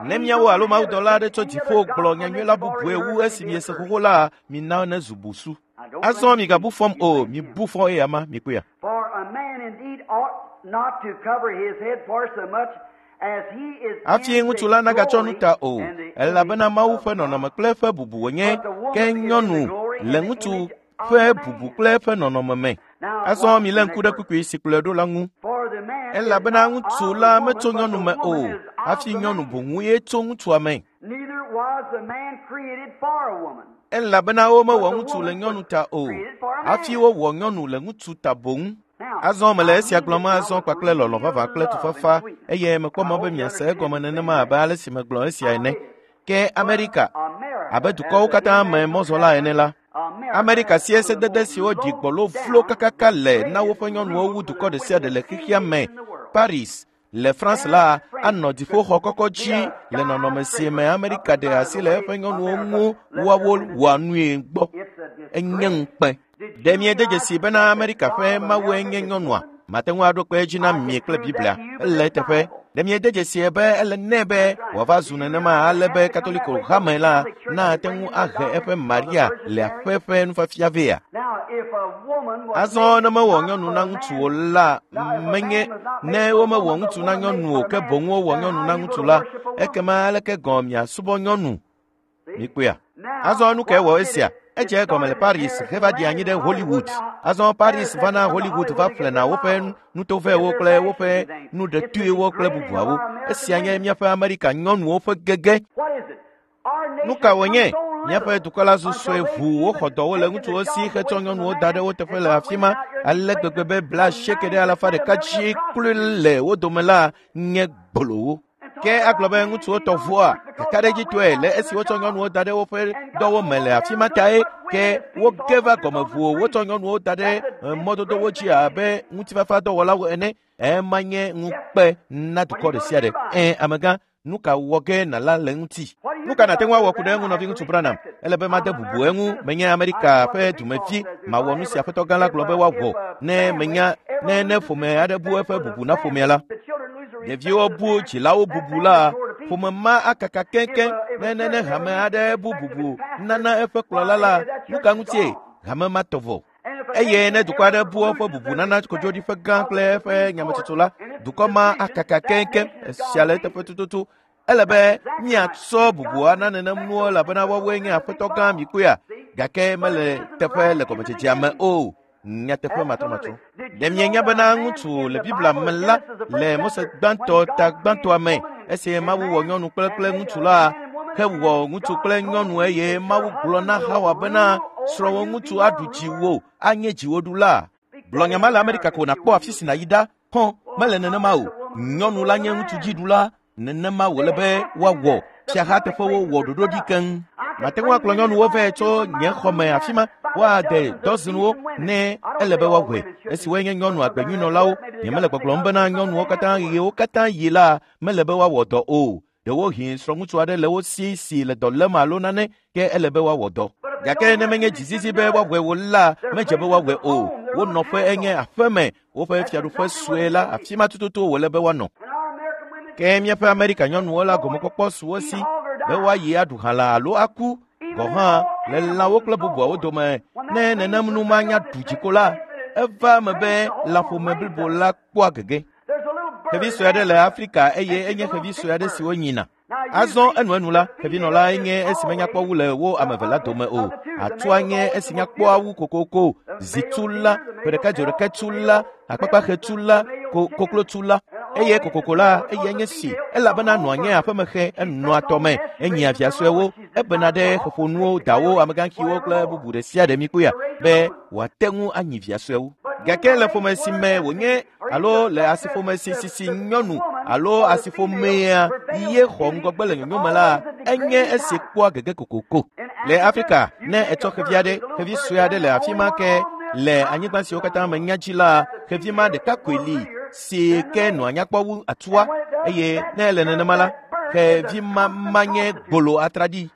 ne míawo alo mawudɔla aɖe tso dziƒo gblɔ nyanyui la bubue wu esi miese xoxo la, mina nezu busu. Azɔ migabu fɔm o, mibu fɔ eya ma, mikpɔea. Hafi ŋutsu la nagatsɔ nu ta o, elabena Mawu ƒe nɔnɔme kple eƒe bubu wònye, ke nyɔnu le ŋutsu ƒe bubu kple eƒe nɔnɔme me. Azɔ milé ŋku ɖe kpukpui si kplɔe ɖo la ŋu. Elabena ŋutsu la metso nyɔnu me o, hafi nyɔnu boŋue tso ŋutsua me. Elabena womewɔ ŋutsu le nyɔnu ta o, hafi wowɔ nyɔnu le ŋutsu ta boŋ. Azɔ mele esia gblɔm azɔ kpakple lɔlɔ̃ vavã kple tufafa eye mekpɔ mɔ be miase egɔme nenema abe ale si megblɔ esia ene. Ke Amerika, abe dukɔwo katã me mɔzɔla ene la, Amerika sie sedede siwo ɖi gbɔlo vlo kakaka le na woƒe nyɔnuwo wu dukɔ ɖe sia ɖe le xexea me. Paris le France la anɔ dziƒoxɔ kɔkɔ dzi le nɔnɔme si me Amerika ɖe asi le eƒe nyɔnuwo ŋu woawo wɔa nue gbɔ. Enye ŋukpe. Ɖe miede dzesi bena Amerika ƒe mawue nye nyɔnua? Mate ŋu aɖo kpe edzi na mi kple Biblia. Ele eteƒe. Ɖe miede dzesi be ele nɛ be wòava zu nenema ale be Katoliko hame la nate ŋu ahe eƒe Maria le aƒe ƒe nufiafia vɛa? Azɔ ne mewɔ nyɔnu na ŋutsu o la, menye ne womewɔ ŋutsu na nyɔnu o ke boŋ wowɔ nyɔnu na ŋutsu la, ekema aleke gɔ̃ miasubɔ nyɔnu? Mikpɔea? Azɔ nu kae wɔ esia? Edze egɔme le Paris heva ɖi anyi ɖe Hollywood. Azɔ Paris va na Hollywood va ƒlena woƒe nutovɛwo kple woƒe nuɖetuiwo kple bubuawo. Esia nye míaƒe Amerika nyɔnuwo ƒe gege. Nu ka wònye? Míaƒe dukɔ la zu sue ʋuu woxɔ dɔwo le ŋutsuwo si hetsɔ nyɔnuwo da ɖe wo teƒe le afi ma ale gbegbe be 91% dzi kloe le wo dome la nye gbolowo. Ke agblɔ be ŋutsuwo tɔ ʋua kakaɖedzitɔe le esi wotsɔ nyɔnuwo da ɖe woƒe dɔwo me le afi ma tae ke woge va gɔme ʋuo wotsɔ nyɔnuwo da ɖe mɔdodowo dzi abe ŋutifafa dɔwɔlawo ene. Ema nye ŋukpe na dukɔ ɖe sia ɖe. Ẽ, amegã, nu ka wɔ ge nàla le ŋuti? Nu ka nàte ŋu awɔ ku ɖe eŋu nɔviŋutsu Branham? Ele be made bubu eŋu. Menye Amerika ƒe dumevi. Mawɔ nu si aƒetɔ gã la gblɔ be woawɔ ne menya ne ne ƒome aɖe bu eƒe bubu na ƒomea la. Ɖeviwo bu dzilawo bubu la, ƒome ma akaka keŋkeŋ ne ne ne hame aɖe bu bubu nana eƒe kplɔla la, nu ka ŋutie hame ma tɔ vɔ? Eye ne dukɔ aɖe bu eƒe bubu nana kodzoɖiƒe gã kple eƒe nyametsotso la, dukɔ ma akaka keŋkeŋ. Esia le eteƒe tututu. Ele be míatsɔ bubua na nenem nuwo elabena woawoe nye aƒetɔ gã mikpɔea, gake mele teƒe le gɔmedzedzea me o. Nyateƒe matrɔmatrɔ. Ɖe mienya bena ŋutsu le Biblia me la le Mose gbãtɔ ta gbãtɔa me esi Mawu wɔ nyɔnu kple kple ŋutsu la hewɔ ŋutsu kple nyɔnu eye Mawu gblɔ na Hawa bena srɔ̃wò ŋutsu aɖu dziwò anye dziwòɖula. Gblɔ nya ma le Amerika ko nàkpɔ afi si nàyi ɖa. Hɔn, mele nenema o. Nyɔnu la nye ŋutsu dziɖula. Nenema wòle be woawɔ. Fiaha teƒewo wɔ ɖoɖo ɖi keŋ. Mate ŋu akplɔ nyɔnuwo vɛ tso nye xɔme afi ma woade dɔzinuwo ne ele be woawɔe. Esi woe nye nyɔnu agbenyuinɔlawo, nyemele gbɔgblɔm bena nyɔnuwo katã ɣewo katã yi la mele be woawɔ dɔ o. Ɖewohĩ srɔ̃ŋutsu aɖe le wo si si le dɔ lém alo nane ke ele be woawɔ dɔ. Gake ne menye dzizizi be woawɔe o la, medze be woawɔe o. Wo nɔƒe enye aƒeme, woƒe fiaɖuƒe sue la, afi ma tututu wòle be woanɔ. Ke míaƒe Amerika nyɔnuwo la gomekpɔkpɔ su wo si be woayi aɖu halã alo aku gɔ̃ hã le lãwo kple bubuawo dome. Ne nenem nu manya ɖu dzi ko la, eva eme be lãƒome blibo la kpɔa gege. Xevi sue aɖe le Afrika eye enye xevi sue aɖe si wonyina. Azɔ enuenu la, xevinɔla nye esi menya kpɔ wu le wo ame eve la dome o. Atua nye esi nya kpɔa wu kokoko. Zitu la, ƒe ɖeka dzo ɖeka tu la, akpakpaxetu la, koklotu la. Eye kokoko la, eya nye si, elabena nɔa nye aƒemexe, enɔa tɔme, enyia via suewo, ebena ɖe xeƒonuwo, dawo, amegãxiwo kple bubu ɖe sia ɖe mikpɔea be wòate ŋu anyi via suewo. Gake le ƒome si me wònye alo le asiƒome si sisi nyɔnu alo asiƒomea ye xɔ ŋgɔgbe le nyonyome la, enye esi kpɔa gege kokoko. Le Afrika, ne etsɔ xevi aɖe, xevi sue aɖe le afi ma ke le anyigba siwo katã me nya dzi la, xevi ma ɖeka koe li si ke nɔa nyakpɔ wu atua eye ne ele nenema la, xevi ma manye gbolo atraɖi.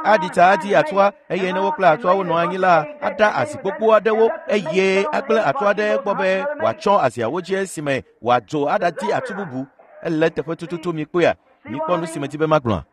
Aɖi tsa adi atua eye ne wo kple atuawo nɔ anyi la, aɖa azi gbogbo aɖewo eye agblẽ atua ɖe egbɔ be wòatsɔ aziawo dzi esime wòadzo aɖadi atu bubu. Ele teƒe tututu mi kpɔea? Mikpɔ nu si medi be magblɔa?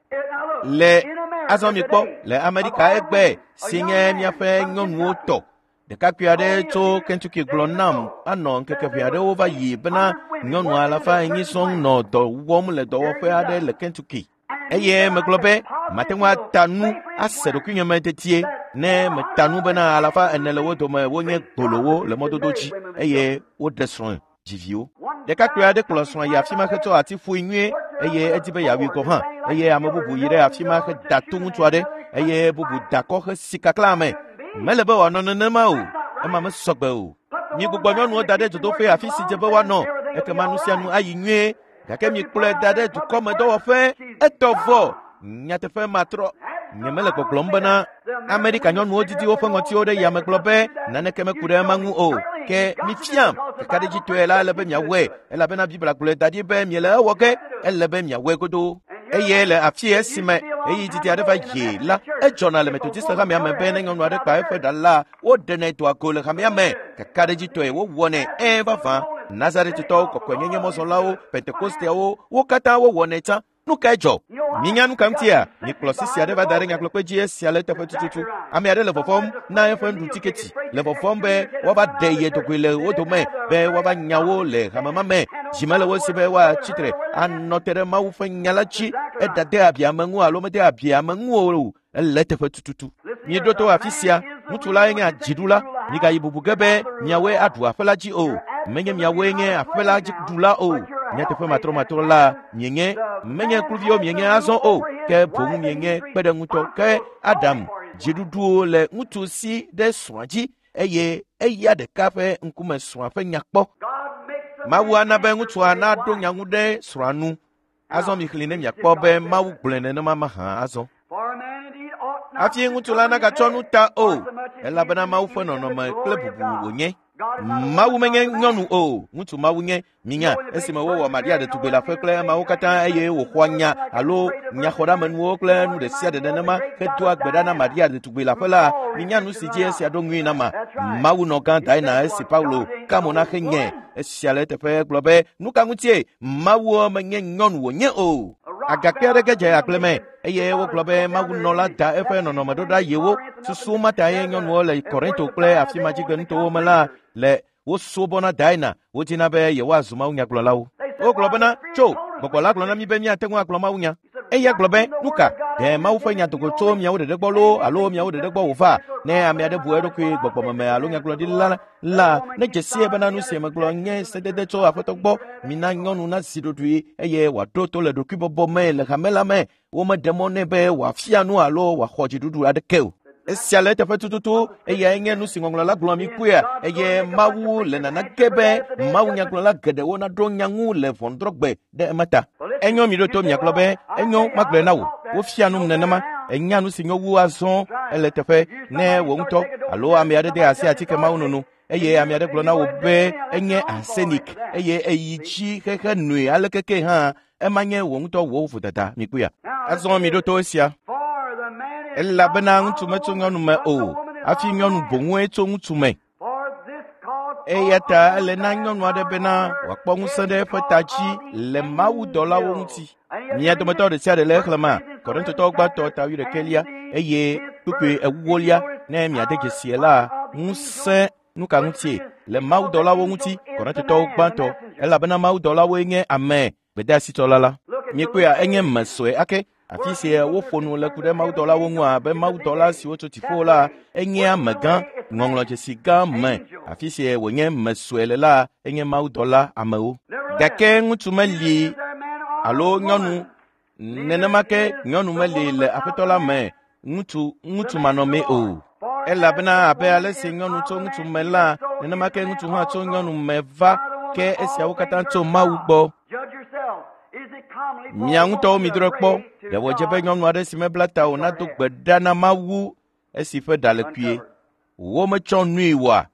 Le azɔ mikpɔ le Amerika egbe si nye míaƒe nyɔnuwo tɔ. Ɖekakpui aɖe tso Kentucky gblɔ nam anɔ ŋkeke ʋɛ aɖewo va yi bena nyɔnu alafa enyi sɔŋ nɔ dɔ wɔm le dɔwɔƒe aɖe le Kentucky. Eye megblɔ be mate ŋu ata nu ase ɖokuinye me tetie ne meta nu bena alafa ene le wo dome wonye gbolowo le mɔdodo dzi eye woɖe srɔ̃ dziviwo. Ɖekakpui aɖe kplɔ srɔ̃a yi afi ma hetsɔ ati ƒoe nyuie eye edi be yeawui gɔ̃ hã eye ame bubu yi ɖe afi ma heda to ŋutsu aɖe eye bubu da kɔ hesi kakla ame. Mele be wòanɔ nenema o, ema mesɔgbe o. Migbugbɔ nyɔnuwo da ɖe dzodoƒe afi si dze be woanɔ, ekema nu sia nu ayi nyuie. Gake mikplɔe da ɖe dukɔmedɔwɔƒe etɔ vɔ. Nyateƒe matrɔ. Nyemele gbɔgblɔm bena Amerika nyɔnuwo didi woƒe ŋɔtiwo ɖe yame gblɔ be naneke meku ɖe ema ŋu o. Ke mifiam kakaɖedzitɔe la ele be miawɔe elabena Biblia gblɔe da ɖi be miele ewɔ ge ele be miawɔe godoo. Eye le afi esime ɣeyiɣi didi aɖe va yi la, edzɔna le Methodist hamea me be ne nyɔnu aɖe kpa eƒe ɖa la, woɖenɛ doa go le hamea me. Kakaɖedzitɔe wowɔnɛ ẽ vavã. Nazaretitɔwo, kɔkɔenyenye mɔzɔlawo, Pentekosteawo, wo katã wowɔnɛ tsã. Nu kae dzɔ? Minya nu ka ŋutia? Mikplɔ sisi aɖe va da ɖe nyagblɔkpe dzi esia le teƒe tututu. Ame aɖe le vɔvɔ̃m na eƒe nuɖutiketi, le vɔvɔ̃m be woava ɖe ye dogoe le wo dome, be woava nya wo le hame ma me. Dzi mele wo si be woatsi tre anɔ te ɖe Mawu ƒe nya la dzi. Eɖade abi ame ŋu alo mede abi ame ŋu o, ele teƒe tututu. Mieɖo to afi sia, ŋutsu lae nye dziɖula. Migayi bubu ge be miawoe aɖu aƒe la dzi o. Menye miawoe nye aƒe la dzi ɖula o. Nyateƒe matrɔmatrɔ la mienye, menye kluviwo mienye azɔ o, ke boŋ mienye kpeɖeŋutɔ. Ke Adam dziɖuɖu le ŋutsu si ɖe srɔ̃a dzi eye eya ɖeka ƒe ŋkume srɔ̃a ƒe nya kpɔ. Mawu ana be ŋutsua naɖo nya ŋu ɖe srɔ̃a nu. Azɔ mixlẽ ne miakpɔ be Mawu gblɔe nenema mahã azɔ. Hafi ŋutsu la nagatsɔ nu ta o, elabena Mawu ƒe nɔnɔme kple bubu wònye. Mawu menye nyɔnu o, ŋutsu Mawu nye. Minya, esime wowɔ Maria ɖetugbi le aƒe kple emawo katã eye wòxɔa nya alo nyaxɔɖeamenuwo kple nu ɖe sia ɖe nenema hedoa gbe ɖa na Maria ɖetugbi le aƒe la, minya nu si dzi esia ɖo ŋui na ma. Mawu nɔ gã Daina esi Paulo ka mo na henye. Esia le eteƒe gblɔ be, nu ka ŋutie Mawu menye nyɔnu wònye o? Agakpe aɖeke dze agble me eye wogblɔ be Mawu nɔ la da eƒe nɔnɔme ɖo ɖa yewo. Susu ma ta ye nyɔnuwo le Korinto kple afi ma dzigbenutowo me la le wosubɔna Daina, wodina be yewoazu mawunyagblɔlawo. Wogblɔ bena, tso, gbɔgbɔ la gblɔ na mí be míate ŋu agblɔ mawunya. Eya gblɔ be, nu ka? Ɖe Mawu ƒe nya dogo tso miawo ɖeɖe gbɔ loo alo miawo ɖeɖe gbɔ wòva? Ne ame aɖe bu eɖokui gbɔgbɔmeme alo nyagblɔɖila la, ne dzesie bena nu si megblɔ nye sedede tso Aƒetɔ gbɔ, mina nyɔnu nazi ɖoɖoe eye wòaɖo to le ɖokuibɔbɔ me le hame la me. Womeɖe mɔ nɛ be wòafia nu alo wòaxɔ dziɖuɖu aɖeke o. Esia le eteƒe tututu, eyae nye nu si ŋɔŋlɔ la gblɔ mi kpɔea, eye Mawu le nana ge be Mawu nyagblɔla geɖewo naɖo nya ŋu le ʋɔnudrɔ̃gbe ɖe ema ta. Enyo mi ɖo to miagblɔ be, enyo magblɔe na wò. Wofia num nenema. Enya nu si nyo wu azɔ ele teƒe ne wò ŋutɔ alo ame aɖe de asi atike mawo nono eye ame aɖe gblɔ na wò be enye arsenic eye eyi dzi xexe noe alekeke hã ema nye wò ŋutɔ wò vodada mikpɔea. Azɔ miɖo to esia. Elabena ŋutsu metso nyɔnu me o, hafi nyɔnu boŋue tso ŋutsu me. Eya ta ele na nyɔnu aɖe bena wòakpɔ ŋusẽ ɖe eƒe ta dzi le mawudɔlawo ŋuti. Mia dometɔ ɖe sia ɖe le exlẽma Korintotɔwo gbãtɔ ta wuiɖekɛlia eye kpukpui ewolia ne miade dzesie la ŋusẽ nu ka ŋutie le mawudɔlawo ŋuti Korintotɔwo gbãtɔ elabena mawudɔlawoe nye ame gbedeasitɔla la. Miekpɔea enye me sue ake afi sia woƒo nu le ku ɖe mawudɔlawo ŋu abe mawudɔla siwo tso dziƒo la enye amegã ŋɔŋlɔdzesi gã me afi sia wònye me sue le la enye mawudɔla amewo. Gake ŋutsu meli alo nyɔnu nenema ke nyɔnu meli le aƒetɔ la me ŋutsu ŋutsu manɔmee o. Elabena abe ale si nyɔnu tso ŋutsu me la nenema ke ŋutsu hã tso nyɔnu me va ke esiawo katã tso Mawu gbɔ. Mia ŋutɔwo midrɔ̃e kpɔ. Ɖe wòdze be nyɔnu aɖe si mebla ta o nado gbe ɖa na Mawu esi ƒe ɖa le kpuie. Wometsɔ nui oa?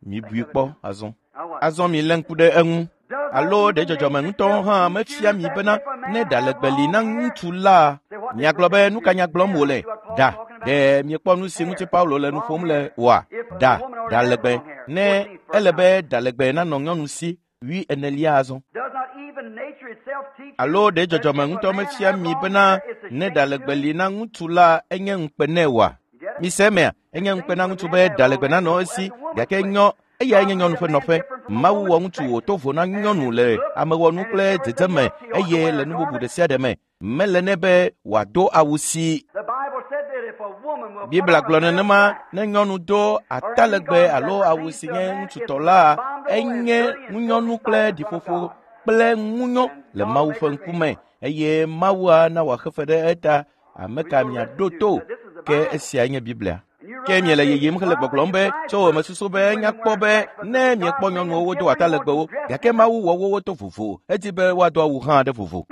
Mibui kpɔ azɔ. Azɔ milé ŋku ɖe eŋu. Alo ɖe dzɔdzɔme ŋutɔ hã mefia mi bena ne ɖa legbe li na ŋutsu la, miagblɔ be nu ka nya gblɔm wòle? Ɖa, ɖe miekpɔ nu si ŋuti Paulo le nu ƒom le oa? Ɖa, ɖa legbe. Ne ele be ɖa legbe nanɔ nyɔnu si 40 azɔ. Alo ɖe dzɔdzɔme ŋutɔ mefia mi bena ne ɖa legbe li na ŋutsu la enye ŋukpe nɛ oa? Mise emea, enye ŋukpe na ŋutsu be ɖa legbe nanɔ esi gake nyɔ eyae nye nyɔnu ƒe nɔƒe. Mawu wɔ ŋutsu wòto vo na nyɔnu le amewɔnu kple dzedzeme eye le nu bubu ɖe sia ɖe me. Mele nɛ be wòado awu si Biblia gblɔ nenema ne nyɔnu do atalegbe alo awu si nye ŋutsutɔ la, enye ŋunyɔnu kple ɖiƒoƒo kple ŋunyɔ le Mawu ƒe ŋkume eye Mawua na wòaxe fe ɖe eta. Ame ka miaɖo to? Ke esia nye Biblia. Ke miele yiyim hele gbɔgblɔm be tso mesusu be nyakpɔ be ne miekpɔ nyɔnuwo wodo atalegbewo gake Mawu wɔ wo woto vovo edi be woado awu hã ɖe vovo.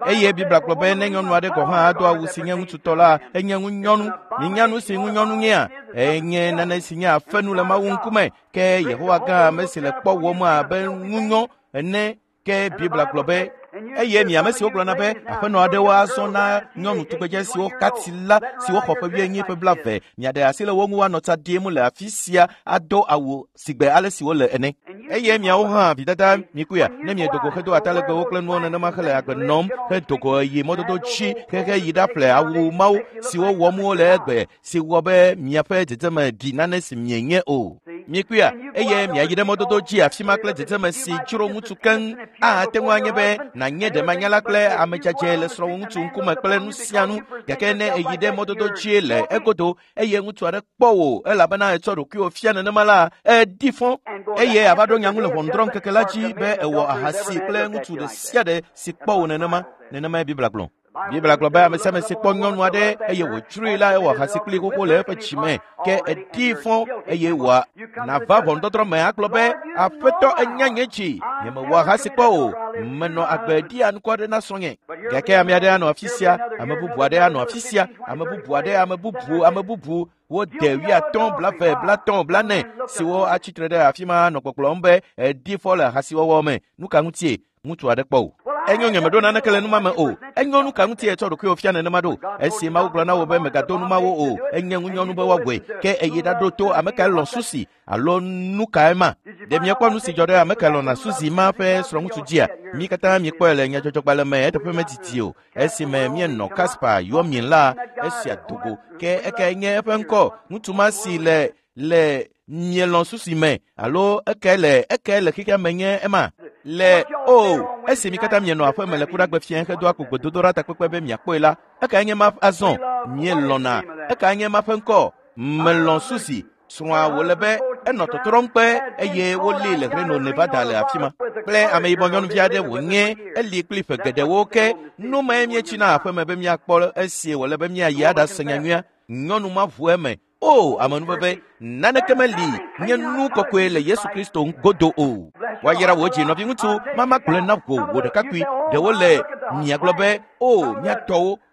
Eye Biblia gblɔ be ne nyɔnu aɖe gɔ̃ hã ado awu si nye ŋutsutɔ la, enye ŋunyɔnu. Minya nu si ŋunyɔnu nyea? Enye nane si nye afenu le Mawu ŋkume. Ke Yehowa gã ame si le kpɔ wɔm abe ŋunyɔ ene. Ke Biblia gblɔ be eye mi ame siwo gblɔna be aƒenɔ aɖewo azɔ na nyɔnu tugbedze siwo kati la siwo xɔ ƒe 80 ƒe 70 miaɖe asi le wo ŋu woanɔ tsa ɖim le afi sia ado awu sigbe ale si wole ene. Eye miawo hã vidada mikuya ne miedo go hedo atalegbewo kple nuwo nenema hele agbe nɔm hedo go yi mɔdodo dzi xexe yi ɖaƒle awu mawo siwo wɔm wole egbe si wɔ be miaƒe dzedzeme ɖi nane si mienye o. Mikuya eye miayi ɖe mɔdodo dzi afi ma kple dzedzeme si dzro ŋutsu keŋ ate ŋu anye be nànye ɖemanyala kple ame dzadzɛ le srɔ̃wò ŋutsu ŋkume kple nu sia nu gake ne èyi ɖe mɔdodo dzie le egodo eye ŋutsu aɖe kpɔ wò elabena ètsɔ ɖokuiwò fia nenema la eɖi fɔ eye ava ɖo nya ŋu le ʋɔnudrɔ̃ŋkeke la dzi be èwɔ ahasi kple ŋutsu ɖe sia ɖe si kpɔ wò nenema. Nenemae Biblia gblɔ. Biblia gblɔ be ame sia ame si kpɔ nyɔnu aɖe eye wòdzroe la ewɔ ahasi kpli xoxo le eƒe dzi me ke eɖi fɔ eye wòa nava ʋɔnudɔdrɔ̃ me agblɔ be aƒetɔ enya nye dzi nyemewɔ ahasi kpɔ o menɔ agbe ɖi anukware na srɔ̃nye gake ame aɖe anɔ afi sia ame bubu aɖe anɔ afi sia ame bubu aɖe ame bubu ame bubu wode 50 20 30 40 siwo atsitre ɖe afi ma nɔ gbɔgblɔm be eɖi fɔ le ahasiwɔwɔ me nu ka ŋutie ŋutsu aɖe kpɔ o. Enyo nyemeɖo naneke le numa me o. Enyo nu ka ŋuti ètsɔ ɖokuiwò fia nenema ɖo? Esi Mawu gblɔ na wò be mègado nu mawo o, enye ŋunyɔnu be woawɔe. Ke èyi ɖaɖo to ame kae lɔ̃ Susi alo nu kae ma? Ɖe miekpɔ nu si dzɔ ɖe ame kae lɔ̃na Susi ma ƒe srɔ̃ŋutsu dzia? Mi katã miekpɔe le nyadzɔdzɔgbalẽ me eteƒe medidi o. Esime míenɔ Kaspa yɔmii la, esia dogo. Ke ekae nye eƒe ŋkɔ? Ŋutsu ma si le le mielɔ̃ Susi me alo ekae le ekae le xexea me nye ema? Le o esi mi katã mienɔ aƒe me le kuɖagbe fiẽ hedoa kpo gbedodoɖa takpekpe be miakpɔe la, ekae nye ma azɔ mielɔ̃na? Ekae nye ma ƒe ŋkɔ? Melɔ̃ Susi. Srɔ̃a wòle be enɔ tɔtrɔm kpe eye wolée le Reno, Nevada le afi ma kple ameyibɔ nyɔnuvi aɖe wònye eli kpli ƒe geɖewo ke nu mae míetsina aƒeme be míakpɔ esi wòle be míayi aɖase nyanyuia. Nyɔnu ma ʋu eme. O amenuveve, naneke meli nye nu kɔkɔe le Yesu Kristo godo o. Woayra wò dzi nɔviŋutsu, mama gblɔe na wò wò ɖekakpui. Ɖewo le miagblɔ be, o mía tɔwo.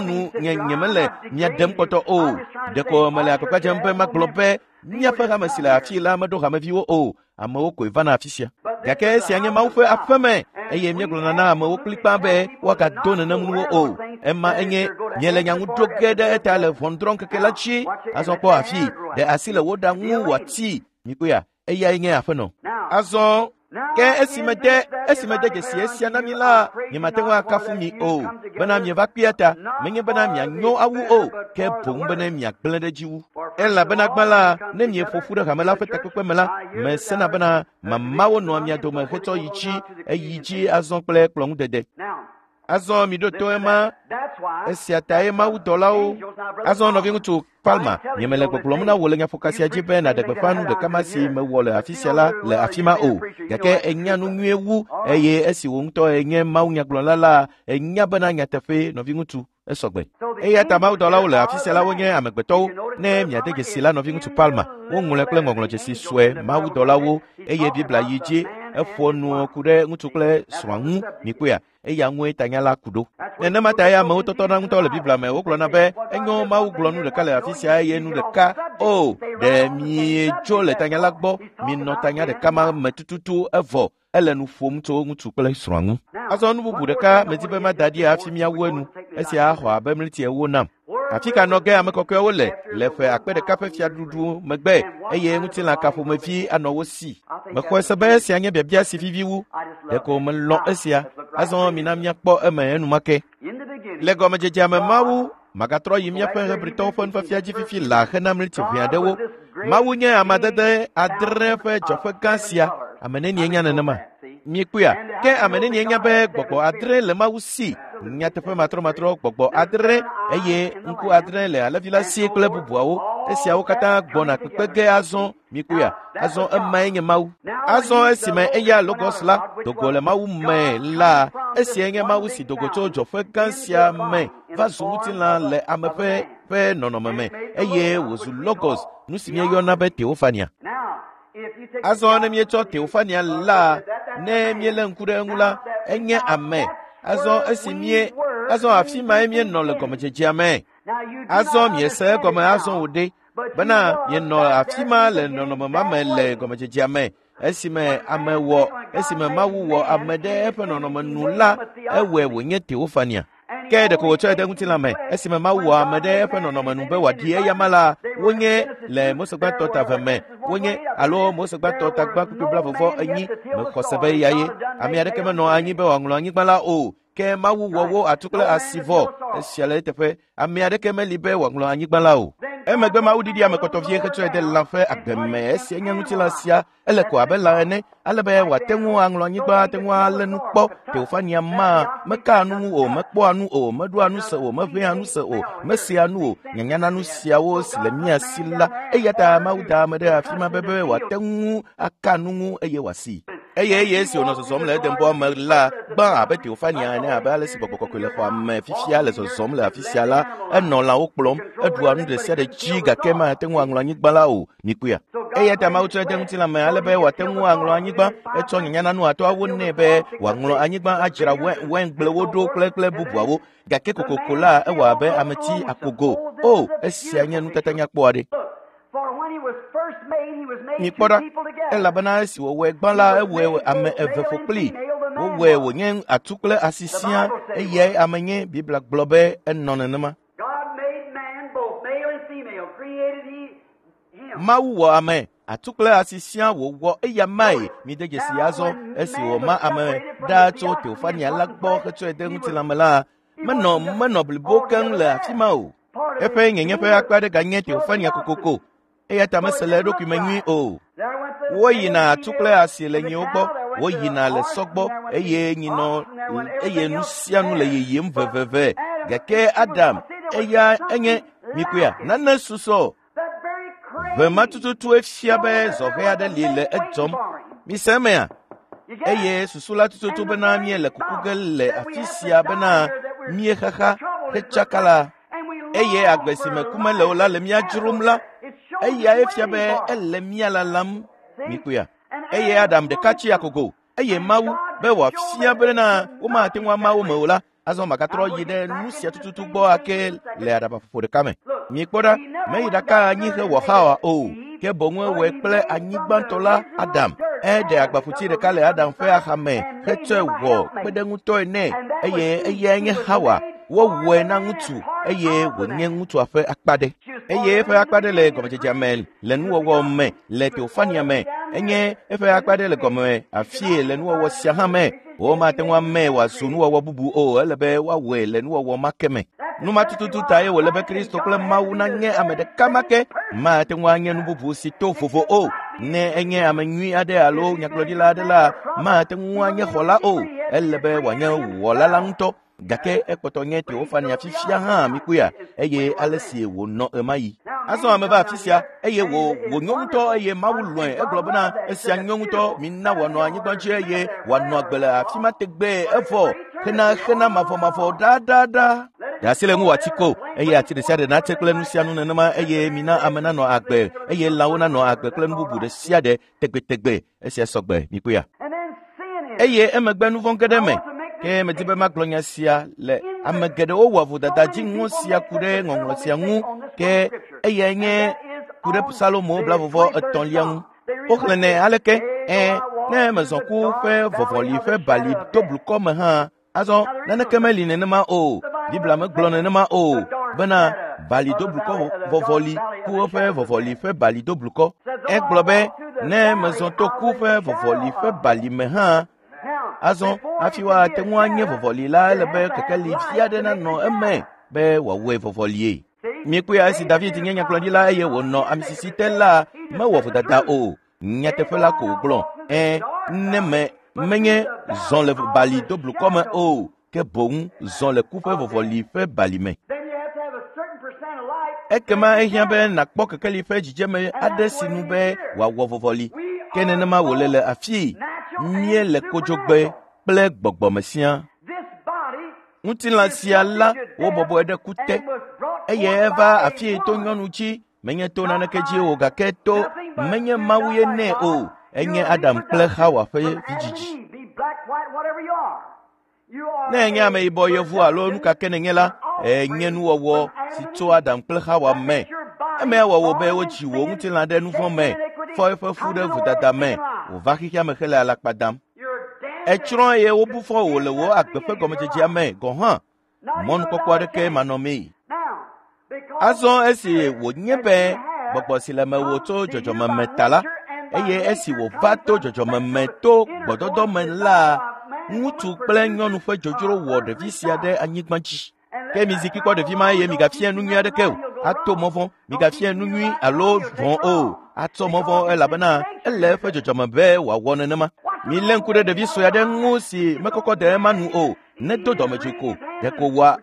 nyɔnu nye nyemele mia ɖem kpɔtɔ o. Ɖeko mele agbagba dzem be magblɔ be míaƒe hame si le afi la meɖo hameviwo o. Amewo koe vana afi sia. Gake esia nye Mawu ƒe aƒeme eye míegblɔna na amewo kplikpaa be woagado nenem nuwo o. Ema enye miele nya ŋu ɖo ge ɖe eta le ʋɔnudrɔ̃ŋkeke la dzi. Azɔ kpɔ afi, ɖe asi le wò ɖa ŋu wòati. Mikpɔea, eyae nye aƒenɔ. Azɔ. Ke esime de dzesi esia na mi la, nyemate ŋu akafu mi o, bena mieva kpea ta, menye bena mianyo awu o, ke boŋ bene miagblẽ ɖe dzi wu. Elabena gbã la, ne mieƒo ƒu ɖe hame la ƒe takpekpe me la, mesena bena mamawo nɔa mia dome hetsɔ yi dzi, eyi dzi azɔ kple kplɔ̃ŋudede. Azɔ miɖo to ema, esia tae mawudɔlawo. Azɔ nɔviŋutsu Palma, nyemele gbɔgblɔm na wò le nyaƒoka sia dzi be nàɖe gbeƒã nu ɖeka ma si mewɔ le afi sia la le afi ma o, gake ènya nu nyuie wu eye esi wò ŋutɔ ènye mawunyagblɔla la, ènya bena nyateƒee nɔviŋutsu esɔgbe. Eya ta mawudɔlawo le afi sia la wonye amegbetɔwo. Ne miade dzesi la nɔviŋutsu Palma, woŋlɔe kple ŋɔŋlɔdzesi sue mawudɔlawo eye Biblia yi dzi eƒo nu ku ɖe ŋutsu kple srɔ̃a ŋu mikpɔea. Eya ŋue tanya la ku ɖo. Nenema tae amewo tɔtɔna ŋutɔ le Biblia me. Wogblɔna be enyo Mawu gblɔ nu ɖeka le afi sia eye nu ɖeka o ɖe miedzo le tanya la gbɔ minɔ tanya ɖeka ma me tututu evɔ ele nu ƒom tso ŋutsu kple srɔ̃a ŋu. Azɔ nu bubu ɖeka medi be mada ɖi hafi míawu enu. Esia axɔ abe mliti 40 nam. Afi ka nɔ ge ame kɔkɔewo le le ƒe 1000 ƒe fiaɖuɖu megbe eye ŋutilã ka ƒomevi anɔ wo si? Mexɔe se be esia nye biabia si vivi wu. Ɖeko melɔ̃ esia. Azɔ mina míakpɔ eme enumake. Le gɔmedzedzea me Mawu magatrɔ yi míaƒe Hebritɔwo ƒe nufiafia dzi fifi laa hena mliti ʋɛ aɖewo. Mawu nye amadede 7 ƒe dzɔƒe gã sia. Ame nenie nya nenema? Miekpɔea? Ke ame nenie nya be gbɔgbɔ 7 le Mawu si? Nyateƒe matrɔmatrɔ gbɔgbɔ 7 eye ŋku 7 le alẽvi la si kple bubuawo. Esiawo katã gbɔna kpekpe ge azɔ. Mikpɔea? Azɔ emae nye Mawu. Azɔ esime eya Logos la dogo le Mawu me la, esiae nye Mawu si dogo tso dzɔƒe gã sia me va zu ŋutilã le ame ƒe nɔnɔme me eye wòzu Logos, nu si míeyɔna be Teofania. Azɔ ne míetsɔ Teofania la, ne míelé ŋku ɖe eŋu la, enye ame. Azɔ azɔ afi mae míenɔ le gɔmedzedzea me. Azɔ miese egɔme azɔ wò ɖe bena mienɔ afi ma le nɔnɔme ma me le gɔmedzedzea me. Esime Mawu wɔ ame ɖe eƒe nɔnɔme nu la, ewɔe wònye Teofania. Ke ɖeko wòtsɔe ɖe ŋutilã me. Esime Mawu wɔ ame ɖe eƒe nɔnɔme nu be wòaɖi eyama la, wonye le Mose gbãtɔ ta 2 me, wonye alo Mose gbãtɔ ta gbã kpukpui 40 mexɔ se be eya ye. Ame aɖeke menɔ anyi be wòaŋlɔ anyigba la o. Ke Mawu wɔ wo atu kple asi vɔ. Esia le eteƒe. Ame aɖeke meli be wòaŋlɔ anyigba la o. Emegbe Mawu ɖiɖi ame kpɔtɔ vie hetsɔe de lã ƒe agbe me. Esia nye ŋutilã sia. Ele ko abe lã ene, ale be wòate ŋu aŋlɔ anyigba, ate ŋu alé nu kpɔ. Teofania ma mekaa nu ŋu o, mekpɔa nu o, meɖoa nu se o, meʋẽa nu se o, mesea nu o. Nyanyana nu siawo si le mía si la. Eya ta Mawu da ame ɖe afi ma be wòate ŋu aka nu ŋu eye wòasi. Eye eye si wònɔ zɔzɔm le Edenbɔa me la, gbã abe Teofania ene, abe ale si gbɔgbɔ kɔkɔe le xɔa me fifia le zɔzɔm le afi sia la, enɔ lãwo kplɔm, eɖua nu ɖe sia ɖe dzi gake mate ŋu aŋlɔ anyigba la o. Mikpɔea? Eya ta Mawu tsɔe de ŋutilã me ale be wòate ŋu aŋlɔ anyigba. Etsɔ nyanyana nu atɔawo nɛ be wòaŋlɔ anyigba adzra wɛngblewo ɖo kple bubuawo. Gake kokoko la ewɔ abe ameti akogo. O, esia nye nutata nyakpɔ aɖe. Mikpɔ ɖa, elabena esi wòwɔe gbã la, ewɔe ame eve ƒo kpli. Wowɔe wònye atu kple asi siaa eyae ame nye. Biblia gblɔ be enɔ nenema. Mawu wɔ ame atu kple asi siaa wòwɔ eya mae. Mide dzesi azɔ esi wòma ame ɖa tso Teofania la gbɔ hetsɔe de ŋutilã me la, menɔ blibo keŋ le afi ma o. Eƒe nyenye ƒe akpa aɖe ganye Teofania kokoko. Eya ta mese le eɖokui me nyui o. Woyina atu kple asi le nyiwo gbɔ, woyina le sɔ gbɔ eye nyinɔ eye nu sia nu le yiyim veveve. Gake Adam eya enye mikpɔea nane susɔ. Ʋe ma tututue fia be zɔhɛ aɖe li le edzɔm. Mise emea? Eye susu la tututu bena míele kuku ge le afi sia bena míexaxa hetsaka la eye agbe si me ku mele o la le mía dzrom la, eyae fia be ele mía lalam. Mikpɔea? Eye Adam ɖeka tsi akogo eye Mawu be wòafia bena womate ŋu ama wo me o la, azɔ magatrɔ yi ɖe nu sia tututu gbɔ ake le aɖabaƒoƒo ɖeka me. Mikpɔ ɖa, meyi ɖaka anyi hewɔ Xawa o, ke boŋ ewɔe kple anyigbãtɔ la Adam. Eɖe agbaƒuti ɖeka le Adam ƒe axame hetsɔe wɔ kpeɖeŋutɔe nɛ eye eyae nye Xawa. Wowɔe na ŋutsu eye wònye ŋutsua ƒe akpa ɖe. Eye eƒe akpa ɖe le gɔmedzedzea me, le nuwɔwɔ me, le Teofania me. Enye eƒe akpa ɖe le gɔme afie le nuwɔwɔ sia hã me. Womate ŋu amee wòazu nuwɔwɔ bubu o, ele be woawɔe le nuwɔwɔ ma ke me. Nu ma tututu ta ye wòle be Kristo kple Mawu nanye ame ɖeka ma ke. Mate ŋu anye nu bubu si to vovo o. Ne enye ame nyui aɖe alo nyagblɔɖila aɖe la, mate ŋu anye xɔla o. Ele be wòanye wɔla la ŋutɔ. Gake ekpɔtɔ nye Teofania fifia hã mikpɔea, eye ale si wònɔ ɣemaɣi. Azɔ ame va afi sia eye wònyo ŋutɔ eye Mawu lɔ̃e. Egblɔ bena esia nyo ŋutɔ, mina wòanɔ anyigba dzi eye wòanɔ agbe le afi ma tegbee evɔ hena mavɔmavɔ ɖaɖaɖa. Ɖe asi le ŋu wòati ko eye ati ɖe sia ɖe natse kple nu sia nu nenema eye mina ame nanɔ agbe eye lãwo nanɔ agbe kple nu bubu ɖe sia ɖe tegbetegbe. Esia sɔgbe mikpɔea. Eye emegbe nu vɔ̃ ge ɖe eme. Ke medi be magblɔ nya sia le ame geɖewo wɔ vodada dziŋɔ sia ku ɖe ŋɔŋlɔ sia ŋu, ke eyae nye ku ɖe Salomo 33 ŋu. Woxlẽnɛ aleke? Ne mezɔ ku ƒe vɔvɔli ƒe bali to blukɔ me hã, azɔ naneke meli nenema o. Biblia megblɔ nenema o bena bali do blukɔ vɔvɔli, ku ƒe vɔvɔli ƒe bali do blukɔ. Egblɔ be ne mezɔ to ku ƒe vɔvɔli ƒe bali me hã, azɔ hafi woate ŋu anye vɔvɔli la, ele be kekeli vi aɖe nanɔ eme be wòawɔe vɔvɔlie. Miekpɔe esi David nye nyagblɔɖila eye wònɔ amisisi te la, mewɔ vodada o. Nyateƒe la ko wògblɔ. Ne menye zɔ le bali do blukɔ me o, ke boŋ zɔ le ku ƒe vɔvɔli ƒe bali me. Ekema ehiã be nàkpɔ kekeli ƒe dzidzeme aɖe si nu be wòawɔ vɔvɔli. Ke nenema wòle le afii. Míele kodzogbe kple gbɔgbɔme sia. Ŋutilã sia la wobɔbɔe ɖe ku te eye eva afii to nyɔnu dzi. Menye to naneke dzi o, gake to menye Mawu ye nɛ o. Enye Adam kple Xawa ƒe vidzidzi. Ne enye ameyibɔ, yevu alo nu ka ke nenye la, enye nuwɔwɔ si tso Adam kple Xawa me. Emea wɔ wò be wodzi wò ŋutilã ɖe nu vɔ̃ me, fɔ eƒe fu ɖe vodada me, wòva xexea me hele alakpa dam. Etsrɔ̃ eye wobu fɔ wò le wò agbe ƒe gɔmedzedzea me gɔ̃ hã. Mɔnukpɔkpɔ aɖeke manɔmee. Azɔ esi wònye be gbɔgbɔ si le mewò tso dzɔdzɔme me ta la, eye esi wòva to dzɔdzɔme me to gbɔdɔdɔ me la, ŋutsu kple nyɔnu ƒe dzodzro wɔ ɖevi sia ɖe anyigba dzi. Ke mizi kpikpɔ ɖevi ma eye migafia nu nyui aɖeke o. Ato mɔ vɔ̃, migafia nu nyui alo vɔ̃ o. Atsɔ mɔ vɔ̃ elabena ele eƒe dzɔdzɔme be wòawɔ nenema. Milé ŋku ɖe ɖevi sue aɖe ŋu si mekɔkɔ de ema nu o. Nedo dɔmedzoe ko, ɖeko wòa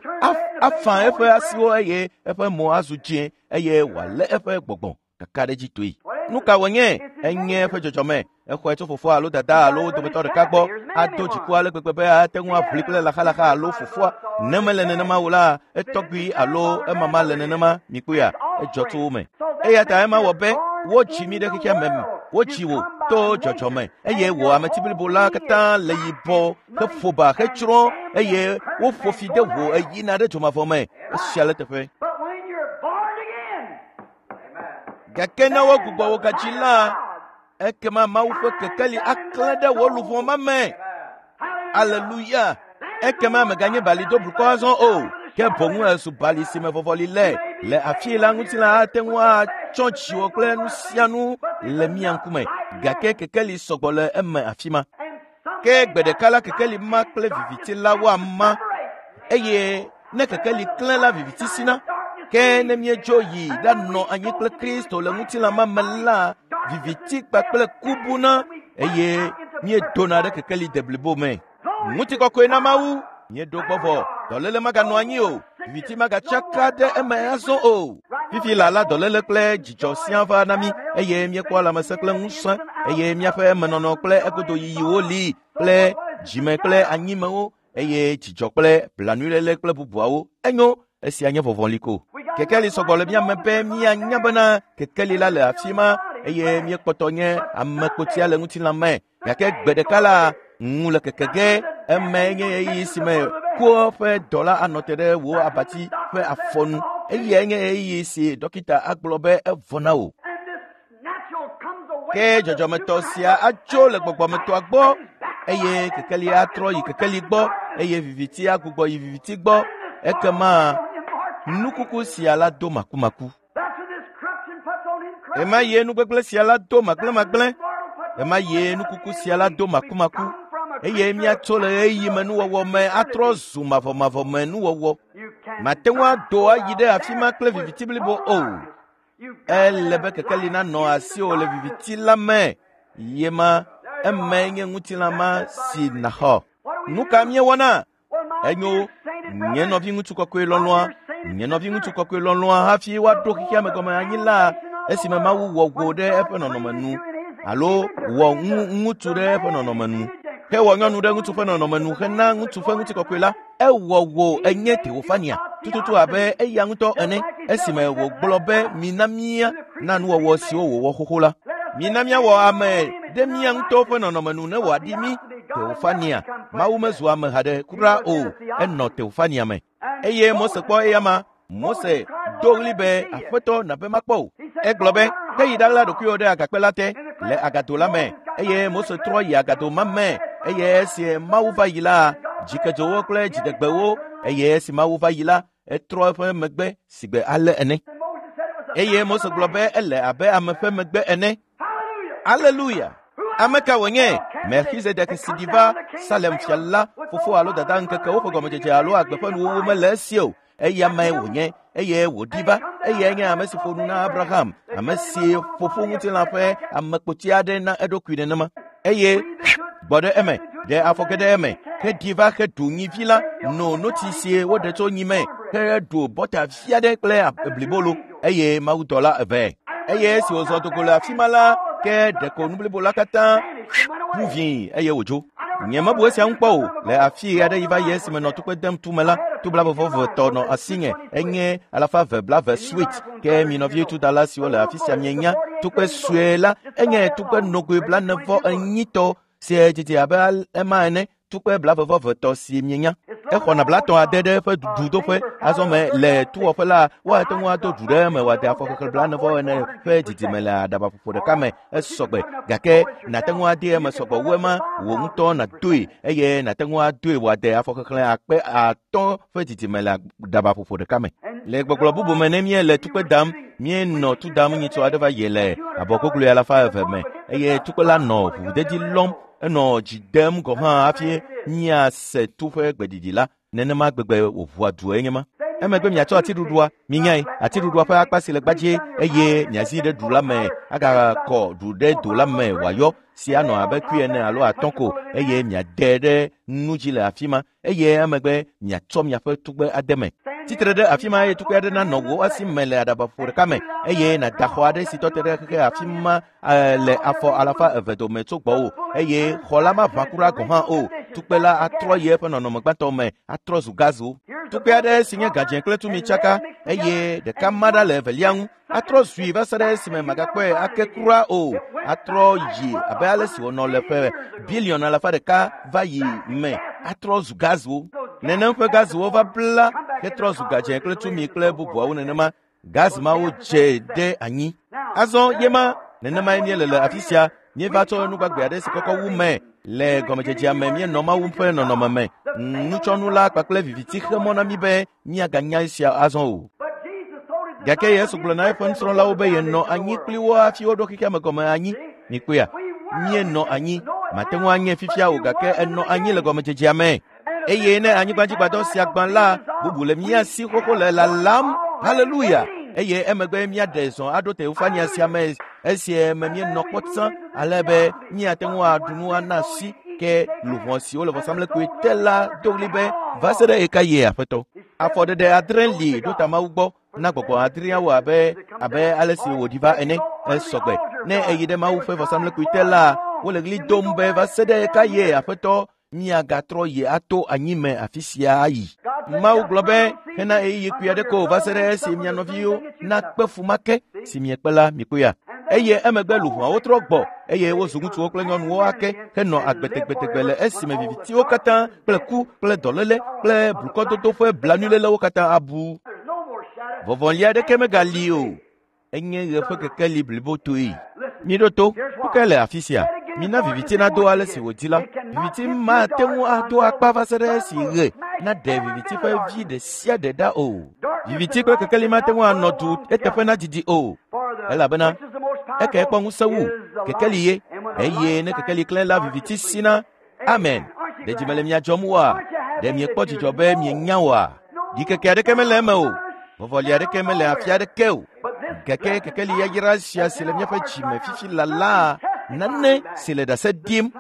afa eƒe asiwo eye eƒe mo azu dzĩ eye wòalé eƒe gbɔgbɔ kakaɖedzitɔe. Nu ka wònye? Enye eƒe dzɔdzɔme. Exɔe tso fofoa alo dada alo wo dometɔ ɖeka gbɔ. Ado dziku ale gbegbe be ate ŋu aʋli kple laxalaxa alo fofoa. Ne mele nenema o la, etɔgbui alo emama le nenema. Mikpɔea, edzɔ tso wo me. Eya ta ema wɔ be wodzi mi ɖe xexea me. Wodzi wò to dzɔdzɔme eye wò ameti blibo la katã le yibɔ heƒo ba hetsrɔ̃ eye woƒo fi de wò eyina ɖe dzomavɔ me. Esia le teƒe. Gake ne wogbugbɔ wò gadzi la, ekema Mawu ƒe kekeli aklẽ ɖe wò luʋɔ ma me. Aleluya! Ekema meganye bali do blukɔ azɔ o, ke boŋ ezu bali si me vɔvɔli le. Le afii la ŋutilã ate ŋu atsɔ dziwò kple nu sia nu le mia ŋkume, gake kekeli sɔgbɔ le eme afi ma. Ke gbe ɖeka la kekeli ma kple viviti la woama, eye ne kekeli klẽ la viviti sina. Ke ne míedzo yi ɖanɔ anyi kple Kristo le ŋutilã ma me la, viviti kpakple ku buna eye míedona ɖe kekeli deblibo me. Ŋutikɔkɔe na Mawu. Míeɖo gbɔ vɔ. Dɔléle maganɔ anyi o. Viviti magatsaka ɖe eme azɔ o. Fifi la la dɔléle kple dzidzɔ siaa va na mí eye míekpɔ lãmesẽ kple ŋusẽ eye míaƒe emenɔnɔ kple egodoyiyiwo li kple dzime kple anyimewo eye dzidzɔ kple blanuiléle kple bubuawo. Enyo, esia nye vɔvɔli ko. Kekeli sɔgbɔ le mía me be míanya bena kekeli la le afi ma eye míekpɔtɔ nye ame kpotia le ŋutilã me. Gake gbe ɖeka la, ŋu le keke ge. Eme nye ɣeyiɣi si me kua ƒe dɔla anɔ te ɖe wò abati ƒe afɔnu. Eyae nye ɣeyiɣi si dɔkita agblɔ be evɔ na wò. Ke dzɔdzɔmetɔ sia atso le gbɔgbɔmetɔa gbɔ eye kekeli atrɔ yi kekeli gbɔ eye viviti agbugbɔ yi viviti gbɔ. Ekema nukuku sia la do makumaku. Ema ye nugbegblẽ sia la do magblẽmagblẽ. Ema ye nukuku sia la do makumaku eye míatso le ɣeyiɣi me nuwɔwɔ me atrɔ zu mavɔmavɔ me nuwɔwɔ. Mate ŋu ado ayi ɖe afi ma kple viviti blibo o. Ele be kekeli nanɔ asiwò le viviti la me. Yema emae nye ŋutilã ma si nàxɔ. Nu ka míewɔna? Enyo, nye nɔviŋutsu kɔkɔe lɔlɔ̃a, nye nɔviŋutsu kɔkɔe lɔlɔ̃a hafi woaɖo xexea me gɔme anyi la, esime Mawu wɔ wò ɖe eƒe nɔnɔme nu alo wɔ ŋutsu ɖe eƒe nɔnɔme nu hewɔ nyɔnu ɖe ŋutsu ƒe nɔnɔme nu hena ŋutsu ƒe ŋutikɔkɔe la, ewɔ wò enye teofania tututu abe eya ŋutɔ ene esime wògblɔ be mina mía na nuwɔwɔ siwo wòwɔ xoxo la. Mina míawɔ ame ɖe mía ŋutɔ ƒe nɔnɔme nu ne wòaɖi mí. Teofania, Mawu mezu ame haɖe kura o, enɔ teofania me. Eye Mose kpɔ eyama. Mose do ɣli be, Aƒetɔ, nàbe makpɔ o. Egblɔ be, Ke yi ɖaɣla ɖokuiwò ɖe agakpe la te le agado la me. Eye Mose trɔ yi agado ma me. Eye esi Mawu va yi la, dzikedzowo kple dziɖegbewo. Eye esi Mawu va yi la, etrɔ eƒe megbe sigbe ale ene. Eye Mose gblɔ be ele abe ame ƒe megbe ene. Aleluya! Ame ka wònye? Melchizedek si ɖi va Salem fia la, fofo alo dada ŋkekewo ƒe gɔmedzedze alo agbe ƒe nuwuwu mele esi o. Eya mae wònye, eye wòɖi va. Eyae nye ame si ƒo nu na Abraham, ame si ƒo ƒu ŋutilã ƒe amekpoti aɖe na eɖokui nenema. Eye gbɔ ɖe eme, ɖe afɔ ge ɖe eme, heɖi va heɖu nyivi la, no notsi si woɖe tso nyi me, heɖu bɔta vi aɖe kple blibolo, eye mawudɔla eve. Eye esi wòzɔ do go le afi ma la, ke ɖeko nu blibo la katã ʋu vĩi eye wòdzo. Nyemebu esia ŋu kpɔ o. Le afi aɖe yi va yi esime nɔ tukpe dem tu me la, tu blaeve-vɔ-etɔ̃ nɔ asinye. Enye 220 sweet. Ke mi nɔvi tudala siwo le afi sia mienya tukpe sue la, enye tukpe nogoe 44 si didi abe ema ene. Tukpe 44 si mienya. Exɔna 30 ɖe eƒe dudoƒe. Azɔ me le tuwɔƒe la, woate ŋu ado du ɖe eme wòade afɔ xexlẽ 44 ƒe didime le aɖabaƒoƒo ɖeka me. Esɔgbe. Gake nàte ŋu ade eme sɔgbɔ wu ema wò ŋutɔ nàdoe eye nàte ŋu adoe wòade afɔ xexlẽ 500 ƒe didime le aɖabaƒoƒo ɖeka me. Le gbɔgblɔ bubu me ne míele tukpe dam, míenɔ tu dam nyitsɔ aɖe va yi le abɔgogloe 200 me eye tukpe la nɔ ʋuʋudedi lɔm enɔ dzi dem gɔ̃ hã hafi míase tu ƒe gbeɖiɖi la. Nenema gbegbe wòʋua due nye ma. Emegbe miatsɔ atiɖuɖua, minyae, atiɖuɖua ƒe akpa si le gbadzɛ eye miazi ɖe du la me, agakɔ du ɖe do la me wòayɔ, si anɔ abe kui ene alo atɔ̃ ko, eye miade ɖe nu dzi le afi ma, eye emegbe miatsɔ miaƒe tugbe ade me. Tsitre ɖe afi ma eye tukpe aɖe nanɔ wò asi me le aɖabaƒoƒo ɖeka me, eye nàda xɔ aɖe si tɔ te ɖe xexe afi ma le afɔ 200 dome tso gbɔwò, eye xɔ la maʋã kura gɔ̃ hã o. Tukpe la atrɔ yi eƒe nɔnɔme gbãtɔ me, atrɔ zu gaziwo. Tukpe aɖe si nye gadzẽ kple tumi tsaka, eye ɖeka ma ɖa le evelia ŋu, atrɔ zui va se ɖe esime magakpɔe ake kura o. Atrɔ yi abe ale si wònɔ le ƒe biliɔn 100 va yi me, atrɔ zu gaziwo. Nenem ƒe gaziwo va bla hetrɔ zu gadzẽ kple tumi kple bubuawo nenema. Gazi mawo dze ɖe anyi. Azɔ yema nenemae míele le afi sia. Míeva tso nugbagbe aɖe si kɔkɔ wu me. Le gɔmedzedzea me míenɔ Mawu ƒe nɔnɔme me. Nutsɔnu la kpakple viviti xe mɔ na mí be míaganya esia azɔ o. Gake Yesu gblɔ na eƒe nusrɔ̃lawo be yenɔ anyi kpli wo hafi woɖo xexea me gɔme anyi. Mikpɔea? Míenɔ anyi. Mate ŋu anye fifia o gake enɔ anyi le gɔmedzedzea me. Eye ne anyigbadzigbadɔ sia gbã la, bubu le mía si xoxo le lalam. Haleluya! Eye emegbe míaɖe zɔ aɖo teofania sia me esie me míenɔ kpɔ tsã ale be míate ŋu aɖu nu ana asi. Ke luʋɔ siwo le vɔsamlekpui te la do ɣli be, va se ɖe ɣekaɣie, Aƒetɔ? Afɔɖeɖe 8 li ɖo ta Mawu gbɔ na gbɔgbɔ adreawo abe ale si wòɖi va ene. Esɔgbe. Ne èyi ɖe Mawu ƒe vɔsamlekpui te la, wole ɣli dom be, va se ɖe ɣekaɣie, Aƒetɔ? Míagatrɔ yi ato anyi me afi sia ayi. Mawu gblɔ be, hena ɣeyiɣi kpui aɖe ko va se ɖe esi mia nɔviwo nakpe fu ma ke si miekpe la, mikpɔea. Eye emegbe luʋɔawo trɔ gbɔ eye wozu ŋutsuwo kple nyɔnuwo ake henɔ agbe tegbetegbe le esime vivitiwo katã kple ku kple dɔléle kple blukɔdodo ƒe blanuilélewo katã abu. Vɔvɔli aɖeke megali o. Enye ɣe ƒe kekeli blibotoe. Miɖo to, nu kae le afi sia? Mina viviti nado ale si wòdi la. Viviti mate ŋu ado akpa va se ɖe esi ɣe naɖe viviti ƒe vi ɖe sia ɖe ɖa o. Viviti kple kekeli mate ŋu anɔ du eteƒe nadidi o, elabena ekae kpɔ ŋusẽ wu kekeli ye. Eye ne kekeli klẽ la, viviti sina. Amen. Ɖe dzi mele mia dzɔm oa? Ɖe miekpɔ dzidzɔ be mienya oa? Ɖikeke aɖeke mele eme o. Vɔvɔli aɖeke mele afi aɖeke o. Gake kekeli yayra sia si le míaƒe dzi me fifi lala nane si le ɖase ɖim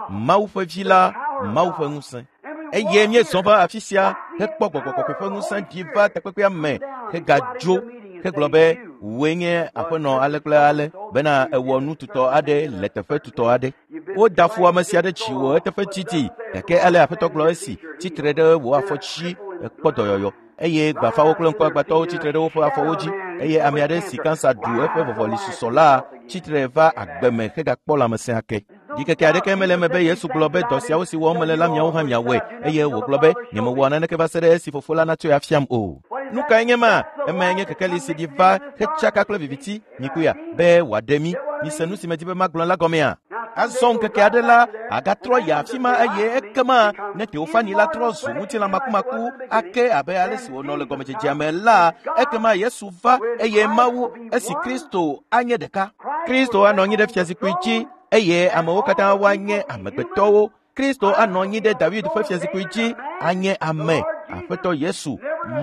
Mawu ƒe vi la, Mawu ƒe ŋusẽ. Eye míezɔ va afi sia hekpɔ gbɔgbɔ kɔkɔe ƒe ŋusẽ ɖi va takpekpea me hegadzo hegblɔ be wòe nye aƒenɔ ale kple ale bena ewɔ nu tutɔ aɖe le teƒe tutɔ aɖe. Woda fu ame sia ɖe dziwò eteƒe didi gake ale aƒetɔ gblɔ esi tsitre ɖe wò afɔ dzi ekpɔ dɔyɔyɔ eye gbafawo kple ŋkuagbãtɔwo tsitre ɖe woƒe afɔwo dzi eye ame aɖe si kansa ɖu eƒe vɔvɔli susɔ la tsitre va agbe me hegakpɔ lãmesẽ ake. Ɖikeke aɖeke mele eme be Yesu gblɔ be dɔ siawo si wɔm mele la miawo hã miawɔe eye wògblɔ be nyemewɔa naneke va se ɖe esi fofo la natsɔe afiam o. Nu kae nye ma? Emae nye kekeli si ɖi va hetsaka kple viviti mikuya be wòaɖe mí. Mise nu si medi be magblɔ la gɔmea? Azɔ ŋkeke aɖe la, agatrɔ yi afi ma eye ekema ne Teofani la trɔ zu ŋutilã makumaku ake abe ale si wònɔ le gɔmedzedzea me la, ekema Yesu va eye Mawu esi Kristo anye ɖeka. Kristo anɔ anyi ɖe fiazikpui dzi eye amewo katã woanye amegbetɔwo. Kristo anɔ anyi ɖe David ƒe fiazikpui dzi anye ame. Aƒetɔ Yesu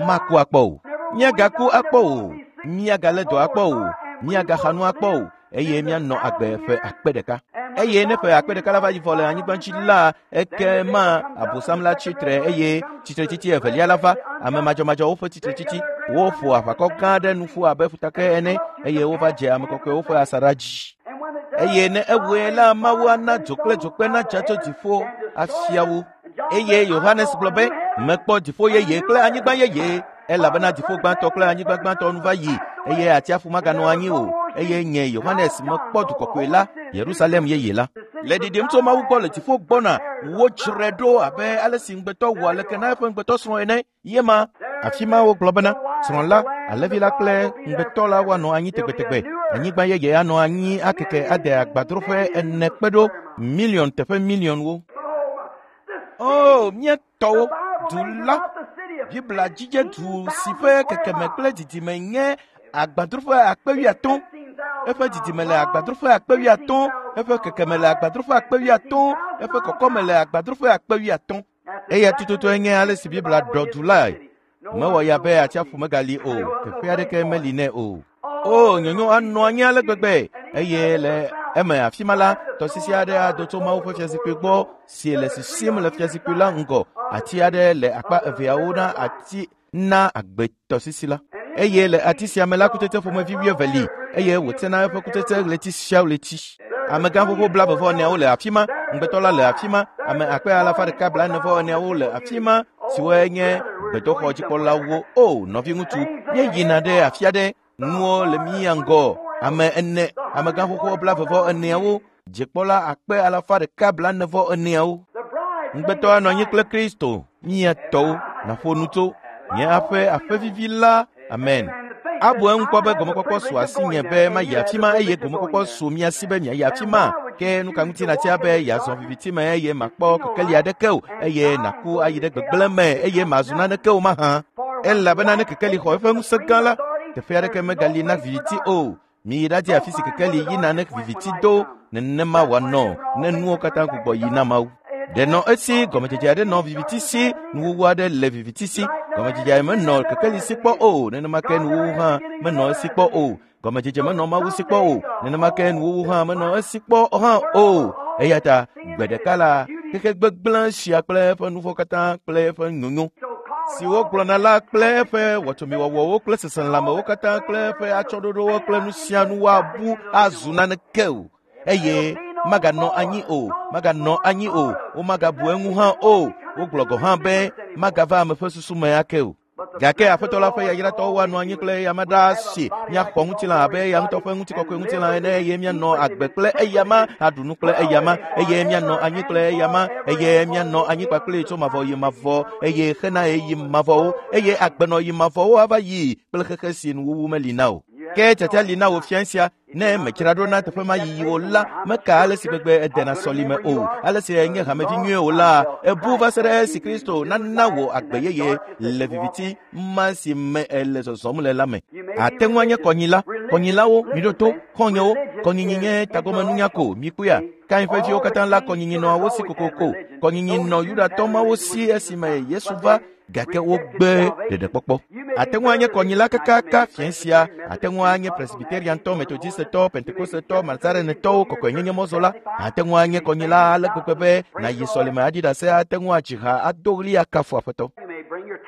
maku akpɔ o. Míagaku akpɔ o. Míagalé dɔ akpɔ o. Míagaxa nu akpɔ o. Eye míanɔ agbe ƒe akpe ɖeka. Eye ne ƒe akpe ɖeka la va yi vɔ le anyigba dzi la, ekema Abosam la tsitre eye tsitretsitsi evelia la va, ame madzɔmadzɔwo ƒe tsitretsitsi. Woƒo aʋakɔ gã aɖe nu ƒu abe ƒutake ene eye wova dze ame kɔkɔewo ƒe asaɖa dzi. Eye ne ewɔe la, Mawu ana dzo kple dzokpe nadza tso dziƒo afia wo. Eye Yohanes gblɔ be, mekpɔ dziƒo yeye kple anyigba yeye elabena dziƒo gbãtɔ kple anyigba gbãtɔ nu va yi eye atsiaƒu maganɔ anyi o. Eye nye Yohanes mekpɔ du kɔkɔe la, Yerusalem yeye la, le ɖiɖim tso Mawu gbɔ le dziƒo gbɔna. Wodzrae ɖo abe ale si ŋugbetɔ wɔ aleke na eƒe ŋugbetɔsrɔ̃ ene. Ye ma, afi ma wogblɔ bena, srɔ̃ la, alẽvi la kple ŋugbetɔ la woanɔ anyi tegbetegbe. Anyigba yeye anɔ anyi akeke ade agbadroƒe ene kpe ɖo miliɔn teƒe miliɔnwo. O, mía tɔwo, du la, Biblia dzidze du si ƒe kekeme kple didime nye agbadroƒe akpe wuiatɔ̃. Eƒe didime le agbadroƒe akpe wuiatɔ̃, eƒe kekeme le agbadroƒe akpe wuiatɔ̃, eƒe kɔkɔme le agbadroƒe akpe wuiatɔ̃. Eya tututu nye ale si Biblia ɖɔ du lae. Mewɔ ya be atsiaƒu megali o, teƒe aɖeke meli nɛ o. O, nyonyo anɔ anyi ale gbegbe eye le eme afi ma la, tɔsisi aɖe ado tso Mawu ƒe fiazikpui gbɔ si le sisim le fiazikpui la ŋgɔ. Ati aɖe le akpa eveawo na ati na agbe tɔsisi la. Eye le ati sia me la, kutsetse ƒomevi wuieve li eye wòtsena eƒe kutsetse ɣleti sia ɣleti. Amegã xoxo blaeve-vɔ-eneawo le afi ma, ŋugbetɔ la le afi ma, ame akpe alafa ɖeka blaene-vɔ-eneawo le afi ma, siwoe nye gbedoxɔ dzikpɔlawo. O, nɔviŋutsu, míeyina ɖe afi aɖe, nuwo le mía ŋgɔ. Ame ene, amegã xoxo blaeve-vɔ-eneawo, dzikpɔla akpe alafa ɖeka blaene-vɔ-eneawo. Ŋugbetɔ anɔ anyi kple Kristo, mía tɔwo, naƒo nu tso nye aƒe aƒe vivi la. Amen. Abu eŋu kpɔ be gomekpɔkpɔ su asinye be mayi afi ma eye gomekpɔkpɔ su mia si be miayi afi ma. Ke nu ka ŋuti nàtia be yeazɔ viviti me eye màkpɔ kekeli aɖeke o eye nàku ayi ɖe gbegblẽ me eye màzu naneke o mahã? Elabena ne kekeli xɔ eƒe ŋusẽ gã la, teƒe aɖeke megali na viviti o. Miyi ɖadi afi si kekeli yina ne viviti do, nenema wòanɔ ne nuwo katã gbugbɔ yi na Mawu. Ɖe nɔ esi gɔmedzedze aɖe nɔ viviti si, nuwuwu aɖe le viviti si. Gɔmedzedzea menɔ kekeli si kpɔ o, nenema ke nuwuwu hã menɔ esi kpɔ o. Gɔmedzedze menɔ Mawu si kpɔ o, nenema ke nuwuwu hã menɔ esi kpɔ hã o. Eya ta gbe ɖeka la, xexe gbegblẽ sia kple eƒe nu vɔ̃ katã kple eƒe nyonyo si wogblɔna la kple eƒe wɔtɔmiwɔwɔwo kple seselãmewo katã kple eƒe atsyɔ̃ɖoɖowo kple nu sia nu woabu azu naneke o eye maganɔ anyi o, maganɔ anyi o, womagabu eŋu hã o. Wogblɔ gɔ̃ hã be magava ame ƒe susu me ake o. Gake Aƒetɔ la ƒe yayratɔwo woanɔ anyi kple eyama ɖaa si míaxɔ ŋutilã abe eya ŋutɔ ƒe ŋutikɔkɔe ŋutilã ene eye míanɔ agbe kple eyama, aɖu nu kple eyama eye míanɔ anyi kple eyama eye míanɔ anyi kpakpli tso mavɔ yi mavɔ eye xena ɣeyiɣi mavɔwo eye agbenɔɣi mavɔwo ava yi kple xexe si nuwuwu meli na o. Ke tiatia li na wò fia sia ne medzra ɖo na teƒe ma yiyi o la, meka ale si gbegbe edena sɔlime o, ale si enye hamevi nyui o la, ebu va se ɖe esi Kristo nana wò agbe yeye le viviti ma si me èle zɔzɔm le la me. Ate ŋu anye kɔnyila. Kɔnyilawo, miɖo to, xɔ̃nyewo, kɔnyinyi nye tagɔmenunya ko, mikpɔea. Kain ƒe viwo katã la kɔnyinyi nɔa wo si kokoko. Kɔnyinyi nɔ Yudatɔ mawo si esime Yesu va, gake wogbe ɖeɖekpɔkpɔ. Ate ŋu anye kɔnyila kakaka fiẽ sia, ate ŋu anye Presbyteriantɔ, Methodistetɔ, Pentekostetɔ, Nazarenetɔwo, kɔkɔenyenye mɔzɔla. Ate ŋu anye kɔnyila ale gbegbe be nàyi sɔlime aɖi ɖase, ate ŋu adzi ha, ado ɣli akafu Aƒetɔ.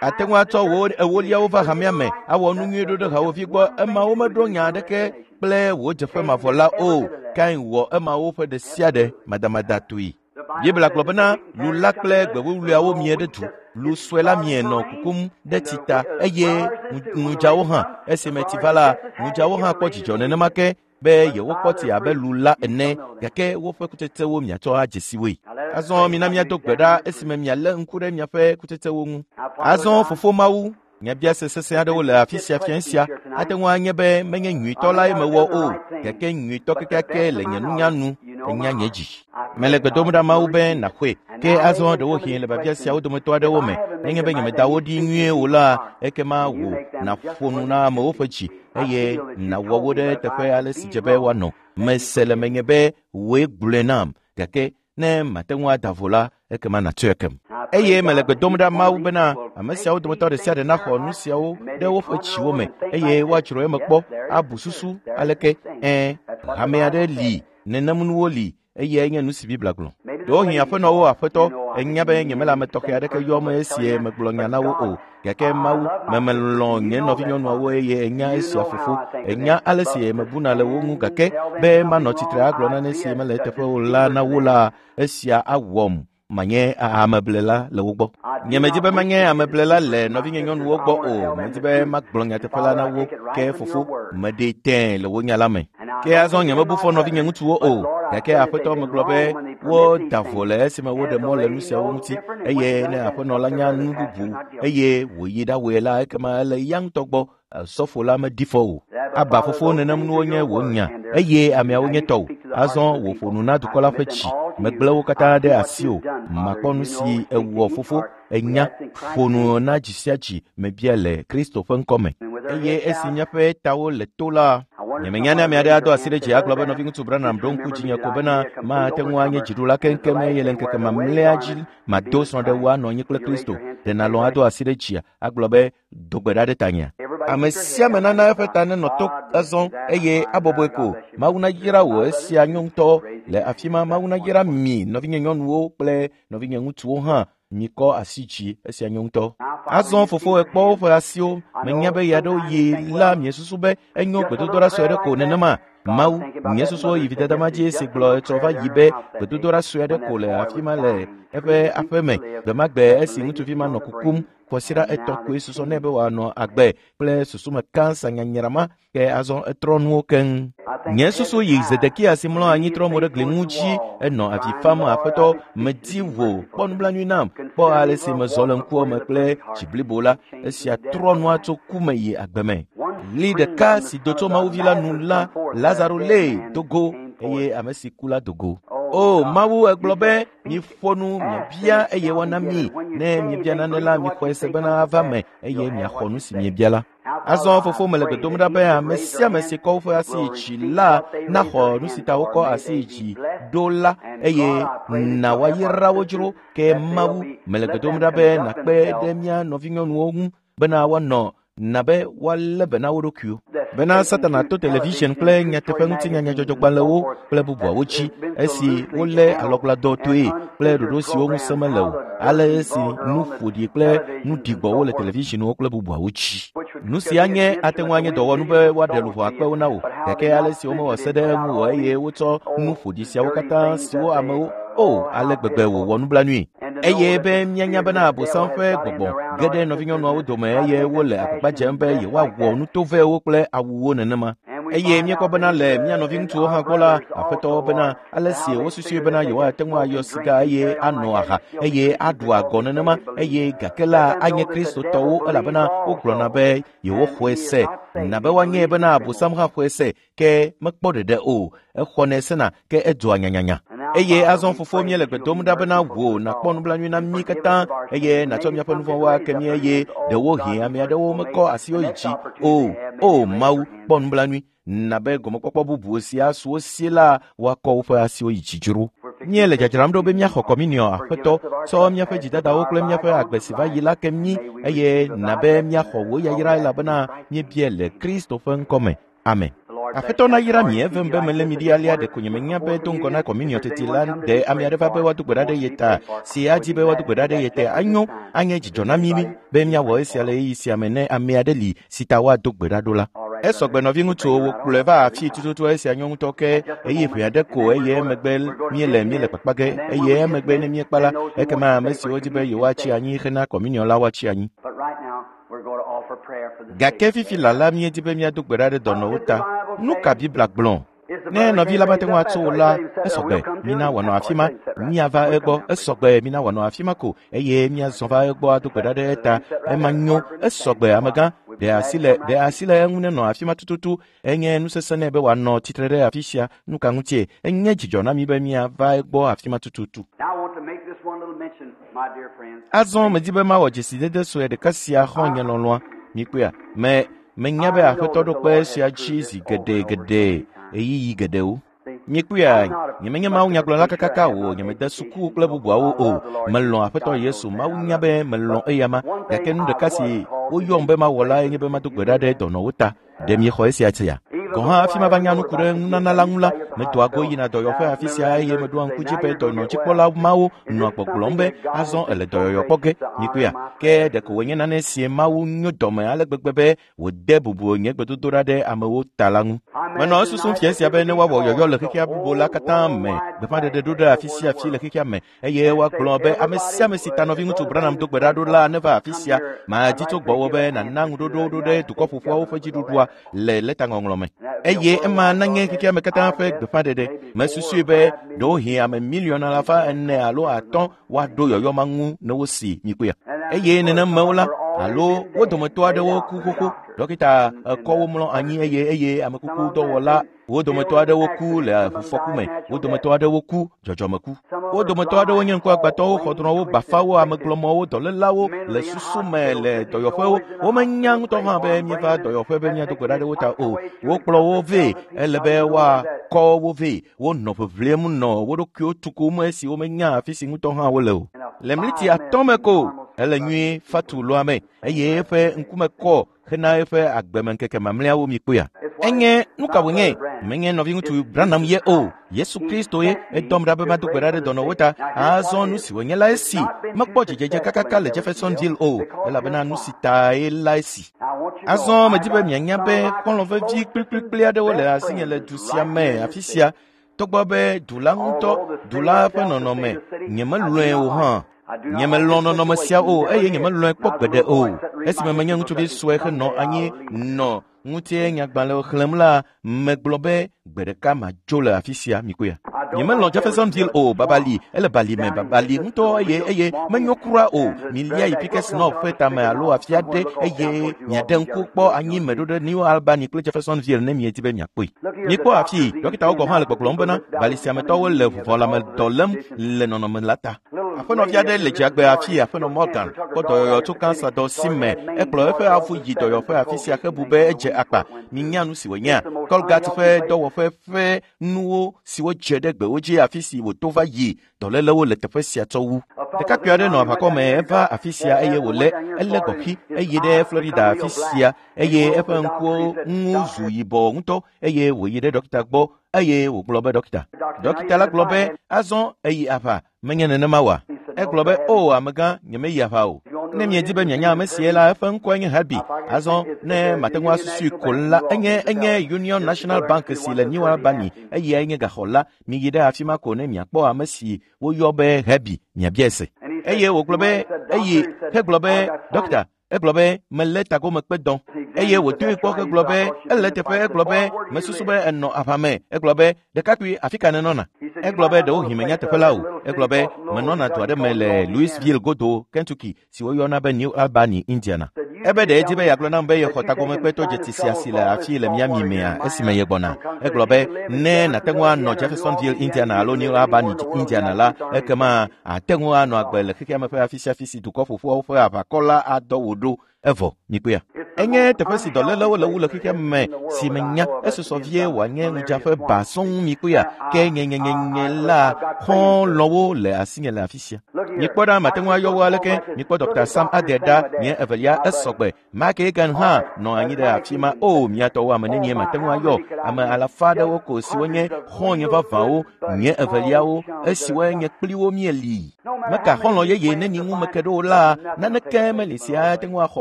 Ate ŋu atsɔ wò ewoliawo va hamea me, awɔ nu nyui ɖo ɖe hawòvi gbɔ, emawo meɖo nya aɖeke kple wò dzeƒe mavɔ la o. Kain wɔ emawo ƒe ɖe sia ɖe madamadatɔe. Biblia gblɔ bena lu la kple gbe wuwluiawo mie ɖe du. Lu sue la mie nɔ kukum ɖe tsi ta eye ŋudzawo hã. Esime tsi va la, ŋudzawo hã kpɔ dzidzɔ nenema ke be yewokpɔ tsi abe lu la ene, gake woƒe kutsetsewo miatsɔ adze si woe. Azɔ mina míado gbe ɖa esime mialé ŋku ɖe miaƒe kutsetsewo ŋu. Azɔ Fofo Mawu, nyabiase sesẽ aɖewo le afi sia fiẽ sia. Ate ŋu anye be menye nyuitɔ lae mewɔ o, gake nyuitɔ kekeake le nye nunya nu, enya nye dzi. Mele gbe dom ɖa Mawu be nàxɔe. Ke azɔ ɖewohĩ le biabia siawo dometɔ aɖewo me, nenye be nyemeda wo ɖi nyuie o la, ekema wò nàƒo nu na amewo ƒe dzi eye nàwɔ wo ɖe teƒe ale si dze be woanɔ. Mese le menye be wòe gblɔe nam, gake ne mate ŋu ada vo la, ekema nàtsɔe kem. Eye mele gbe dom ɖa Mawu bena ame siawo dometɔ ɖe sia ɖe naxɔ nu siawo ɖe woƒe tsiwo me eye woadzro eme kpɔ, abu susu aleke. Ɛ̃, hame aɖe li, nenem nuwo li, eye enye nu si Biblia gblɔ. Ɖewohĩ aƒenɔwo aƒetɔ, enya be nyemele ame tɔxɛ aɖeke yɔm esie megblɔ nya na wo o, gake Mawu, memelɔ̃ nye nɔvinyɔnuawo eye enya esia fofo. Enya ale si mebuna le wo ŋu, gake be manɔ tsitre agblɔ nane si mele eteƒe o la na wo la, esia awɔm manye ameblela le wo gbɔ. Nyemedi be manye ameblela le nɔvinye nyɔnuwo gbɔ o. Medi be magblɔ nyateƒe la na wo, ke fofo, meɖee tẽe le wo nya la me. Ke azɔ nyemebu fɔ nɔvinye ŋutsuwo o, gake Aƒetɔ megblɔ be woda vo le esime woɖe mɔ le nu siawo ŋuti, eye ne aƒenɔ la nya nu bubu eye wòyi ɖawɔe la, ekema ele eya ŋutɔ gbɔ. Sɔfo la meɖi fɔ o. Aba fofo, nenem nuwo nye wò nya, eye ameawo nye tɔwò. Azɔ wò ƒo nu na dukɔ la ƒe dzi. Megblẽ wo katã ɖe asiwò. Makpɔ nu si èwɔ fofo. Enya, ƒo nu na dzi sia dzi mebia le Kristo ƒe ŋkɔ me. Eye esi míaƒe tawo le to la, nyemenya ne ame aɖe ado asi ɖe dzi agblɔ be nɔviŋutsu Branham ɖo ŋku dzinye ko bena mate ŋu anye dziɖula keŋkeŋ eye le ŋkeke mamlɛa dzi mado srɔ̃ɖewu anɔ anyi kple Kristo. Ɖe nàlɔ̃ ado asi ɖe dzia agblɔ be do gbe ɖa ɖe tanyea? Ame sia ame nana eƒe ta nenɔ to azɔ eye abɔbɔe ko. Mawu nayra wò, esia nyo ŋutɔ le afi ma. Mawu nayra mi, nɔvinye nyɔnuwo kple nɔvinye ŋutsuwo hã. Mikɔ asi dzi, esia nyo ŋutɔ. Azɔ fofo ekpɔ woƒe asiwo. Menya be ɣeaɖewoɣi la miesusu be enyo gbedodoɖa sue aɖe ko nenema. Mawu, nye susuwo yi vidada ma dzi esi gblɔ etsɔ va yi be gbedodoɖa sue aɖe ko le afi ma le eƒe aƒe me. Gbe ma gbe esi ŋutsuvi ma nɔ kukum, kɔsiɖa etɔ̃ koe susɔ nɛ be wòanɔ agbe kple susume kansa nyanyra ma, ke azɔ etrɔ nuwo keŋ. Nye susu yi Zedekia si mlɔ anyi trɔ mo ɖe gli ŋu dzi, enɔ avi fam, Aƒetɔ, medi wò, kpɔ nublanui nam, kpɔ ale si mezɔ le ŋkuwò me kple dzi blibo la. Esia trɔ nua tso ku me yi agbe me. Ɣli ɖeka si do tso Mawuvi la nu la, Lazaro lée do go, eye ame si ku la do go. O Mawu, egblɔ be, miƒo nu, miabia eye woana mi. Ne miebia nane la, mixɔe se bena ava me eye miaxɔ nu si miebia la. Azɔ fofo, mele gbe dom ɖa be ame sia ame si kɔ woƒe asi yi dzi la naxɔ nu si ta wokɔ asi yi dzi ɖo la, eye na woayra wo dzro. Ke Mawu, mele gbe dom ɖa be nàkpe ɖe mía nɔvinyɔnuwo ŋu bena woanɔ na be woalé be na wo ɖokuiwo. Bena Satana to television kple nyateƒe ŋutinyanyadzɔdzɔgbalẽwo kple bubuawo dzi, esi wolé alɔgbladɔtɔe kple ɖoɖo siwo ŋusẽ mele o, ale esi nu ƒoɖi kple nu ɖigbɔwo le televisionwo kple bubuawo dzi. Nu sia nye ate ŋu anye dɔwɔnu be woaɖe luʋɔ akpewo na wò, gake ale si womewɔ se ɖe eŋu o eye wotsɔ nu ƒoɖi siawo katã siwo amewo o ale gbegbe wòwɔ nublanui. Eye be míanya bena Abosam ƒe gbɔgbɔ ge ɖe nɔvinyɔnuawo dome eye wole agbagba dzem be yewoawɔ nutovɛwo kple awuwo nenema. Eye míekpɔ bena le mía nɔviŋutsuwo hã gbɔ la, Aƒetɔ bena ale si wosusui bena yewoate ŋu ayɔ siga eye ano aha eye aɖu agɔ nenema, eye gake la anye Kristotɔwo elabena wogblɔna be yewoxɔe se. Na be woanyae bena Abosam hã xɔe se, ke mekpɔ ɖeɖe o. Exɔnɛ sena, ke edzoa nyanyanya. Eye azɔ fofo, míele gbe dom ɖa bena wò nàkpɔ nublanui na mí katã eye nàtsɔ míaƒe nu vɔ̃wo ake mí, eye ɖewohĩ ame aɖewo mekɔ asiwo yi dzi o. O Mawu, kpɔ nublanui. Na be gomekpɔkpɔ bubu sia su wo si la woakɔ woƒe asiwo yi dzi dzro. Míele dzadzram ɖo be míaxɔ kɔminiɔ aƒetɔ tsɔ míaƒe dzidadawo kple míaƒe agbe si va yi la ke mí eye na be míaxɔ wò yayra elabena míebia le Kristo ƒe ŋkɔme. Amen. Aƒetɔ nayra mi evem be mele mi ɖi alea ɖeko nyemenya be do ŋgɔ na kɔminiɔ teti la ɖe ame aɖe va be woado gbe ɖa ɖe ye ta si adi be woado gbe ɖa ɖe ye ta anyo anye dzidzɔ na mí be míawɔ esia le ɣeyiɣi sia me ne ame aɖe li si ta woado gbe ɖa ɖo la. Esɔgbe nɔviŋutsuwo wokplɔe va afii tututu esia nyo ŋutɔ ke eye ʋe aɖe ko eye emegbe míele míele kpakpa ge eye emegbe ne míekpa la ekema ame siwo di be yewoatsi anyi hena kɔminiɔ la woatsi anyi. But right now, we're going to offer prayer for the Gake sick. fifi lala míedi be míado gbe ɖa ɖe dɔnɔwo ta. Nu ka Biblia gblɔ? Ne nɔvi la mate ŋu atso o la, esɔgbe mina wòanɔ afi ma, míava egbɔ, esɔgbe mina wòanɔ afi ma ko eye míazɔ va egbɔ ado gbe ɖa ɖe eta. Ema nyo, esɔgbe amegã, ɖe asi le ɖe asi le eŋu nenɔ afi ma tututu. Enye nusesẽ nɛ be wòanɔ tsitre ɖe afi sia. Nu ka ŋutie? Enye dzidzɔ na mí be míava egbɔ afi ma tututu. Now I want to make this one little mention, my dear friends. Azɔ medi be mawɔ dzesidede sue ɖeka sia xɔ̃nye lɔlɔ̃a. Mikpɔea? Me menya be aƒetɔ ɖo kpe esia dzi zi geɖe geɖe ɣeyiɣi geɖewo. Mikpɔea? Nyemenye Mawu nyagblɔla kakaka o, nyemede suku kple bubuawo o. Melɔ̃ Aƒetɔ Yesu, Mawu nya be melɔ̃ eyama. Gake nu ɖeka si woyɔm be mawɔ lae nye be mado gbe ɖa ɖe dɔnɔwo ta. Ɖe miexɔ esia sia? Gɔ̃ hã hafi mava nya nu ku ɖe nunana la ŋu la, medoa go yina dɔyɔƒe afi sia eye meɖoa ŋku dzi be dɔnɔdzikpɔla mawo nɔa gbɔgblɔm be azɔ ele dɔyɔyɔ kpɔ ge. Mikpɔea? Ke ɖeko wònye nane si Mawu nyo dɔme ale gbegbe be wòde bubu nye gbedodoɖa ɖe amewo ta la ŋu. Menɔ esusum fia sia be ne woawɔ yɔyɔ le xexea blibo la katã me, gbeƒãɖeɖe ɖo ɖe afi sia afi le xexea me eye woagblɔ be ame sia ame si ta nɔviŋutsu Branham do gbe ɖa ɖo la neva afi sia. Madi tso gbɔwò be nàna ŋuɖoɖo ɖo ɖe dukɔ ƒoƒuawo ƒe dziɖuɖua le lɛtaŋɔŋlɔ me. Eye ema nanye xexea me katã ƒe gbeƒãɖeɖe. Mesusui be ɖewohĩ ame miliɔn alafa ene alo atɔ̃ woaɖo yɔyɔ ma ŋu ne wosi mikpɔea. Eye nenemewo la, alo wo dometɔ aɖewo ku xoxo. Dɔkita ekɔ wo mlɔ anyi eye eye amekukudɔwɔla wo dometɔ aɖewo ku le ʋufɔku me, wo dometɔ aɖewo ku dzɔdzɔmeku. Wo dometɔ aɖewo nye ŋkuagbãtɔwo, xɔdrɔ̃wo, bafawo, amegblɔmɔwo, dɔlélawo le susu me le dɔyɔƒewo. Womenya ŋutɔ hã be míeva dɔyɔƒe be míado gbe ɖa ɖe wo ta o. Wokplɔ wo vɛ, ele be woakɔ wo vɛ. Wonɔ ʋeʋliem nɔ wo ɖokuiwo tukum esi womenya afi si ŋutɔ hã wole o. Le mliti atɔ̃ me ko, ele nyuie fatu lɔa me eye eƒe ŋkume kɔ hena eƒe agbemeŋkeke mamlɛawo mikpɔea. Enye nu ka wònye? Menye nɔviŋutsu Branham ye o. Yesu Kristo ye edɔm ɖa be mado gbe ɖa ɖe dɔnɔwo ta. Azɔ nu si wònye la esi. Mekpɔ dzidzedze kakaka le Jeffersonville o, elabena nu si tae la esi. Now I want you to Azɔ know medi I be got mianya some be of my xɔlɔ̃ vevi closest kplikplikpli aɖewo le best asinye le friends du is sia right me here in afi this sia. city. Togbɔ be du la ŋutɔ, Although the du city la ƒe itself, to say nɔnɔme, the city, I do nyemelɔ̃e not o like hã. it. I do not like Nyemelɔ̃ this nɔnɔme sia situation. o Never eye did. nyemelɔ̃e kpɔ When I was a gbeɖe little boy, o. I sat and read my Esime menye history books. ŋutsuvi I said, sue henɔ someday anyi I'll leave. nɔ ŋutie nyagbalẽwo xlẽm la, megblɔ be gbe ɖeka madzo le afi sia mikpɔea. I don't Nyemelɔ̃ like Jeffersonville Jeffersonville. o, It's babali, swamp ele bali me, down in babali just ŋutɔ a eye real eye swampy menyo kura o. and it's Milia very yi bad. Pickens Look North up ƒe on the tame stick alo and afi aɖe somewhere look off down eye towards you all miaɖe in ŋku kpɔ Jeffersonville. anyi You'll me see. ɖo ɖe New Albany kple Jeffersonville ne miedi be miakpɔe. Look here, the Mikpɔ afii, doctors even dɔkitawo saying gɔ̃ hã now le that gbɔgblɔm people bena that's bali down sia me coming tɔwo to le media ʋuvɔlame because of dɔ the lém condition. le nɔnɔme la ta. Little Aƒenɔvi lady aɖe up le here, Mrs. dziagbe afi Morgan, aƒenɔ killed Morgan cancer, took her kpɔ dog dɔyɔyɔ out tso here to kansa clinic. dɔ si Dog me. had mange, Ekplɔ dog eƒe all avu the yi sevens dɔyɔƒe of afi sia COVID hebu and be things edze the week akpa. it went through. Minya nu si wònyea? It's the most Colgate unhealthy ƒe place. dɔwɔƒe ƒe nuwo siwo dze ɖe gbewo dzi afi si wòto va yi dɔlélewo le teƒe sia tsɔ wu. A fellow was Ɖekakpui in aɖe the nɔ army went aʋakɔ down me here and eva got afi sia walked eye out and wòlé went down here in elé Florida and gbɔxi his eyi ɖe eyes become Florida real afi black. sia And he eye went over eƒe to the doctor. He ŋkuwo said, ŋu Doctor, zu yibɔ ŋutɔ eye wòyi ɖe dɔkita gbɔ eye wògblɔ be dɔkita. the doctor said, now Dɔkita you la said, gblɔ if I be had azɔ eyi aʋa menye nenema oa? He said, no, Egblɔ sir, be I haven't. o amegã nyemeyi aʋa o. If you want to Ne know who it miedi is, be his mianya name ame is sie Herbie. la eƒe ŋkɔe nye Herbie. If I can Azɔ is ne the mate ŋu Union asusui National ko Bank la in New enye Albany is the enye teller. Union Just to National go there and Bank see si one le that's New Herbie Albany asked him. eyae nye gaxɔ la. Miyi ɖe afi ma ko ne miakpɔ ame si woyɔ be Herbie miabiae se. And he said, Eye wògblɔ he be went and said, eyi Doctor, he said, hegblɔ be I've got dɔkita sinus. egblɔ be melé tagomekpe dɔm He examined eye and said, wòdoe that's kpɔ right. He hegblɔ said, be I thought you'd ele been in teƒe fight. I said, egblɔ boy, be where do you mesusu live? be enɔ aʋa me egblɔ be ɖekakpui afi ka nenɔna He said, you egblɔ might be not know ɖewohĩ the menya place. teƒe la A o little city egblɔ be called Louisville, menɔna du Kentucky aɖe me called le New Indiana. Louisville godo Kentucky si woyɔna be New Albany Indiana Said, you ebe didn't ɖe edi tell be me yeagblɔ nam be that yexɔ you taking tagomekpetɔ sinus dzesi sia troubles si le off afi this le salt Miami water here mea in esime Miami yegbɔna from country. egblɔ You be can live in ne nàte ŋu Jeffersonville, anɔ Indiana, or New Jeffersonville Albany, Indiana Indiana. alo You can New live Albany anywhere in the world Indiana United la States Army ekema sends you. àte ŋu anɔ agbe le xexea me ƒe afi sia afi si dukɔ ƒoƒuawo ƒe aʋakɔ la adɔ wò ɖo Evɔ, mikpɔea. Enye teƒe si dɔlélewo le wu le xexea me si menya esusɔ vie wòanye ŋudza ƒe ba sɔŋ mikpɔea ke nyenyenyenye la xɔlɔ̃wo le asinye le afi sia. Mikpɔ ɖa mate ŋu ayɔ wo aleke mikpɔ Dr. Sam Ade ɖa nye evelia esɔgbe. Mark Egan hã nɔ anyi ɖe afi ma. O miatɔwo ame nenie mate ŋu ayɔ ame alafa aɖewo ko siwo nye xɔ̃nye vavãwo nye eveliawo esiwo nye kpli wo mieli. Meka xɔlɔ̃ yeye neni ŋu meke ɖo la naneke meli si ate ŋu axɔ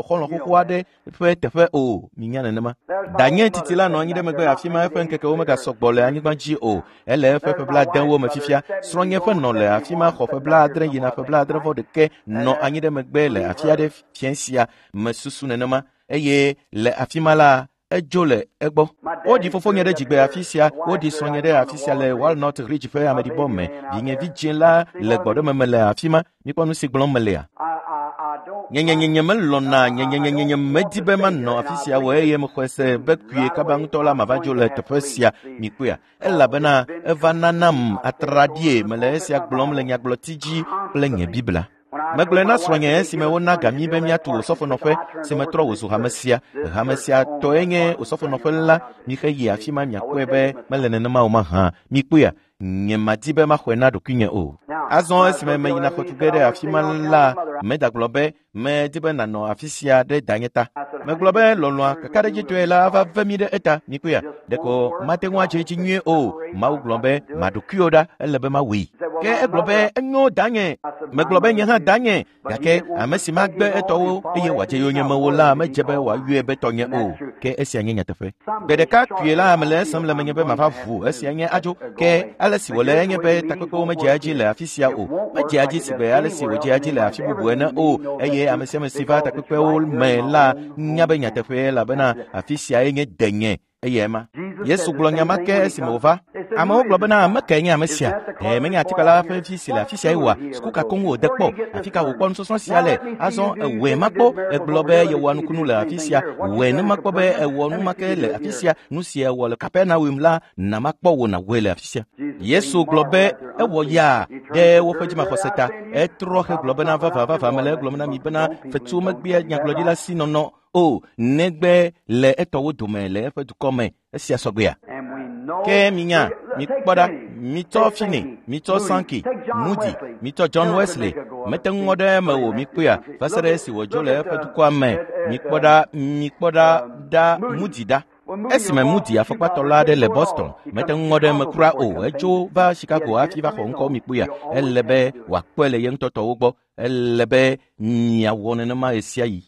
xɔlɔ̃ xoxo aɖe ƒe teƒe o minya nenema. Danye titi la nɔ anyi ɖe megbe afi ma eƒe ŋkekewo megasɔ gbɔ le anyigba dzi o. Ele eƒe ƒe 70wo me fifia. Srɔ̃nye ƒe nɔ le afi ma xɔ ƒe 70 yina ƒe 71 nɔ anyi ɖe megbe le afi aɖe fiẽ sia mesusu nenema eye le afi ma la edzo le egbɔ. Woɖi fofonye ɖe dzigbe afi sia, woɖi srɔ̃nye ɖe afi sia le Walnut Ridge ƒe ameɖibɔ me. Vinye vidzĩ la le gbɔɖememe le afi ma. Mikpɔ nu si gblɔm melea. Nyenyenyenye melɔ̃na nyenyenyenye medi be manɔ afi sia wɔ eye mexɔe se be kpuie kaba ŋutɔ la mava dzo le teƒe sia mikpɔea elabena eva nanam atraɖie mele esia gblɔm le nyagblɔti dzi kple nye Biblia. Megblɔe na srɔ̃nye esime wona ga mí be míatu osɔfonɔƒe si metrɔ wòzu hame sia. Hame sia tɔe nye osɔfonɔƒe la. Mixe yi afi ma miakpɔe be mele nenema o mahã. Mikpɔea, nye madi be maxɔe na ɖokuinye o. Azɔ esime meyina xɔtu ge ɖe afi ma la, meda gblɔ be medi be nànɔ afi sia ɖe danye ta. Megblɔ be lɔlɔ̃a kakaɖedzitɔe la ava ve mi ɖe eta. Mikpɔea, ɖeko mate ŋu adze edzi nyuie o. Mawu gblɔ be maɖokuiwò ɖa, ele be mawɔe. Ke egblɔ be enyo danye. Megblɔ be nye hã danye. Gake ame si magbe etɔwo eye wòadze yonyemewo la medze be wòayɔe be tɔnye o. Ke esia nye nyateƒe. Gbe ɖeka kpuie la mele esem le menye be mava ʋu esia nye adzo. Ke ale si wòle enye be takpekpewo medzea edzi le afi sia o. Medzea edzi sigbe ale si wòdzea edzi le afi bubu ene o. Eye ame sia ame si va takpekpewo me la nya be nyateƒee elabena afi siae nye denye. Eye ema. Yesu gblɔ nya ma ke esime wòva. Amewo gblɔ bena ame kae nye ame sia? Ɖe menye atikpala ƒe vi si le afi sia wɔa? Suku ka koŋ wòde kpɔ? Afi ka wòkpɔ nusɔsrɔ̃ sia le? Azɔ ewɔe makpɔ. Egblɔ be yewɔa nukunu le afi sia. Wɔe ne makpɔ be ewɔ nu ma ke le afi sia. Nu si ewɔ le Kapernaum la, na makpɔ wò nàwɔe le afi sia. Yesu gblɔ be ewɔ yaa ɖe woƒe dzimaxɔse ta. Etrɔ hegblɔ bena vava vava mele egblɔm na mi bena fetu megbea nyagblɔɖila si nɔnɔ o negbe le etɔwo dome le eƒe dukɔ me esia sɔgbea. Ke minya, mikpɔ ɖa, mitsɔ Finney, mitsɔ Sankey, Moody, mitsɔ John Wesley, mete ŋu ŋɔ ɖe eme o mikpɔea va se ɖe esi wòdzo le eƒe dukɔa me. Mikpɔ ɖa, mikpɔ ɖa ɖa Moody ɖa. Esime Moody afɔkpatɔla aɖe le Boston, mete ŋu ŋɔ ɖe eme kura o. Etso va Chicago hafi va xɔ ŋkɔ mikpɔea. Ele be wòakpɔe le ye ŋutɔ tɔwo gbɔ. Ele be miawɔ nenema ɣesiaɣi.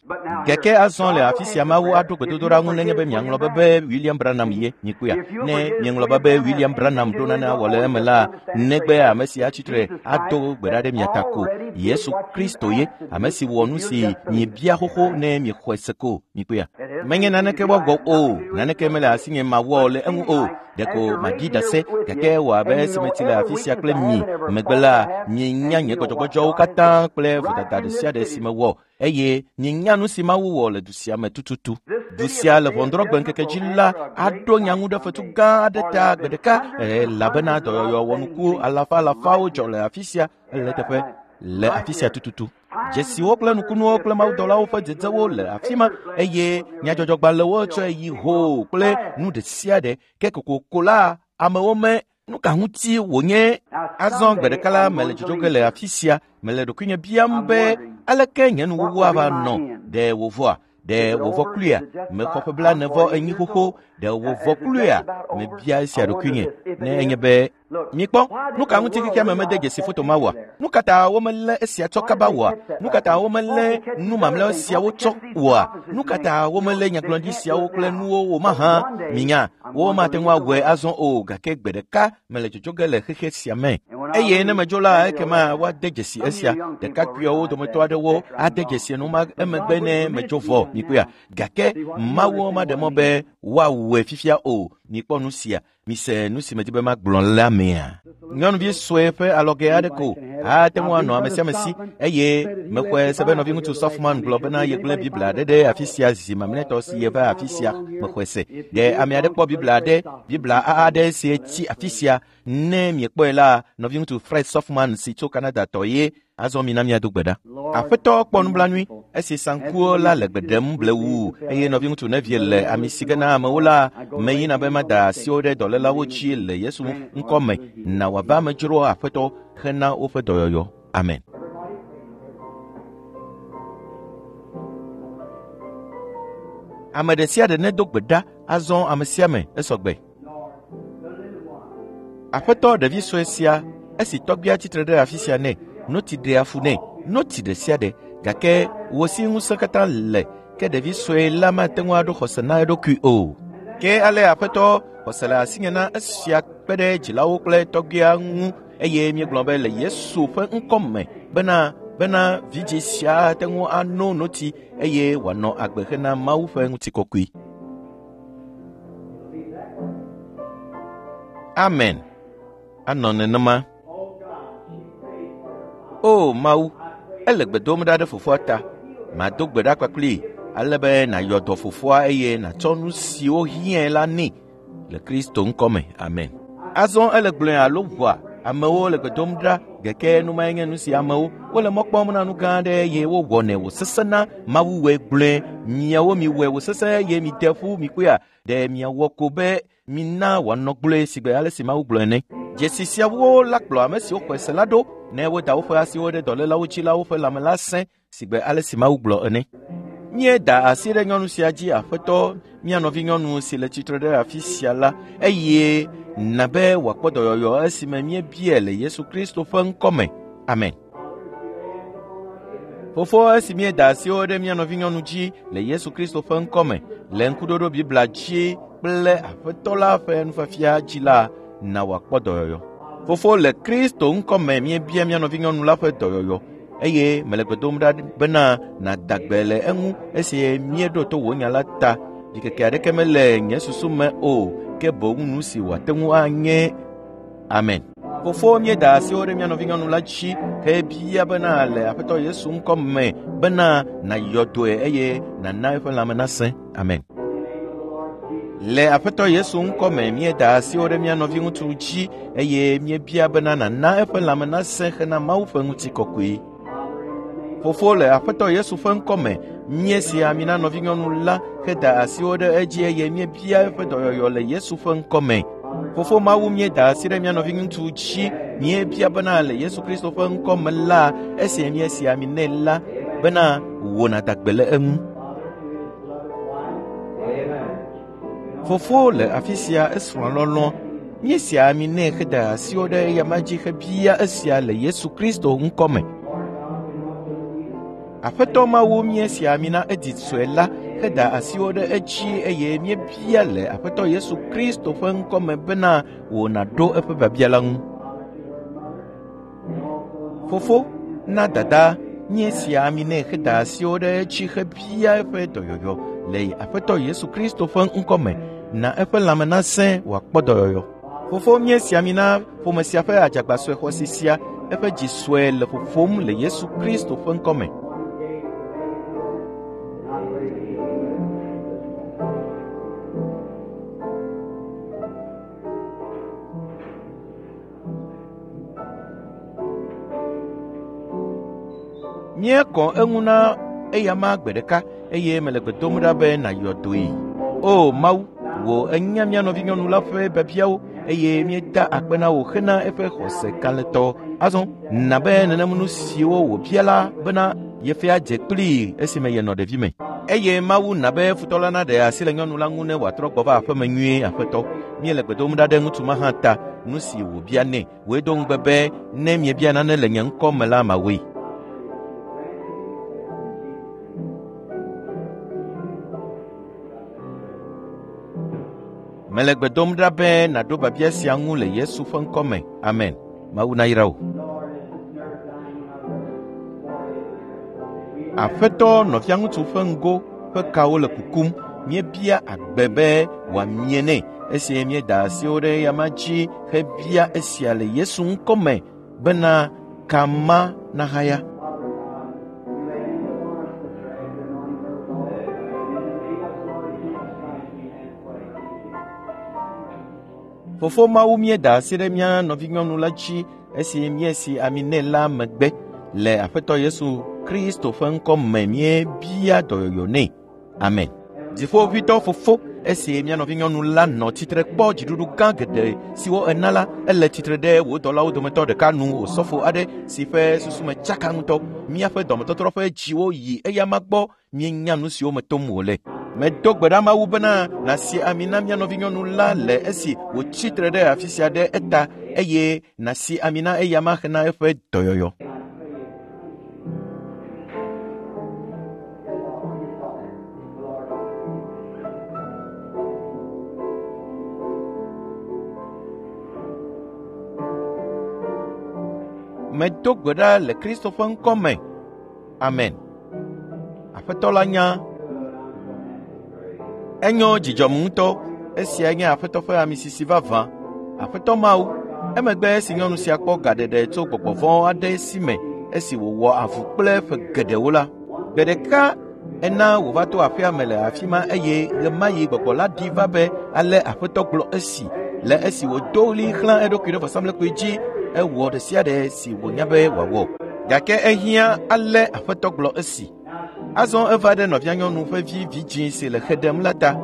Gake azɔ le afi sia Mawu aɖo gbedodoɖa ŋu nenye be miaŋlɔ be be William Branham ye mikpɔea. Ne mieŋlɔ be be William Branham ɖo nane awɔ le eme la, negbe ame si atsitre ado gbe ɖa ɖe mia ta ko. Yesu Kristo ye, ame si wɔ nu si miebia xoxo ne miexɔe se ko mikpɔea. Menye naneke woawɔ o, naneke mele asinye mawɔ le eŋu o. Ɖeko maɖi ɖase gake wɔ abe esime tsi le afi sia kple mi megbe la mienya nye gbɔdzɔgbɔdzɔwo katã kple vodada ɖe sia ɖe si mewɔ eye mienya nu si Mawu wɔ le du sia me tututu. Du sia le ʋɔnudrɔ̃gbe ŋkeke dzi la aɖo nya ŋu ɖe fetu gã aɖe ta gbe ɖeka elabena dɔyɔyɔ wɔnuku alafa alafawo dzɔ le afi sia ele teƒe le afi sia tututu. Dzesiwo kple nukunuwo kple mawudɔlawo ƒe dzedzewo le afi ma eye nyadzɔdzɔgbalẽwo tsɔe yi hoo kple nu ɖe sia ɖe ke kokoko la amewo me nu ka ŋuti wònye. Azɔ gbe ɖeka la mele dzodzo ge le afi sia mele ɖokuinye biam be aleke nye nuwuwu ava nɔ. Ɖe wòvɔa? Ɖe wòvɔ kluia? Mexɔ ƒe 44 xoxo. Ɖe wòvɔ kluia? Mebia esia ɖokuinye ne enye be mikpɔ nu ka ŋuti xexea me mede dzesi foto ma wɔa? Nu ka ta womelé esia tsɔ kaba wɔa? Nu ka ta womelé nu mamlɛ siawo tsɔ wɔa? Nu ka ta womelé nyagblɔɖi siawo kple nuwo wò mahã? Minya, womate ŋu awɔe azɔ o gake gbe ɖeka mele dzodzo ge le xexe sia me. Eye ne medzo la ekema woade dzesi esia. Ɖekakpuiawo dometɔ aɖewo ade dzesi enuma emegbe ne medzo vɔ mikpɔea. Gake Mawu maɖe mɔ be woawɔe fifia o. Mikpɔ nu sia. Mise nu si medi be magblɔ la mea. Nyɔnuvi sue ƒe alɔge aɖe ko ate ŋu anɔ ame sia ame si eye mexɔe se be nɔviŋutsu Sofman gblɔ bena yegblẽ Biblia aɖe ɖe afi sia zi mamlɛtɔ si yeva afi sia mexɔe se. Ɖe ame aɖe kpɔ Biblia aɖe, Biblia aɖe si tsi afi sia ne miekpɔe la nɔviŋutsu Fred Sofman si tso Canada tɔ ye. Azɔ mina míado gbe ɖa. Aƒetɔ kpɔ nublanui. Esi saŋkuwo la le gbe ɖem blewu eye nɔviŋutsu Nevie le ami si ge na amewo la, meyina be mada asiwo ɖe dɔlélawo dzi le Yesu ŋkɔ me na wòava amedzro Aƒetɔ hena woƒe dɔyɔyɔ. Amen. Ame ɖe sia ɖe nedo gbe ɖa azɔ ame sia ame esɔgbe. Aƒetɔ ɖevi sue sia esi tɔgbia tsitre ɖe afi sia nɛ, notsi ɖea fu nɛ, notsi ɖe sia ɖe gake wò si ŋusẽ katã le ke ɖevi sue la mate ŋu aɖo xɔse na eɖokui o. Ke ale Aƒetɔ xɔse le asinye na esia kpe ɖe dzilawo kple tɔgbia ŋu eye míegblɔ be le Yesu ƒe ŋkɔ me bena vidzĩ sia ate ŋu ano notsi eye wòanɔ agbe hena Mawu ƒe ŋutikɔkɔe. Amen. Anɔ nenema. O Mawu, ele gbe dom ɖa ɖe fofoa ta. Mado gbe ɖa kpakplii ale be nàyɔ dɔ fofoa eye nàtsɔ nu siwo hiãe la nɛ le Kristo ŋkɔ me. Amen. Azɔ ele gblɔe alo ʋua amewo le gbe dom ɖa gake numae nye nu si amewo wole mɔ kpɔm na nu gã aɖe eye wowɔnɛ wòsesẽ na Mawu wɔe gblɔe. Miawo miwɔe wòsesẽ eye mide ƒu mikpɔea ɖe miawɔ ko be mina wòanɔ gblɔe sigbe ale si Mawu gblɔ ene. Dzesi siawo la kplɔ ame siwo xɔe se la ɖo ne woda woƒe asiwo ɖe dɔlélawo dzi la woƒe lãme la sẽ sigbe ale si Mawu gblɔ ene. Míeda asi ɖe nyɔnu sia dzi Aƒetɔ, mía nɔvinyɔnu si le tsitre ɖe afi sia la eye na be wòakpɔ dɔyɔyɔ esime míebiae le Yesu Kristo ƒe ŋkɔ me. Amen. Fofo, esi míeda asiwo ɖe mía nɔvinyɔnu dzi le Yesu Kristo ƒe ŋkɔ me le ŋkuɖoɖo Biblia dzi kple Aƒetɔ la ƒe nufiafia dzi la, na wòakpɔ dɔyɔyɔ. Fofo, le Kristo ŋkɔ me míebia mía nɔvinyɔnu la ƒe dɔyɔyɔ eye mele gbe dom ɖa bena nàda gbe le eŋu esi míeɖo to wò nya la ta. Ɖikeke aɖeke mele nye susu me o, ke boŋ nu si wòate ŋu anye. Amen. Fofo, míeda asiwo ɖe mía nɔvinyɔnu la dzi hebia bena le Aƒetɔ Yesu ŋkɔ me bena nàyɔ dɔe eye nàna eƒe lãme nasẽ. Amen. Le Aƒetɔ Yesu ŋkɔ me míeda asiwo ɖe mía nɔviŋutsu dzi eye míebia bena nàna eƒe lãme nasẽ hena Mawu ƒe ŋutikɔkɔe. Fofo, le Aƒetɔ Yesu ƒe ŋkɔ me míesi ami na nɔvinyɔnu la heda asiwo ɖe edzi eye míebia eƒe dɔyɔyɔ le Yesu ƒe ŋkɔ me. Fofo Mawu, míeda asi ɖe mía nɔviŋutsu dzi míebia bena le Yesu Kristo ƒe ŋkɔ me la esi míesi ami nɛ la bena wò nàda gbe le eŋu. Fofo, le afi sia esrɔ̃ lɔlɔ̃ míesi ami nɛ heda asiwo ɖe eyama dzi hebia esia le Yesu Kristo ŋkɔ me. Aƒetɔ Mawu, míesi ami na edzi sue la heda asiwo ɖe edzi eye míebia le Aƒetɔ Yesu Kristo ƒe ŋkɔ me bena wò nàɖo eƒe biabia la ŋu. Fofo, na dada míesi ami nɛ heda asiwo ɖe edzi hebia eƒe dɔyɔyɔ le Aƒetɔ Yesu Kristo ƒe ŋkɔ me. Na eƒe lãme nasẽ wòakpɔ dɔyɔyɔ. Fofo, míesi ami na ƒome sia ƒe adzagba sue xɔasi sia, eƒe dzi sue le ƒoƒom le Yesu Kristo ƒe ŋkɔ me. Míekɔ eŋu na eyama gbe ɖeka eye mele gbe dom ɖa be nàyɔ dɔe. O Mawu, wò enya mía nɔvinyɔnu la ƒe biabiawo eye míeda akpe na wò hena eƒe xɔse kalẽtɔ. Azɔ na be nenem nu siwo wòbia la bena yeƒe adze kplii esime yenɔ ɖevime. Eye Mawu na be futɔ la naɖe asi le nyɔnu la ŋu ne wòatrɔ gbɔ va aƒeme nyuie. Aƒetɔ, míele gbe dom ɖa ɖe ŋutsu ma hã ta nu si wòbia nɛ. Wòe do ŋugbe be ne miebia nane le nye ŋkɔ me la mawɔe. Mele gbe dom ɖa be nàɖo biabia sia ŋu le Yesu ƒe ŋkɔ me. Amen. Mawu nayra wò. Aƒetɔ, nɔviaŋutsu ƒe ŋgo ƒe kawo le kukum. Míebia agbe be wòamie nɛ esi míeda asiwo ɖe eyama dzi hebia esia le Yesu ŋkɔ me bena ka ma nahaya. Fofo Mawu, míeda asi ɖe mía nɔvinyɔnu la dzi esi míesi ami nɛ la megbe le Aƒetɔ Yesu Kristo ƒe ŋkɔ me míebia dɔyɔyɔ nɛ. Amen. Dziƒoʋĩtɔ Fofo, esi mía nɔvinyɔnu la nɔ tsitre kpɔ dziɖuɖu gã geɖe siwo ena la, ele tsitre ɖe wò dɔlawo dometɔ ɖeka nu osɔfo aɖe si ƒe susu me tsaka ŋutɔ. Míaƒe dɔmetɔtrɔ ƒe dziwo yi eyama gbɔ míenya nu siwo me tom wòle. Medo gbe ɖa Mawu bena nàsi ami na mía nɔvinyɔnu la le esi wòtsi tre ɖe afi sia ɖe eta eye nàsi ami na eyama hena eƒe dɔyɔyɔ. Medo gbe ɖa le Kristo ƒe ŋkɔ me. Amen. Aƒetɔ la nya. Enyo dzidzɔm ŋutɔ. Esia nye Aƒetɔ ƒe amisisi vavã. Aƒetɔ Mawu, emegbe esi nyɔnu sia kpɔ gaɖeɖe tso gbɔgbɔ vɔ̃ aɖe si me esi wòwɔ avu kple ƒe geɖewo la, gbe ɖeka ena wòva to aƒea me le afi ma eye ɣemaɣi gbɔgbɔ la ɖi va be ale Aƒetɔ gblɔ esi le esi wòdo ɣli xlã eɖokui ɖe vɔsamlekpui dzi ewɔ ɖe sia ɖe si wònya be wòawɔ. Gake ehiã ale Aƒetɔ gblɔ esi. Azɔ eva ɖe nɔvia nyɔnu ƒe vi vidzĩ si le xe ɖem la ta.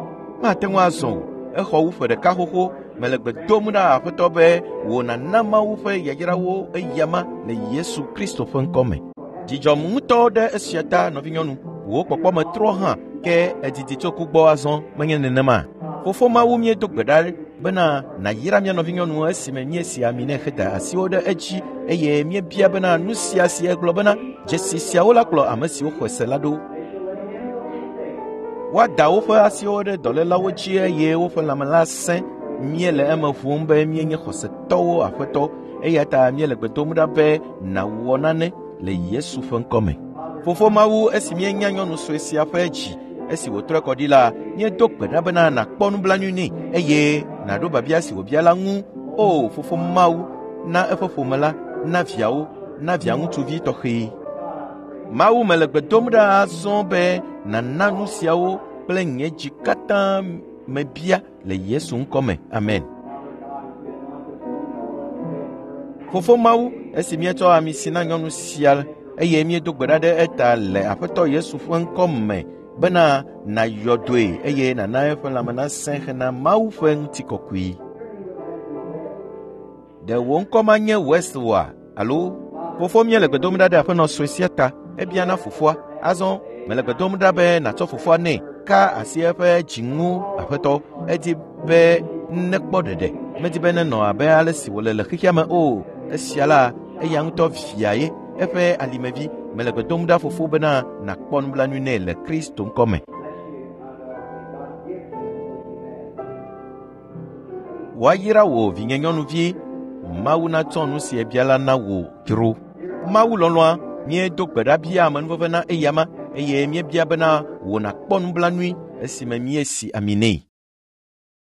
Mate ŋu azɔ o. Exɔ wu ƒe ɖeka xoxo. Mele gbe dom ɖa Aƒetɔ be wò nàna Mawu ƒe yayrawo eyama le Yesu Kristo ƒe ŋkɔ me. Dzidzɔm ŋutɔ ɖe esia ta nɔvinyɔnu. Wò kpɔkpɔ me trɔ hã ke edidi tso ku gbɔ azɔ menye nenema. Fofo Mawu míedo gbe ɖa bena nàyra mía nɔvinyɔnu esime míesi ami nɛ heda asiwo ɖe edzi eye míebia bena nu sia si egblɔ bena dzesi siawo la kplɔ ame siwo xɔe se la ɖo. Woada woƒe asiwo ɖe dɔlélawo dzi eye woƒe lãme la sẽ. Míele eme ʋum be míenye xɔsetɔwo Aƒetɔ eya ta míele gbe dom ɖa be nàwɔ nane le Yesu ƒe ŋkɔ me. Fofo Mawu, esi míenya nyɔnu sue sia ƒe dzi esi wòtrɔe kɔ ɖi la, míedo gbe ɖa bena nàkpɔ nublanui nɛ eye nàɖo biabia si wòbia la ŋu. O Fofo Mawu, na eƒe ƒome la, na viawo, na via ŋutsuvi tɔxɛ. Mawu mele gbe dom ɖa azɔ be nàna nu siawo kple nye dzi katã mebia le Yesu ŋkɔ me. Amen. Fofo Mawu, esi míetsɔ ami si na nyɔnu sia eye míedo gbe ɖa ɖe eta le Aƒetɔ Yesu ƒe ŋkɔ me bena nàyɔ dɔe eye nàna eƒe lãme nasẽ hena Mawu ƒe ŋutikɔkɔe. Ɖe wò ŋkɔ manye West oa? Alo fofo míele gbe dom ɖa ɖe aƒenɔ sue sia ta. Ebia na fofoa. Azɔ mele gbe dom ɖa be nàtsɔ fofoa nɛ. Ka asi eƒe dzi ŋu Aƒetɔ. Edi be nekpɔ ɖeɖe. Medi be nenɔ abe ale si wòle le xexea me o. Esia la, eya ŋutɔ via ye, eƒe alimevi. Mele gbe dom ɖa fofo bena nàkpɔ nublanui nɛ le Kristo ŋkɔ me. Woayra wò vinyenyɔnuvi. Mawu natsɔ nu si èbia la na wò dzro. Mawu lɔlɔ̃a, míedo gbe ɖa bia amenuveve na eyama eye míebia bena wò nàkpɔ nublanui esime míesi ami nɛ.